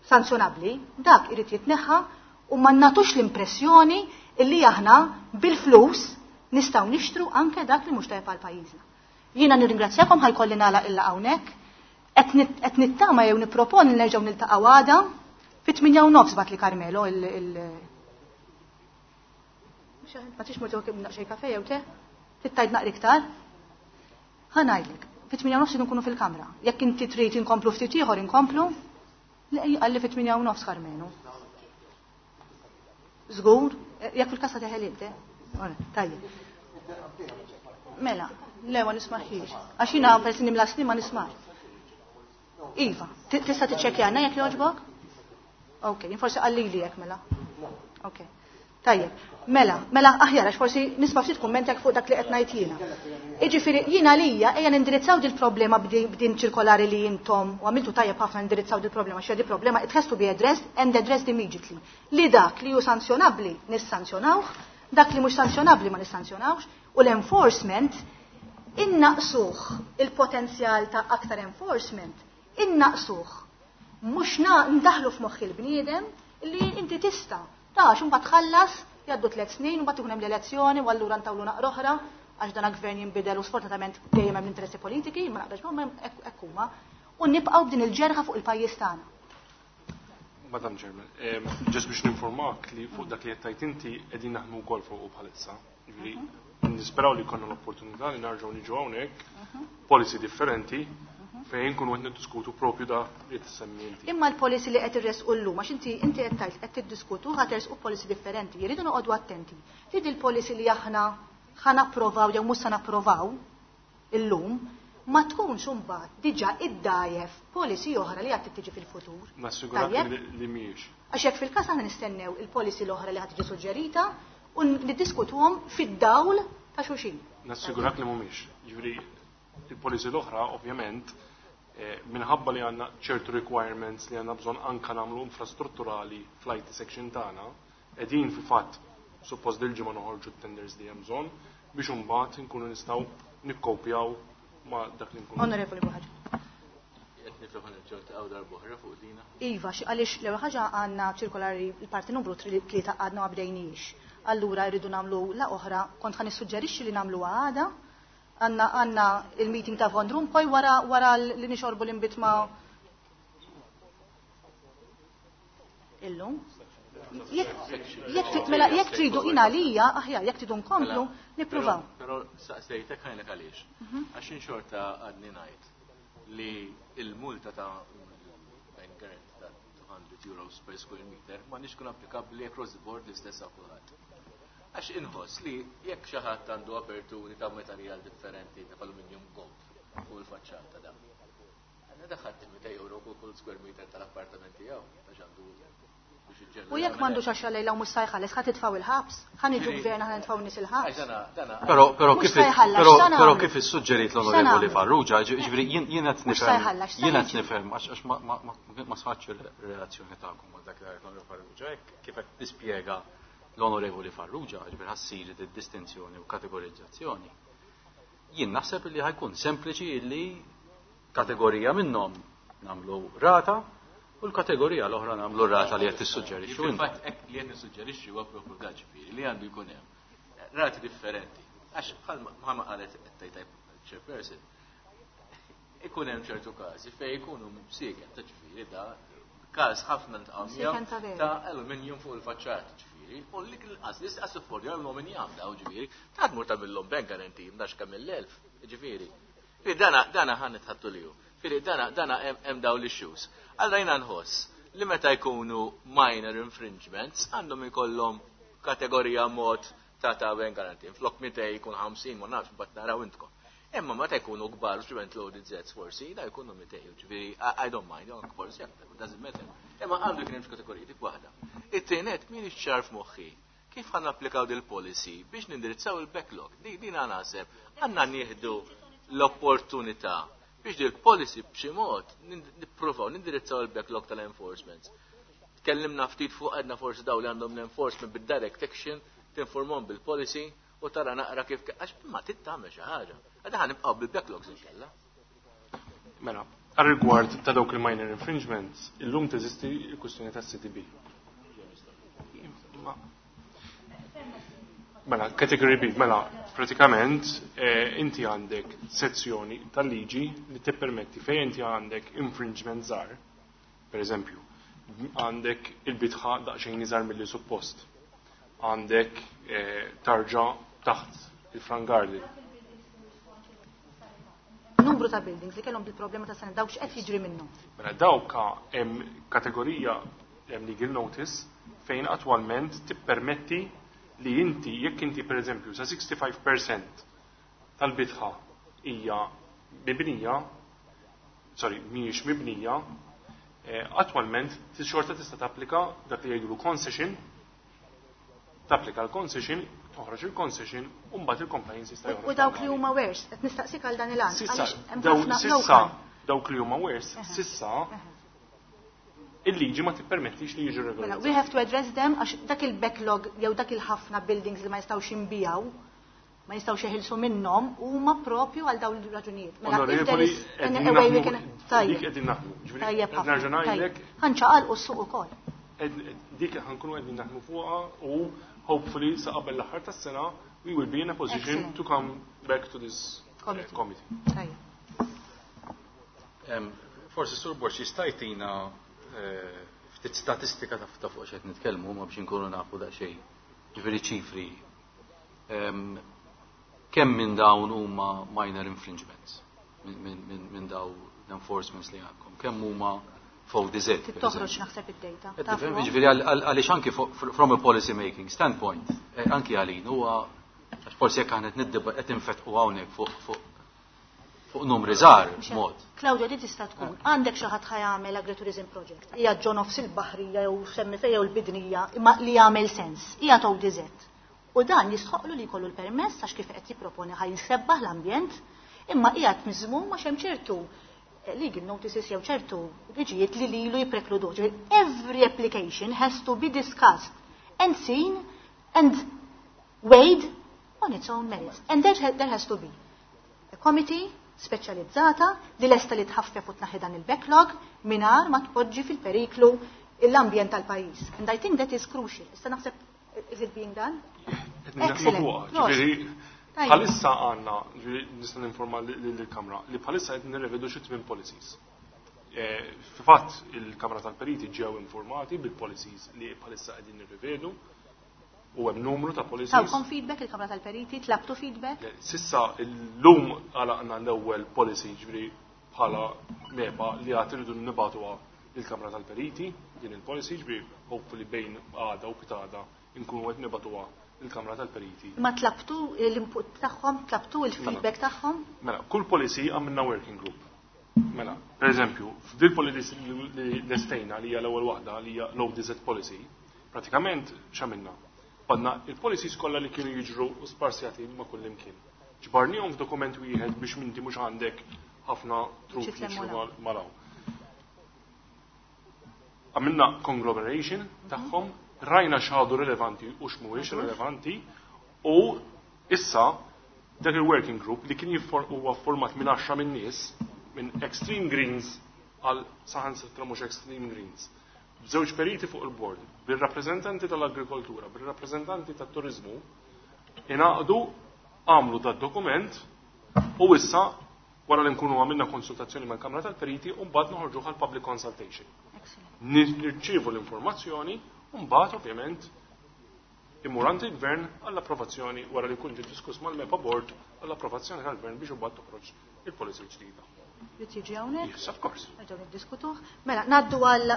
sanzjonabbli, dak irid jitneħħa u ma nagħtux l-impressjoni illi aħna bil-flus nistgħu nixtru anke dak li mhux tajjeb għal pajjiżna. Jiena nirringrazzjakom, ħajkolli nagħlaq illa hawnhekk. Qed nittama jew nipproponi nerġgħu niltaqgħu għada fit-tminja u nofs bat li Carmelo il- Ma tix murtu kemm naqxej kafe jew te? Tittajt naqri iktar? Ħa ngħidlek, fit-tminja u nofs nkunu fil-kamra. Jekk inti trid inkomplu ftit ieħor inkomplu, le qalli fit-tminja u nofs Carmelo. Żgur, jekk fil-kassa teħel inti. Ora, tajjeb. Mela. Le, ma nismaħiex. Għax jiena peress nimla snin ma nismax. Iva, tista' tiċċekkjana jekk jogħġbok? Ok, jien forsi qallili jekk mela. Ok. Tajjeb, mela, mela aħjar għax forsi nisma' ftit kumment fuq dak li qed ngħid jiena. Jiġifieri jiena għalija ejja nindirizzaw dil problema b'din ċirkolari li intom u għamiltu tajjeb ħafna nindirizzaw dil problema xi di problema it has to be addressed and addressed immediately. Li dak li hu sanzjonabbli nissanzjonawh, dak li mhux sanzjonabbli ma nissanzjonawhx u l-enforcement innaqsuh il-potenzjal ta' aktar enforcement innaqsuh. Mhux ndaħlu f'moħħ il-bniedem li inti tista' ta' għax imbagħad tħallas jgħaddu 3 snin mbagħad ikun hemm l-elezzjoni u allura ntawlu naqra oħra għax dan gvern jinbidel u sfortunatament dejjem hemm interessi politiki, ma naqbrax magħhom hekk huma, u nibqgħu b'din il-ġerħa fuq il-pajjiż tagħna. Madam Chairman, ġest biex ninformak li fuq dak li qed tgħid inti qegħdin naħdmu wkoll fuq bħalissa. Jiġifieri nisperaw li jkollna l-opportunità li nerġgħu niġu hawnhekk policy differenti fejn nkunu qed niddiskutu propju da li tissemmi inti. Imma l-policy li qed irresqu llum għax inti inti qed tgħid qed tiddiskutu ħa tersqu policy differenti. Jridu noqogħdu attenti. Li din il-policy li aħna ħa napprovaw jew mhux se napprovaw illum ma tkunx imbagħad diġà iddajjef policy oħra li għad tiġi fil-futur. Nassigurak li mhijiex. Għax jekk fil-każ aħna nistennew il-policy l-oħra li ħad tiġi suġġerita u niddiskutuhom fid-dawl ta' xulxin. Nassigurak li mhumiex. Jiġifieri il-policy l-oħra ovvjament minħabba li għandna ċertu requirements li għandna bżonn anka nagħmlu infrastrutturali fl-IT section tagħna, qegħdin fil-fatt suppost dil-ġimgħa noħorġu t-tenders li hemm bżonn biex imbagħad inkunu nistgħu nikkopjaw ma' dak li nkunu. Onorevoli Buħaġa. Qed nifhem ħa nerġgħu darb'oħra fuq dina. Iva, għaliex l-ewwel ħaġa għandna ċirkolari l-parti numru 3 għadna ma bdejniex. Allura rridu nagħmlu la oħra, kont ħa nissuġġerixxi li nagħmlu għada. Għandna il-meeting ta' Von Rompuy wara li nixorbu l-inbid ma' illum. Mela, jekk tridu jien għalija, aħjar, jekk tridu nkomplu, nippruvaw. Però saqsejtek ħajlek għaliex. Għax xorta għadni ngħid li il-multa ta' bank guarantee ta' 200 euros per square meter ma nix kun applikabbli across the board l-istess għal kulħadd. Għax inħoss li jekk xi ħadd għandu aperturi ta' materjal differenti ta' aluminium gold fuq il-faċċata da. Għandna daħħat 200 euro kull square meter tal-appartament tiegħu għax għandu biex iġġellu U jekk m'għandux għax lejla u mhux se jħallas, ħa titfgħu il-ħabs, ħa niġu gvern ħa nitfgħu nies il-ħabs. Għax dana Però, però Mhux kif se jħallas, però, x'sa però nagħmlu? kif issuġġerit X'sa l-Onorevoli nagħmlu? Farrugia, ġifieri jien qed Mhux se nifhem, jħallas, x'sa jien qed niġu? nifhem għax ma sħatx il-relazzjoni tagħkom ma' dak li qed l-Onorevoli Farrugia, hekk kif qed tispjega l-Onorevoli Farrugia, ġifieri ħassir id-distinzjoni u kategorizzazzjoni. Jien naħseb li ħajkun sempliċi li kategorija minnhom nagħmlu rata u l-kategorija l-oħra nagħmlu rata li qed tissuġġerixxu inti. Fil-fatt hekk li qed nissuġġerixxi huwa proprju dan, ġifieri li għandu jkun hemm rati differenti. Għax bħalma qalet qed tgħid chairperson, ikun hemm ċertu każi fejn ikunu msieken ta' ġifieri da każ ħafna ntqgħu Msieken ta' veru. ta' aluminium fuq il-faċċat, ġifieri, u li l-qas li qas affordjaw l-aluminium daw, ġifieri, ta' tmur tagħmilhom bank guarantee m'dax kemm il-1000, ġifieri. Ġifieri dana ħa nitħattu lihu. Ġifieri dana hemm daw l-issues. Allura jiena nħoss li meta jkunu minor infringements għandhom ikollhom kategorija mod ta' bank guarantee. Flok 200 jkun 50, ma nafx, mbagħad naraw intkom. Imma meta jkunu kbar, ġivent loaded zets forsi, da jkunu 200, ġifieri, I don't mind, anke forsi aktar, it doesn't matter. Imma għandu jkun hemm kategoriji dik waħda. It-tienet min ixċar f'moħħi kif ħan applikaw dil-policy biex nindirizzaw il-backlog. Din naħseb għandna nieħdu l-opportunità biex dil-policy b'xi mod nippruvaw nindirizzaw il-backlog tal-enforcement. Tkellimna ftit fuq għedna forsi daw li għandhom l-enforcement bid-direct action, tinformhom bil-policy u tara naqra kif għax ma trid tagħmel xi ħaġa. Għadha ħa nibqgħu bil-backlogs inkella. Mela, għar-rigward ta' dawk il-minor infringements, illum teżisti l-kwistjoni tas CTB. Mela, category B, mela, pratikament inti għandek sezzjoni tal-liġi li tippermetti fejn inti għandek infringement żgħar, per eżempju, għandek il-bitħa daqsxejn iżgħar milli suppost, għandek tarġa taħt il-front garden. Numru ta' buildings li kellhom bil-problema ta' sena dawk x'qed jiġri minnhom. Mela dawk hemm kategorija hemm legal notice fejn attwalment tippermetti li inti jekk inti per eżempju sa 65% tal-bitħa hija mibnija, sorry, mhijiex mibnija, attwalment xorta tista' tapplika dak li jgħidulu concession, tapplika l-concession, toħroġ il-concession, u mbagħad il-compliance jista' joħroġ. U dawk li huma worse, qed nistaqsik għal dan il-għan. Sissa, Għaliex hemm daw, ħafna sissa, local. dawk li huma worse, sissa il-liġi ma tippermettix li jiġu Mela, regolarizzati. we have to address them għax dak il-backlog jew dak il-ħafna buildings li ma jistgħux jinbijaw, ma jistgħux jeħilsu minnhom huma propju għal dawn il-raġunijiet. Mela, if there Onorevoli, is an qegħdin a way we naħdmu- can Tajjeb. dik qegħdin naħdmu. Ġifieri, Tajjeb qed ħafna. nerġa' ngħidlek, Tajjeb. Ħanċaqalqu s-suq ukoll. dik ħankunu qegħdin naħdmu fuqha u hopefully sa qabel l-aħħar tas-sena we will be in a position Excellent. to come back to this Committee. committee. Tajjeb. Forsi Sur Borg jista' jtina ftit statistika ta' fuq x'qed nitkellmu ma biex inkunu nafu daqsxejn. Ġifieri ċifri. Kemm minn dawn huma minor infringements minn daw l-enforcements li għandkom? Kemm huma fuq DZ, per Toħroġ eżempju? naħseb id-data. Qed Taf tifhem, fuq? jiġifieri għaliex anki from a policy making standpoint, anki għalin huwa għax forsi jekk aħna qed niddib-, qed infetqu hawnhekk fuq numri żgħar Mhux mod. Claudio, di tista' tkun għandek xi ħadd ħajamel agritourism project. Hija ġo nofs il-baħrija jew semmi fejn jew l-bidnija, imma li jagħmel sens. Hija ODZ. U dan jistħoqlu li jkollu l-permess għax kif qed jipproponi ħaj jisebbaħ l-ambjent, imma qiegħed miżmum għax hemm ċertu legal notices jew ċertu liġijiet li lilu jipprekludu. Ġifieri, every application has to be discussed and seen and weighed on its own merits. And there has to be a committee speċjalizzata li lesta li tħaffef u tnaħħi dan il-backlog mingħajr ma tpoġġi fil-periklu l-ambjent tal-pajjiż. And I think that is crucial. Issa naħseb, is it being done? Qed naħdmu Excellent. fuqha, Prosit. ġifieri, Tajjeb. bħalissa għandna, ġifieri nista' ninforma lill-Kamra li bħalissa qed nirrevedu xi tmien policies. Fil-fatt il-Kamra tal-Periti ġew informati bil-policies li bħalissa qegħdin nirrivedu u hemm numru ta' policies. Tawkom feedback il-Kamra tal-Periti, tlabtu feedback? Le, sissa llum għalaqna l-ewwel policy ġifieri bħala MEPA li għad irridu nibagħtuha lill-Kamra tal-Periti, din il-policy ġifieri hopefully bejn għada u pitada nkunu qed nibagħtuha lill-Kamra tal-Periti. Ma tlabtu l-input tagħhom, tlabtu il-feedback Mela. tagħhom? Mela, kull policy għamilna working group. Mela, per eżempju, f'dil policy li lestejna li hija l-ewwel waħda li hija l-ODZ policy, pratikament x'għamilna? Badna il-policies kollha li kienu jiġru u sparsjati ma' kull imkien. Ġbarnihom f'dokument wieħed biex minti mhux għandek ħafna truf Xi tlemmu jiġru law. malaw. Għamilna conglomeration tagħhom, rajna x'għadu rilevanti u x'mhuwiex rilevanti u issa dak il-working group li kien huwa format minn 10 minn nies, minn Extreme Greens għal saħansitra mhux Extreme Greens. B'żewġ periti fuq il-board, bir-rappreżentanti tal-agrikoltura, bir-rappreżentanti tat-turizmu, ingħaqdu għamlu dat dokument u issa wara li nkunu għamilna konsultazzjoni mal-Kamra tal-Periti u mbagħad noħorġu għal public consultation. Nirċievu l-informazzjoni u mbagħad ovvjament immur għand il-Gvern għall-approvazzjoni wara li jkun ġie diskuss mal-MEPA Board għall-approvazzjoni tal-Gvern biex imbagħad toħroġ il-policy ġdida. Li tiġi hawnhekk? Yes, of course. Nerġgħu niddiskutuh. Mela, ngħaddu għal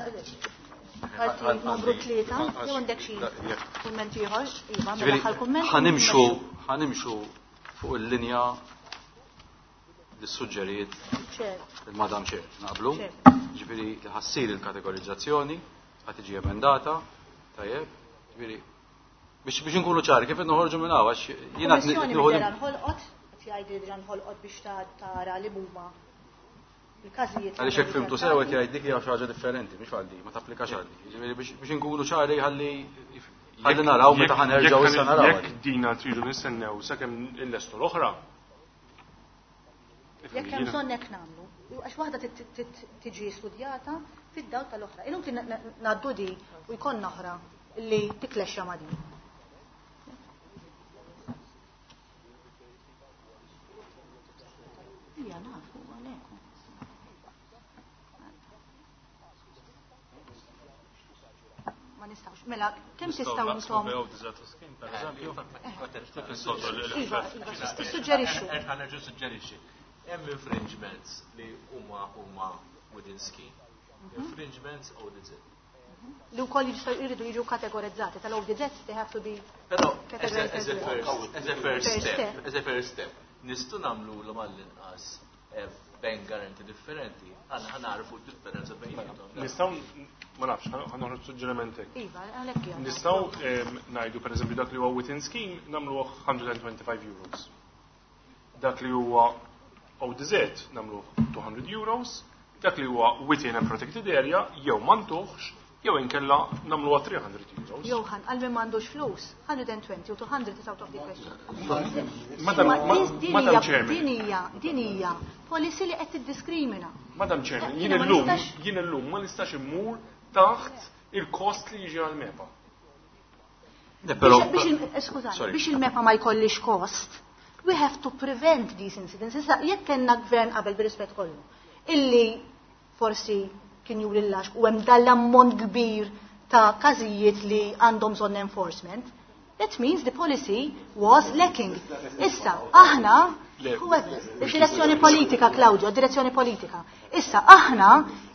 parti numru 3, jew għandek xi kumment ieħor? Iva, mela Ġifieri, aħħar kumment. ħanimxu fuq il-linja li suġġeriet Chair. il-Madam Chair, naqblu? Chair. Ġifieri li ħassir il-kategorizzazzjoni, ħad tiġi emendata, tajjeb, ġifieri biex inkunu ċari kif noħorġu minn hawn għax jiena qed Kummissjoni nieħu middera nħolqot, qed jgħidu li nħolqot biex tara li huma il-każijiet. Għaliex hekk fimtu sew qed jgħid dik hija xi ħaġa differenti, mhix għaldi, ma tapplikax għaldi. Ġifieri biex inkunu ċari ħalli naraw meta ħanerġgħu issa naraw. Jekk dina tridu nistennew sakemm illestu l-oħra. Jekk hemm bżonn hekk nagħmlu, għax waħda tiġi studjata fid-dawl tal-oħra. Inutli ngħaddu di u jkollna oħra li tiklexxa ma' din. Ija nafu għalhekk. Ma nistgħux. Mela, kemm tistgħu intom? Iva, iva, tissuġġerixxu. Ħa nerġa' suġġerixxi. Hemm infringements li huma within scheme. Infringements ODZ. Li wkoll jistgħu jridu jiġu kategorizzati tal-ODZ they have to be Però categorized as a as well. first, as a first First step, step. as a first step. Nistgħu nagħmlulhom għall-inqas bank guarantee differenti, għal ħa nagħrfu d-differenza bejniethom. Nistgħu ma nafx, ħa noħroġ suġġeriment hekk. Iva, għalhekk jgħid. Nistgħu ngħidu pereżempju dak li huwa within scheme nagħmluh 125 euros. Dak li huwa ODZ nagħmluh 200 euros, dak li huwa within and protected area jew ma ntuhx jew inkella nagħmluha 300 euros. Johan, għal min m'għandux flus, 120 u 200 is out of the question. Madam, Madam Chairman. Din hija, din hija policy li qed tiddiskrimina. Madam Chairman, Jiena ma nistax- jien illum ma nistax immur taħt il-kost li jiġi għal-MEPA. Le, però Skużani, Sorry. biex il-MEPA ma jkollix kost, we have to prevent these incidents. Issa, jekk kellna gvern qabel bir-rispett kollu, illi forsi kien juri l-lax u hemm dal-ammont kbir ta' każijiet li għandhom bżonn enforcement, that means the policy was lacking. Issa, aħna, whoever, id-direzzjoni politika, Claudio, id-direzzjoni politika. Issa, aħna,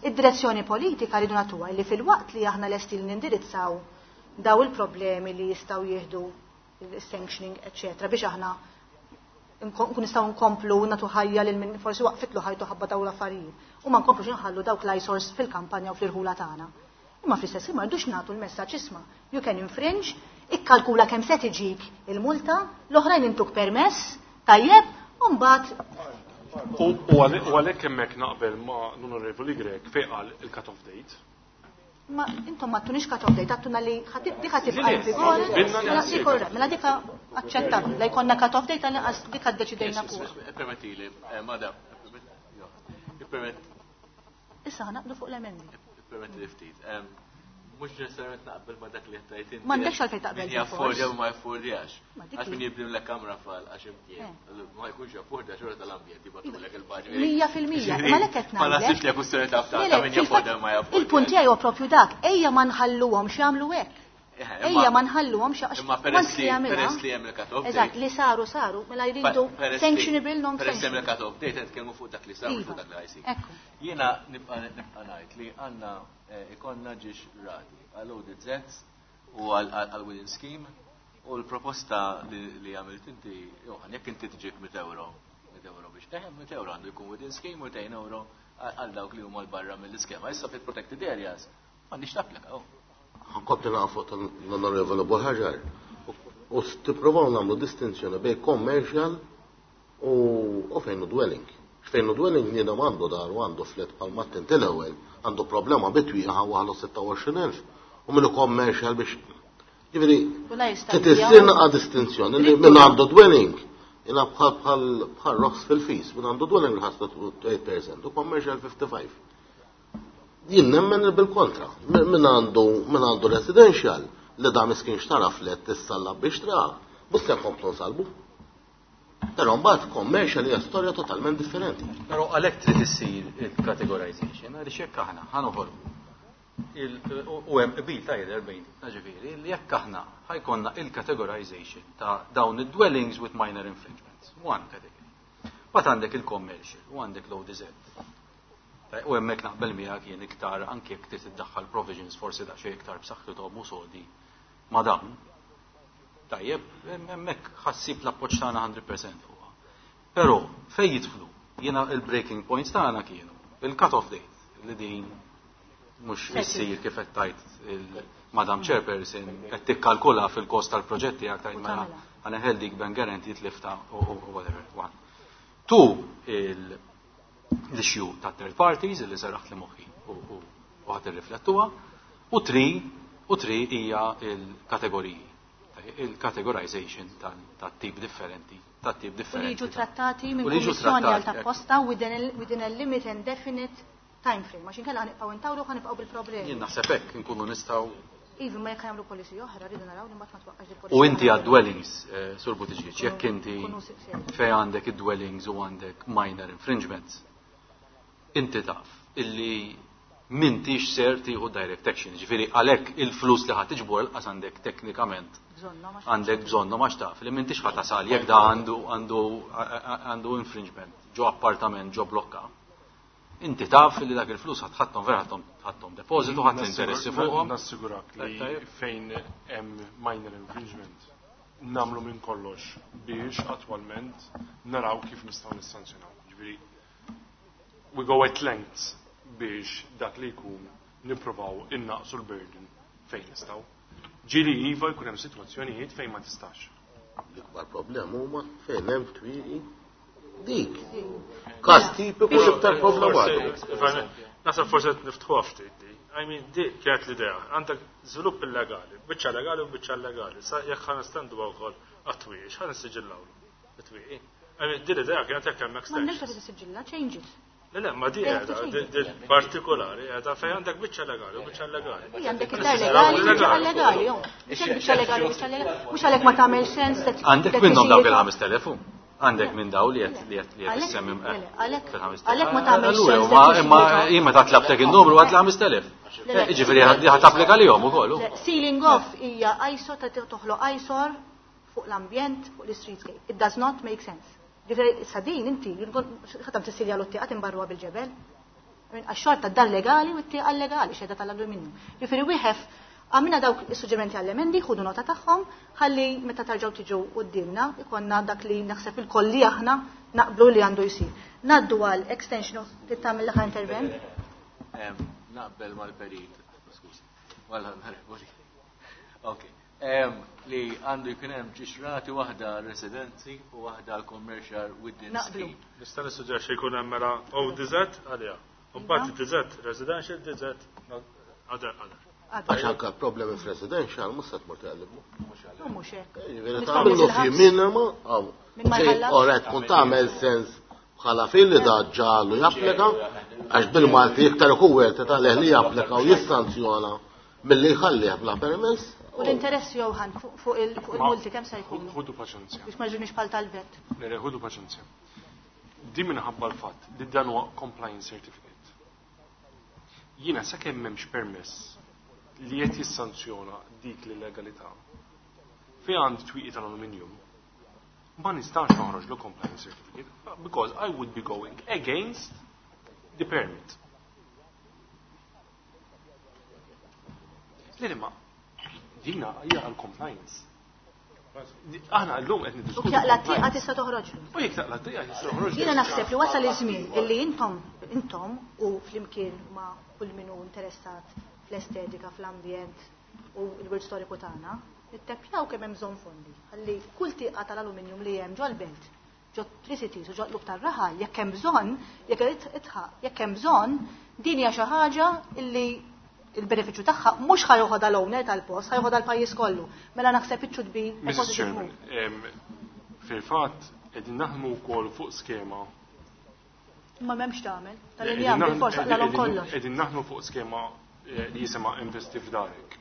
id-direzzjoni politika rridu nagħtuha li fil-waqt li aħna lesti li nindirizzaw daw il-problemi li jistgħu jieħdu il-sanctioning, eccetera, biex aħna nkun nistgħu nkomplu nagħtu ħajja lil min forsi waqfitlu ħajtu ħabba daw l-affarijiet. U ma nkomplux inħallu dawk l-eyesores fil-kampanja u fl-irħula tagħna. Imma fl-istess ħin ma rridux nagħtu l-messaġġ isma' you can infringe, ikkalkula kemm se tiġik il-multa, l-oħrajn intuk permess, tajjeb, u mbagħad U għalhekk hemmhekk naqbel ma' l-Onorevoli Grech fejn qal il-cut-off date. Ma intom ma tunix cut-off date, għattuna li dik ħatibqa' Le, in vigore. binna li Mela, ħassib. dik orra, mela dik aċċettabbli, la jkollna cut-off date għal-inqas dik ddeċidejna fuq. Permettili, madam, permett Issa ħanaqdu fuq l-emendi. Permettili ftit. Mhux neċessarjament naqbel ma dak li qed tgħid inti. M'għandekx għalfejn taqbel Min bil-fors. jaffordja u ma jaffordjax. Ma dik Għax min hi. jibni l kamra fal għax imkien. Ma jkunx jaffordja xorta tal-ambjent jibgħatulek il-baġit. 100%, ma lek qed Ma ngħidlek. naħsibx li kwistjoni ta' Le, ta' le, min fil-fatt, jaffordja u ma jaffordjax. Il-punt tiegħi huwa propju dak, ejja ma nħalluhom x'jagħmlu hekk. Ejja ma nħalluhom x'għax Imma peress once li li jagħmilha- peress li hemm il-cut-off date. Eżatt, li saru saru, mela jridu sanctionable non Peress li hemm sanctionable. il-cut-off date qed nitkellmu fuq dak li saru Iva. fuq dak li ħajsir. Ekku. Jiena nibqa' nibqa' ngħid li għandna ikollna ġiex rati għal ODZ u għal within scheme u l-proposta li għamilt inti, Johan, jekk inti tiġik 100 euro, 100 euro biex teħem, 100 euro għandu jkun within scheme u 200 euro għal dawk li huma l-barra mill-iskema. Issa fil-protected areas m'għandix tapplika. oh. Ħankompli naqa' fuq tal-Onorevoli Buhaġar. U tipprovaw nagħmlu distinzjoni bejn commercial u fejn hu dwelling. Fejn hu dwelling niena għandu dar u għandu flat bħal mat l-ewwel, għandu problema bitwieqa waħlu 26,000 u minnu commercial biex Ġifieri, U la jista' trid issir naqa' distinzjoni li min għandu dwelling jina bħal bħal bħal roħs fil-fis, min għandu dwelling ħasta 8% u commercial 55. Jien nemmen bil-kontra. Min għandu residential li da miskin xtara flet tissalla biex tra, mhux se nkomplu nsalbu. Però mbagħad commercial hija storja totalment differenti. Però għalhekk trid issir il-categorization, għaliex jekk aħna ħa noħolqu u hemm qbil ta' jidher bejnietna ġifieri li jekk aħna ħajkonna il-categorization ta' dawn id-dwellings with minor infringements, one category. Mbagħad għandek il-commercial u għandek l-ODZ. U hemmhekk naqbel miegħek jien iktar anke jekk trid iddaħħal provisions forsi daqsxejn iktar b'saħħithom u sodi ma' dawn. Tajjeb, hemmhekk ħassib l-appoġġ tagħna 100% fuqha. Però fejn jidħlu jiena il-breaking points tagħna kienu il-cut-off date li din mhux issir kif qed tgħid il-Madam Chairperson qed tikkalkula fil-kost tal-proġetti tiegħek tgħid mela ħa neħel dik bank guarantee tlifta u whatever. One. Two, l-issue ta' third parties li serraħt li moħħi u ħadd irriflettuha. U three hija il-kategoriji. Il-categorization ta' tip differenti, ta' tip U li differenti. jiġu trattati minn U li jiġu kummissjoni għal trattati, ta' posta within a limit and definite time frame. Għax inkella ħanibqgħu intawlu ħanibqgħu bil-problemi. Jien naħseb hekk inkunu nistgħu Iva, ma jekk jagħmlu policy oħra, rridu naraw li mbagħad ma twaqqax il-policy. U inti oħra. għad dwellings, Sur Buttigieg, jekk inti Kunu seri. fej għandek id-dwellings u għandek minor infringements, inti taf illi m'intix ser tieħu direct action, ġifieri għalhekk il-flus li ħadd tiġbor qas għandek teknikament Bżonnhom għax għandek bżonnhom għax taf li m'intix ħa tasal jekk da għandu infringement ġo appartament ġo blokka. Inti taf li dak il-flus ħadd ħadthom vera ħadthom depositu, ħadd l-interessi fuqhom. Nassigurak li Tajjeb. fejn hemm minor infringement. nagħmlu minn kollox biex attwalment naraw kif nistgħu nissanzjonaw. Ġifieri we go at lengths biex dak li jkun nippruvaw innaqsu l-burden fejn nistgħu. Ġieli iva jkun hemm sitwazzjonijiet fejn ma tistax. L-ikbar problem huma fejn hemm twieqi dik. Każ tipiku l-iktar problematiku. Naħseb forsi qed niftħuha ftit di. I mean, di kienet l-idea. Għandek żvilupp illegali, biċċa legali u biċċa illegali. Sa jekk ħa nestenduha wkoll għat-twieqi, x'ħa nissiġillawlu? It-twieqi. I mean, di l-idea kienet jekk hemm extensions. M'għandekx għalfejn tissiġilla, change it. Le, le, ma di qiegħda, di partikolari qiegħda fejn għandek biċċa legali u biċċa illegali. Ija għandek iktar legali u biċċa illegali, jo. Mhux hekk biċċa legali u biċċa illegali. Mhux għalhekk ma tagħmel sens. Għandek minnhom dawk il-5000 Għandek minn daw li qed li qed li qed issemmi Għalhekk ma tagħmel sens. Imma jien meta tlabtek in-numru għad l-5000. Jiġifieri ħadd tapplika lihom ukoll. Sealing off hija ISO ta' toħloq ISOR fuq l-ambjent, fuq l-streetscape. It does not make sense. Ġifieri issa din inti ħadd tissilja l-tieqa timbarruha bil-ġebel. Għax xorta d-dar legali u t-tieqa legali xedha tal-alluminju. Ġifieri we have għamilna dawk is-suġġerimenti għall-emendi, ħudu nota tagħhom, ħalli meta tarġgħu tiġu quddiemna ikonna dak li naħseb il-koll li aħna naqblu li għandu jsir. Ngħaddu għal extension of trid tagħmel l-aħħar intervent? Naqbel mal-perit, skużi, mal-onorevoli. Ok. Li għandu jkun hemm ġiex rati waħda għal residenzi u waħda għal commercial within scheme. Nista' nissuġġerixxi jkun hemm mela ODZ għaliha. U mbagħad DZ residential, DZ other other. Għax anke problemi f'residential mhux se tmur tgħallibmu. Mhux hekk. Jiġifieri tagħmlu fi minima hawn. Ora tkun tagħmel sens bħala fil li da ġalu japplika għax bil-Malti iktar ikun wieħed tagħleh li japplika u jissanzjona milli jħallih bla permess. U l-interess Johan fuq il-multi kemm se jkunu? Ħudu paċenzja. Biex ma ġunix bħal tal-vet. Le, ħudu paċenzja. Di minħabba l-fatt li dan huwa compliance certificate. Jiena sakemm m'hemmx permess li qed jissanzjona dik l-illegalità, fi għandi twieqi tal-aluminium, ma nistax noħroġ compliance certificate because I would be going against the permit. Le, ma dina hija għal compliance. Aħna llum qed niddiskutu. U jekk taqla' tieqa tista' toħroġ. U jekk taqla' tieqa tista' toħroġ. Jiena naħseb li wasal iż-żmien illi intom intom u flimkien ma' kull min hu interessat fl-estetika, fl-ambjent u l-wirt storiku tagħna, nitteppjaw kemm hemm bżonn fondi ħalli kull tieqa tal-aluminium li hemm ġol-belt ġo Tricities u ġo qlub tar-raħal, jekk hemm bżonn, jekk itħaq, jekk hemm bżonn, din hija xi ħaġa illi il-benefiċċju tagħha mhux ħa joħodha l-owner tal-post, ħa joħodha l-pajjiż kollu. Mela naħseb it should be a positive move. Fil-fatt qegħdin naħdmu wkoll fuq skema. Imma m'hemmx tagħmel. Tal-injam bil-fors taqlalhom kollox. Qegħdin naħdmu fuq skema li jisimha Investi f'Darek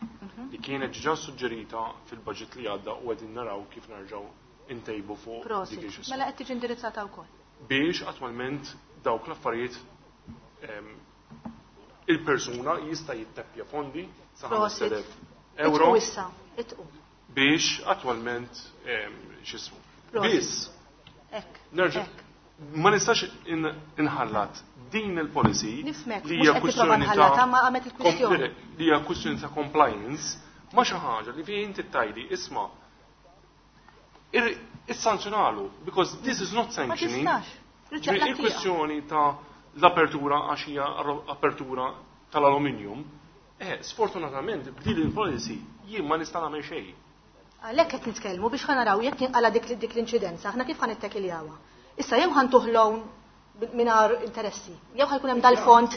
li kienet ġa suġġerita fil-budget li għadda u qegħdin naraw kif nerġgħu intejbu fuq Prosit. dik il-xisma. Mela qed tiġi indirizzata wkoll. Biex attwalment dawk l-affarijiet il-persuna jista' jitteppja fondi sa Prosit. 5,000 euro. Itqu issa, itqu. Biex attwalment x'ismu. Prosit. Biss. Hekk, Nerġa' hekk. ma nistax inħallat din il-policy Nifhmek, li mhux hija qed tipprova kwistjoni ta' nħallatha, ma għamet il-kwistjoni. li hija kwistjoni ta' compliance ma xi ħaġa li fi inti tgħidli isma' issanzjonalu because this is not Ma sanctioning. tistax. Ġifieri il-kwistjoni ta' l-apertura għax hija apertura tal-aluminium, sfortunatament b'din il-policy jien ma nista' nagħmel xejn. Għalhekk qed nitkellmu biex ħanaraw jekk jinqala dik l-inċidenza, aħna kif ħanittekiljawa. Issa jew ħantuh loan mingħajr interessi, jew ħajkun hemm dal-fond,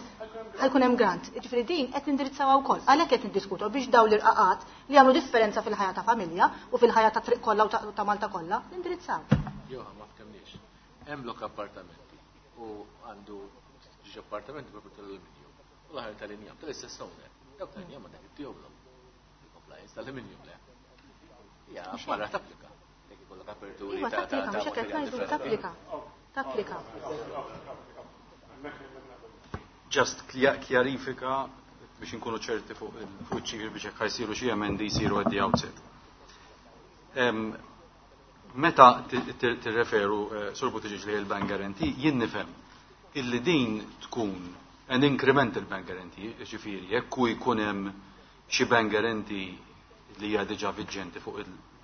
ħajkun hemm grant. Jiġifieri din qed nindirizzawha wkoll. Għalhekk qed niddiskutu biex dawn l-irqaqat li jagħmlu differenza fil-ħajja ta' familja u fil-ħajja ta' triq kollha u ta' Malta kollha, nindirizzaw. Joha, ma ftemniex. Hemm lok appartamenti u għandu ġiex appartamenti propju tal-aluminium. U l-aħħar tal-injam, tal-istess owner. Dawk tal-injam għandek ittihomlhom. Il-compliance tal-aluminium le. Ja, barra tapplika. Jekk ikollok aperturi Iva, tapplika, ta' mhux hekk qed materjal ngħidu, differenti. tapplika. Tapplika. Just kjarifika biex inkunu ċerti fuq iċ-ċifri biex jekk ħajsiru xi emendi jsiru at the outset. Meta tirreferu Sur Buttigieg li l-bank guarantee, jien nifhem illi din tkun an incremental bank guarantee, ġifieri jekk hu jkun hemm xi bank guarantee li hija diġà viġġenti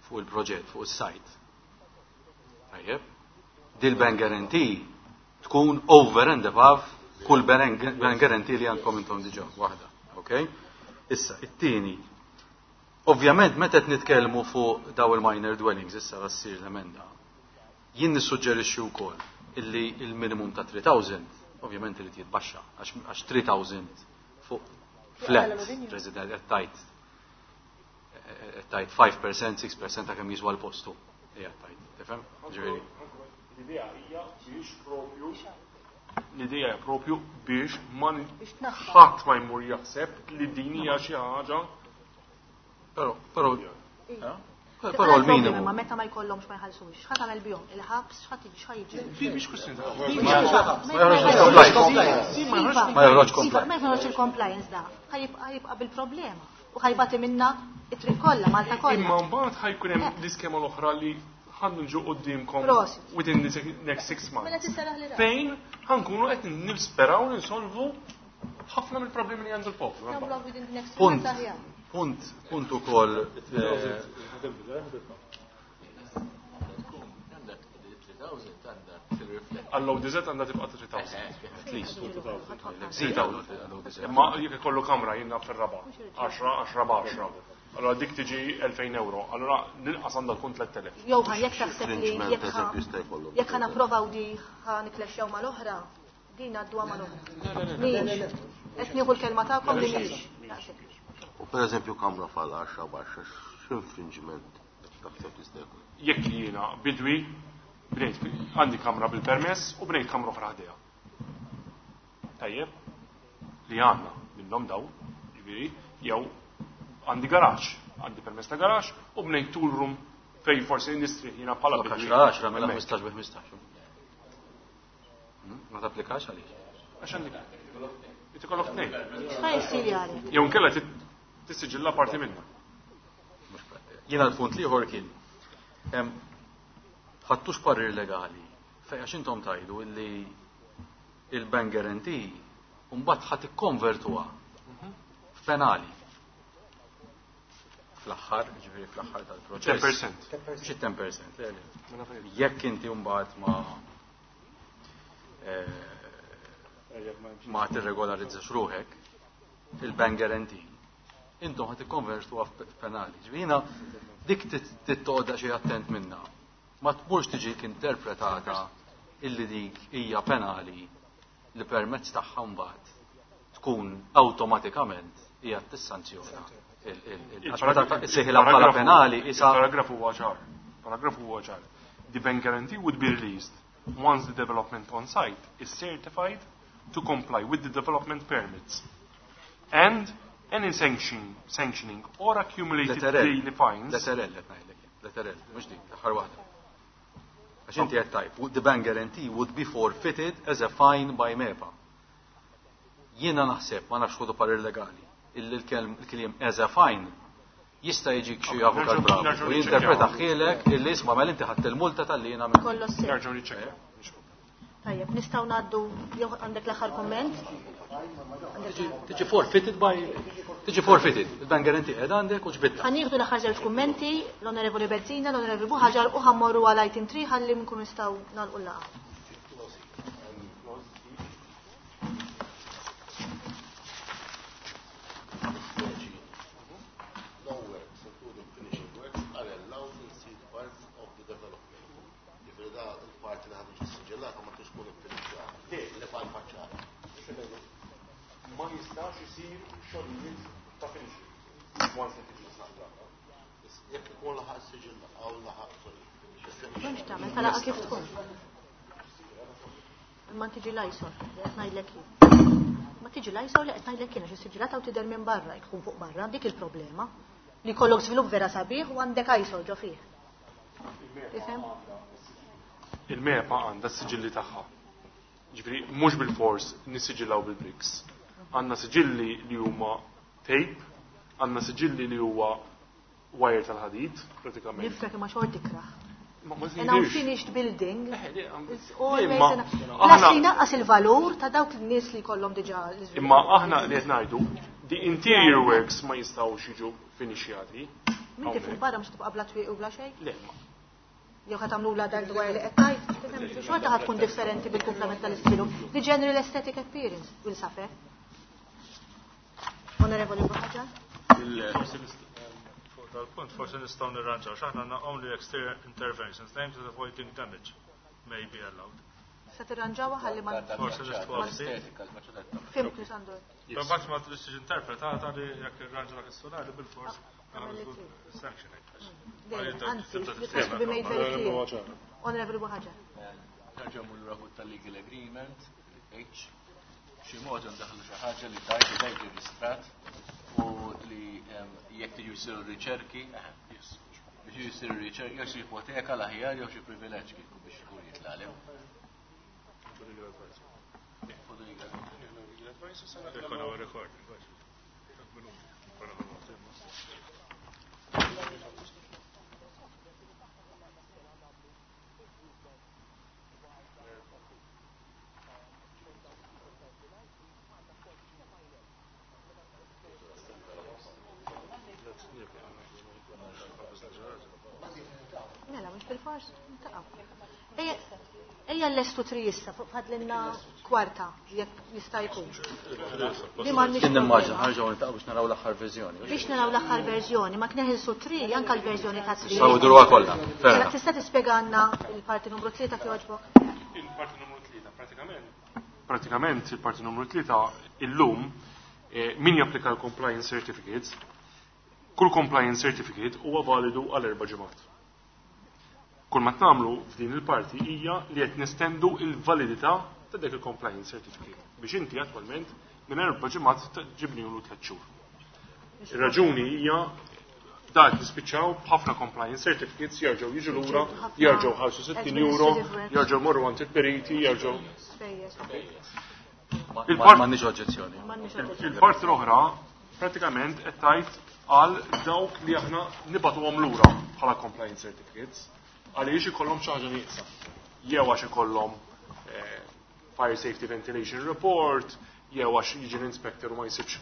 fuq il-proġett, fuq is-site. Tajjeb. Dil-bank guarantee tkun over and above kull bank guarantee li għandkom intom diġà waħda. Okay? Issa, it-tieni. Ovvjament meta qed nitkellmu fuq daw il-minor dwellings issa la ssir l-emenda. Jien nissuġġerixxi wkoll illi il-minimum ta' 3000 ovvjament irid jitbaxxa għax 3000 fuq flat resident qed tajt qed tajt 5%, 6% ta' kemm jiswa l-postu. Hija tajt, tifhem? Ġifieri. L-idea hija biex propju l-idea hija propju biex ma ħadd ma jmur jaħseb li din hija xi ħaġa. Però, però, però l-minimu. Ma meta ma jkollhomx ma jħallsux, x'ħa tagħmel bihom? Il-ħabs, x'ħa tiġi, x'ħa jiġri? Mhix kwistjoni ta' Ma joħroġ compliance. Ma joħroġ il-compliance da. Ħa jibqa' bil-problema. U ħa jbati minna it-triq kollha, Malta kollha. Imma mbagħad ħa jkun hemm l-iskema l-oħra li ħa nġu quddiemkom within the next 6 months. Mela tisseraħ li Fejn ħa nkunu qed nisperaw ninsolvu ħafna mill-problemi li għandu l-poplu. Punt, punt, punt ukoll. Għall-ODZ għandha tibqa' 3000. At least. Zid għall-ODZ. Imma jekk ikollu kamra jiena fir-raba', 10, 10 b'10. Allora dik tiġi 2000 euro. Allora l-inqas għandha tkun 3000. Jew jekk taħseb li jekk ħa napprovaw di ħa niklexxew mal-oħra, din għadduha mal-oħra. Mhix. Qed nieħu l-kelma tagħkom li mhix. U pereżempju kamra fal 10 b'10 x'infringement taħseb jista' jkun? Jekk jiena bidwi bnejt għandi kamra bil-permess u bnejt kamra oħra ħdejha. Tajjeb, li għandna minnhom daw, ġifieri, jew għandi garaxx, għandi permess ta' garaxx u bnejt tool room fej forsi nistri jiena bħala bidwi. 10 mela 15 bi 15. Ma tapplikax għaliex? Għax għandi. Inti kollok tnejn. X'ħa jsir għalek? Jew inkella tissiġilla parti minnha. Jiena l-punt l-ieħor kien ħattux parir legali fej għax intom tajdu illi il-bank guarantee mbagħad ħadd ikkonvertuha f'penali. Fl-aħħar, ġifieri fl-aħħar tal-proċess. 10%. Xi 10%, le, le. Jekk inti mbagħad ma tirregolarizzax ruħek, il-bank guarantee, intom ħadd ikkonvertuha f'penali. Ġifieri jiena dik tittoqgħod xi attent minna. Ma tmurx tiġik interpretata illi dik hija penali li permezz tagħha mbagħad tkun awtomatikament hija tissanzjona. Issejħilha bħala penali isa. Il-paragrafu huwa ċar. Paragrafu huwa ċar. The bank guarantee would be released once the development on site is certified to comply with the development permits and any sanctioning or accumulated daily fines. Letterell qed ngħidlek jien, letterell, mhux dik, l-aħħar waħda. Għax inti qed tajb, the bank guarantee would be forfeited as a fine by MEPA. Jiena naħseb, ma nafx ħodu parir legali, illi l-kliem as a fine jista' jiġik xi avukat bravu Nerġgħu u jinterpreta niċċekkjaw. ħielek illi isma' mela inti ħadd il-multa tal-li jiena minn. Kollox sew. Nerġgħu niċċekkjaw. Tajjeb, nistgħu ngħaddu jew għandek l-aħħar kumment? Tiġi forfeited by tiġi forfeited. Il-bank guarantee qed għandek u ġbidta. Ħa nieħdu l-aħħar żewġ kummenti, l-Onorevoli Bezzina, l-Onorevoli Buhaġar u ħammorru għal item 3 ħalli nkunu nistgħu nagħlqu l-laqgħa. No works, including finishing works, are allowed in seed parts of the development. Ġifieri da il-parti li ħad tiġi siġillata ma tix tkun iffinixxjata. Li fa' l-faċċata. Ma jistax isir xogħlijiet ta' finishing. Once li tiġi siġillata. Jekk ikun laħaq siġilla, għaw laħaq, sorry. M'hemmx tagħmel, talaqa kif tkun. Imma tiġi l-ISOR, li qed ngħidlek jien. Ma tiġi l-ISOR li qed ngħidlek jien għax is-siġillata u tidher minn barra, jkun fuq barra, dik il-problema. Li jkollok żvilupp vera sabiħ u għandek ISOR ġo fih. Tifhem? Il-MEPA għandha s-siġilli tagħha. Ġifieri mhux bil-fors nissiġillaw bil-bricks. Għandna siġilli li huma tape, għandna siġilli li huwa wire tal-ħadid, pratikament. Nifrek imma xorti ikraħ. Ma ma An tgħidix. unfinished building Le, is always Imma an aħna Plus li naqqas il-valur ta' dawk in-nies li jkollhom diġà l-iżvilupp. Imma aħna li qed ngħidu, the interior works ma jistgħux jiġu finixjati. Minti fuq barra mhux tibqa' bla twieqi u bla xejn? Le. Jew ħa tagħmlula dak dwar li qed tgħid? Xorta ħa tkun differenti bil-kumplament tal-iżvilupp. The general aesthetic appearance will suffer. Onorevoli Buhaġar. Fuq dal-punt forsi nistgħu nirranġaw x'aħna għandna only exterior interventions aimed at avoiding damage may be allowed. Se tirranġawha ħalli ma Forsi nistgħu Fimtu Sandor. Imbagħad ma tistax interpretata li jekk irranġa dak is-solari bil-fors sanction. Anzi, this has to be made very clear. Onorevoli Buhaġar. Nerġa' mmur lura fuq tal-legal agreement, H, b'xi mod ndaħħlu xi ħaġa li tgħid li dak ġie rristrat u li jekk tiġu jsiru riċerki, biex jsiru riċerki, jew xi ipoteka l-aħjar jew xi privileġġ kieku biex ikun jitlaqlem. Mela, mhux bil-fors, ntaqgħu. Ejja l-estu tri issa, fuq fadlinna kwarta, jekk jista' jkun. Li m'għandniex Kien nimmaġina, ħarġgħu niltaqgħu biex naraw l-aħħar verżjoni. Biex naraw l-aħħar verżjoni, ma kien ħilsu tri, anke l-verżjoni ta' tri. Nistgħu nduruha kollha. Fair Mela, enough. tista' tispjegana l-parti numru 3 kif jogħġbok? Il-parti numru 3, pratikament. Pratikament il-parti numru 3 illum min japplika l-compliance certificates, kull compliance certificate huwa validu għal 4 ġimgħat. Kull ma tagħmlu f'din il-parti hija li qed nestendu il-validità ta' dik il-compliance certificate biex inti attwalment minn 4 ġimgħat ġibnilu 3 xhur. Ir-raġuni hija dak nispiċċaw b'ħafna compliance certificates jerġgħu jiġu lura, jerġgħu ħalsu 60 euro, jerġgħu morru għand il-periti, jerġgħu. M'għandniex oġġezzjoni. Il-parti l-oħra pratikament qed tgħid għal dawk li aħna nibatuhom lura bħala compliance certificates għaliex ikollhom xi ħaġa nieqsa. Jew għax ikollhom fire safety ventilation report, jew għax jiġi l-inspector u ma jsibx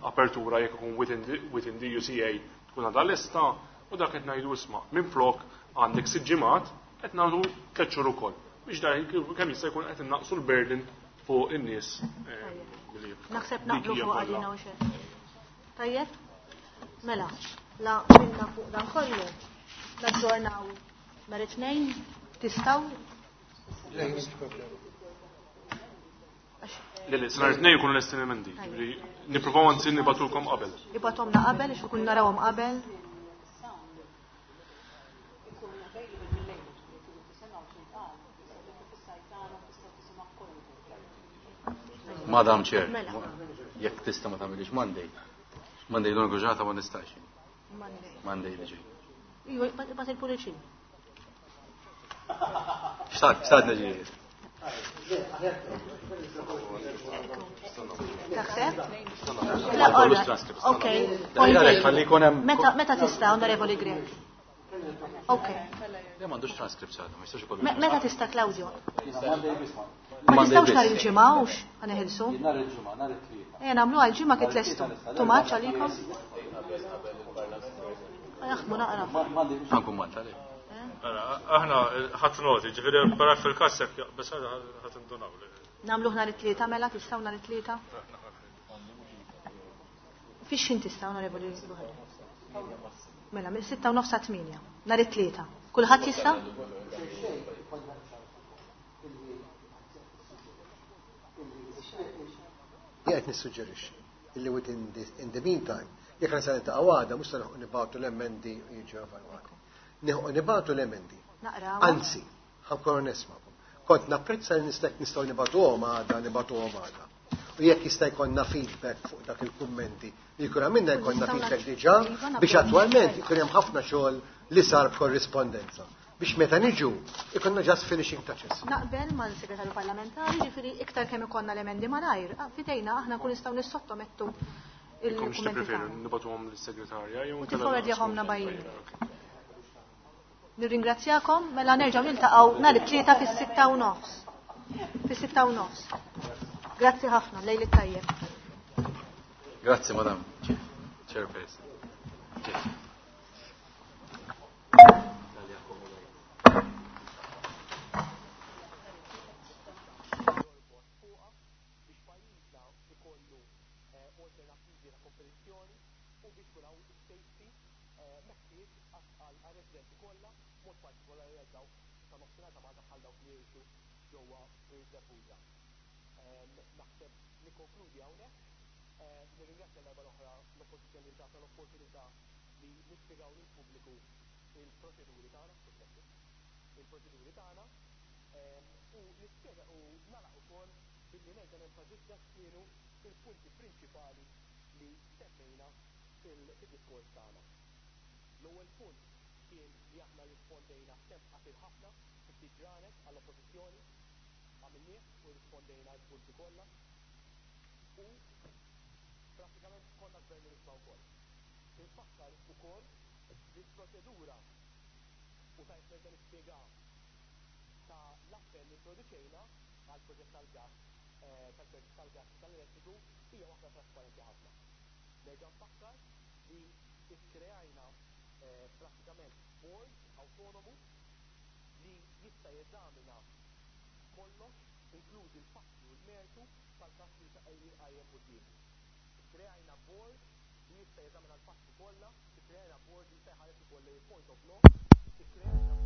apertura jekk ikun within the UCA tkun għadha lesta, u dak qed ngħidu isma' minflok għandek 6 ġimgħat qed nagħtu 3 xhur ukoll. Biex dan kemm jista' jkun qed innaqsu l-burden fuq in-nies li Naħseb dik naqblu hija fuq kollha. għalina u xejn. Tajjeb? Mela, la minna fuq dan kollu. Naġġornaw nhar it-tnejn, tistgħu? Le, le, nhar it-tnejn ikunu lesti l-emendi, ġifieri nippruvaw anzi nibatulkom qabel. Ibatomna qabel, ix ikun narawhom qabel. Madam Chair, Mela. jekk tista' ma tagħmilix Monday. Monday l-uniku ġurnata ma nistax. Monday. Monday li ġej. Iva, bat il-pulizija. Xtaqt, xtaqt neġi. Taħseb? La, ora. Ok. Ħalli jkun hemm Meta tista', Onorevoli Grech? Ok. Le m'għandux transcripts għadha, ma jistax ikollu. Meta tista', Claudio? Ma Monday nistgħux nhar biss. il-ġimgħa hux ħaneħilsu. Nhar il-ġimgħa, nhar it-tlieta. Ejja nagħmlu għal ġimgħa kif lestu. Too much għalikom? Naħdmu naqra. Ħankun Malta le. Mela, aħna ħadd noti, ġifieri barra fil-każ jekk bes ħadd indunaw. Nagħmlu nhar it-tlieta mela, tistgħu nhar it-tlieta? Fix x'in tista' Onorevoli Buħari? Mela, minn sitta u nofs sa tmienja, nhar it-tlieta. Kulħadd jista'? Jien qed nissuġġerixxi illi within the, in the meantime, jekk se niltaqgħu għada mhux se nilħqu nibgħatu l-emendi u jiġu evalwati. Nilħqu nibgħatu l-emendi. Naqraw. Anzi, ħankun onest magħkom. Kont napprezza li nista' nistgħu nibgħatuhom għada, nibgħatuhom għada. U jekk jista' jkollna feedback fuq dak il-kummenti li jkun għamilna jkollna Nistgħu feedback nagħtu- diġà Iva, nagħtu- biex attwalment ikun hemm ħafna xogħol li sar b'korrispondenza. Biex meta niġu ikonna just finishing touches. Naqbel mal-segretarju parlamentari, ġifieri iktar kemm ikollna l-emendi malajr, fidejna aħna nkun nistgħu nissottomettu Ikom il-kummenti x'tippreferu, tagħna. nibatuhom lis-segretarja jew U inkella tifforwardjahomna naqsmu. bajjin. Nirringrazzjakom, mela nerġgħu niltaqgħu nhar it-tlieta fis-sitta u nofs. Fis-sitta u nofs. Grazzi ħafna, lejli tajjeb. Grazzi, Madam Chairperson. Chair. faċilitajiet għar-residenti kollha, b'mod partikolari għal dawk ta' nofsinhar ta' Malta bħal dawk li jgħixu ġewwa Birżebbuġa. Naħseb nikkonkludi hawnhekk. Nirringrazzja darba l-oħra l-Oppożizzjoni li tatna l-opportunità li nispjegaw lill-pubbliku il-proċeduri tagħna, il-proċeduri tagħna u nispjega u nagħlaq ukoll billi nerġa' nenfasizza x'kienu il-punti prinċipali li semmejna fil-diskors tagħna. L-ewwel punt kien li aħna rispondejna f'temp qasir ħafna, fi ftit ġranet għall-Oppożizzjoni, għamilnieh u rispondejna l-punti kollha u prattikament konna gvern li nisma' wkoll. Infakkar ukoll li l-proċedura u tajt nerġa' nispjega ta' l-appell li introduċejna għal proġett tal-gas tal-proġett tal-gas tal-elettriku hija waħda trasparenti ħafna. Nerġa' nfakkar li ikkreajna prattikament board awtonomu li jista' jeżamina kollox, inklużi l-fatti u l-mertu tal-każ li jqajjem quddiemu. Ikkreajna board li jista' jeżamina l-fatti kollha, ikkreajna board li jista' jħares ukoll lejn point of law, ikkreajna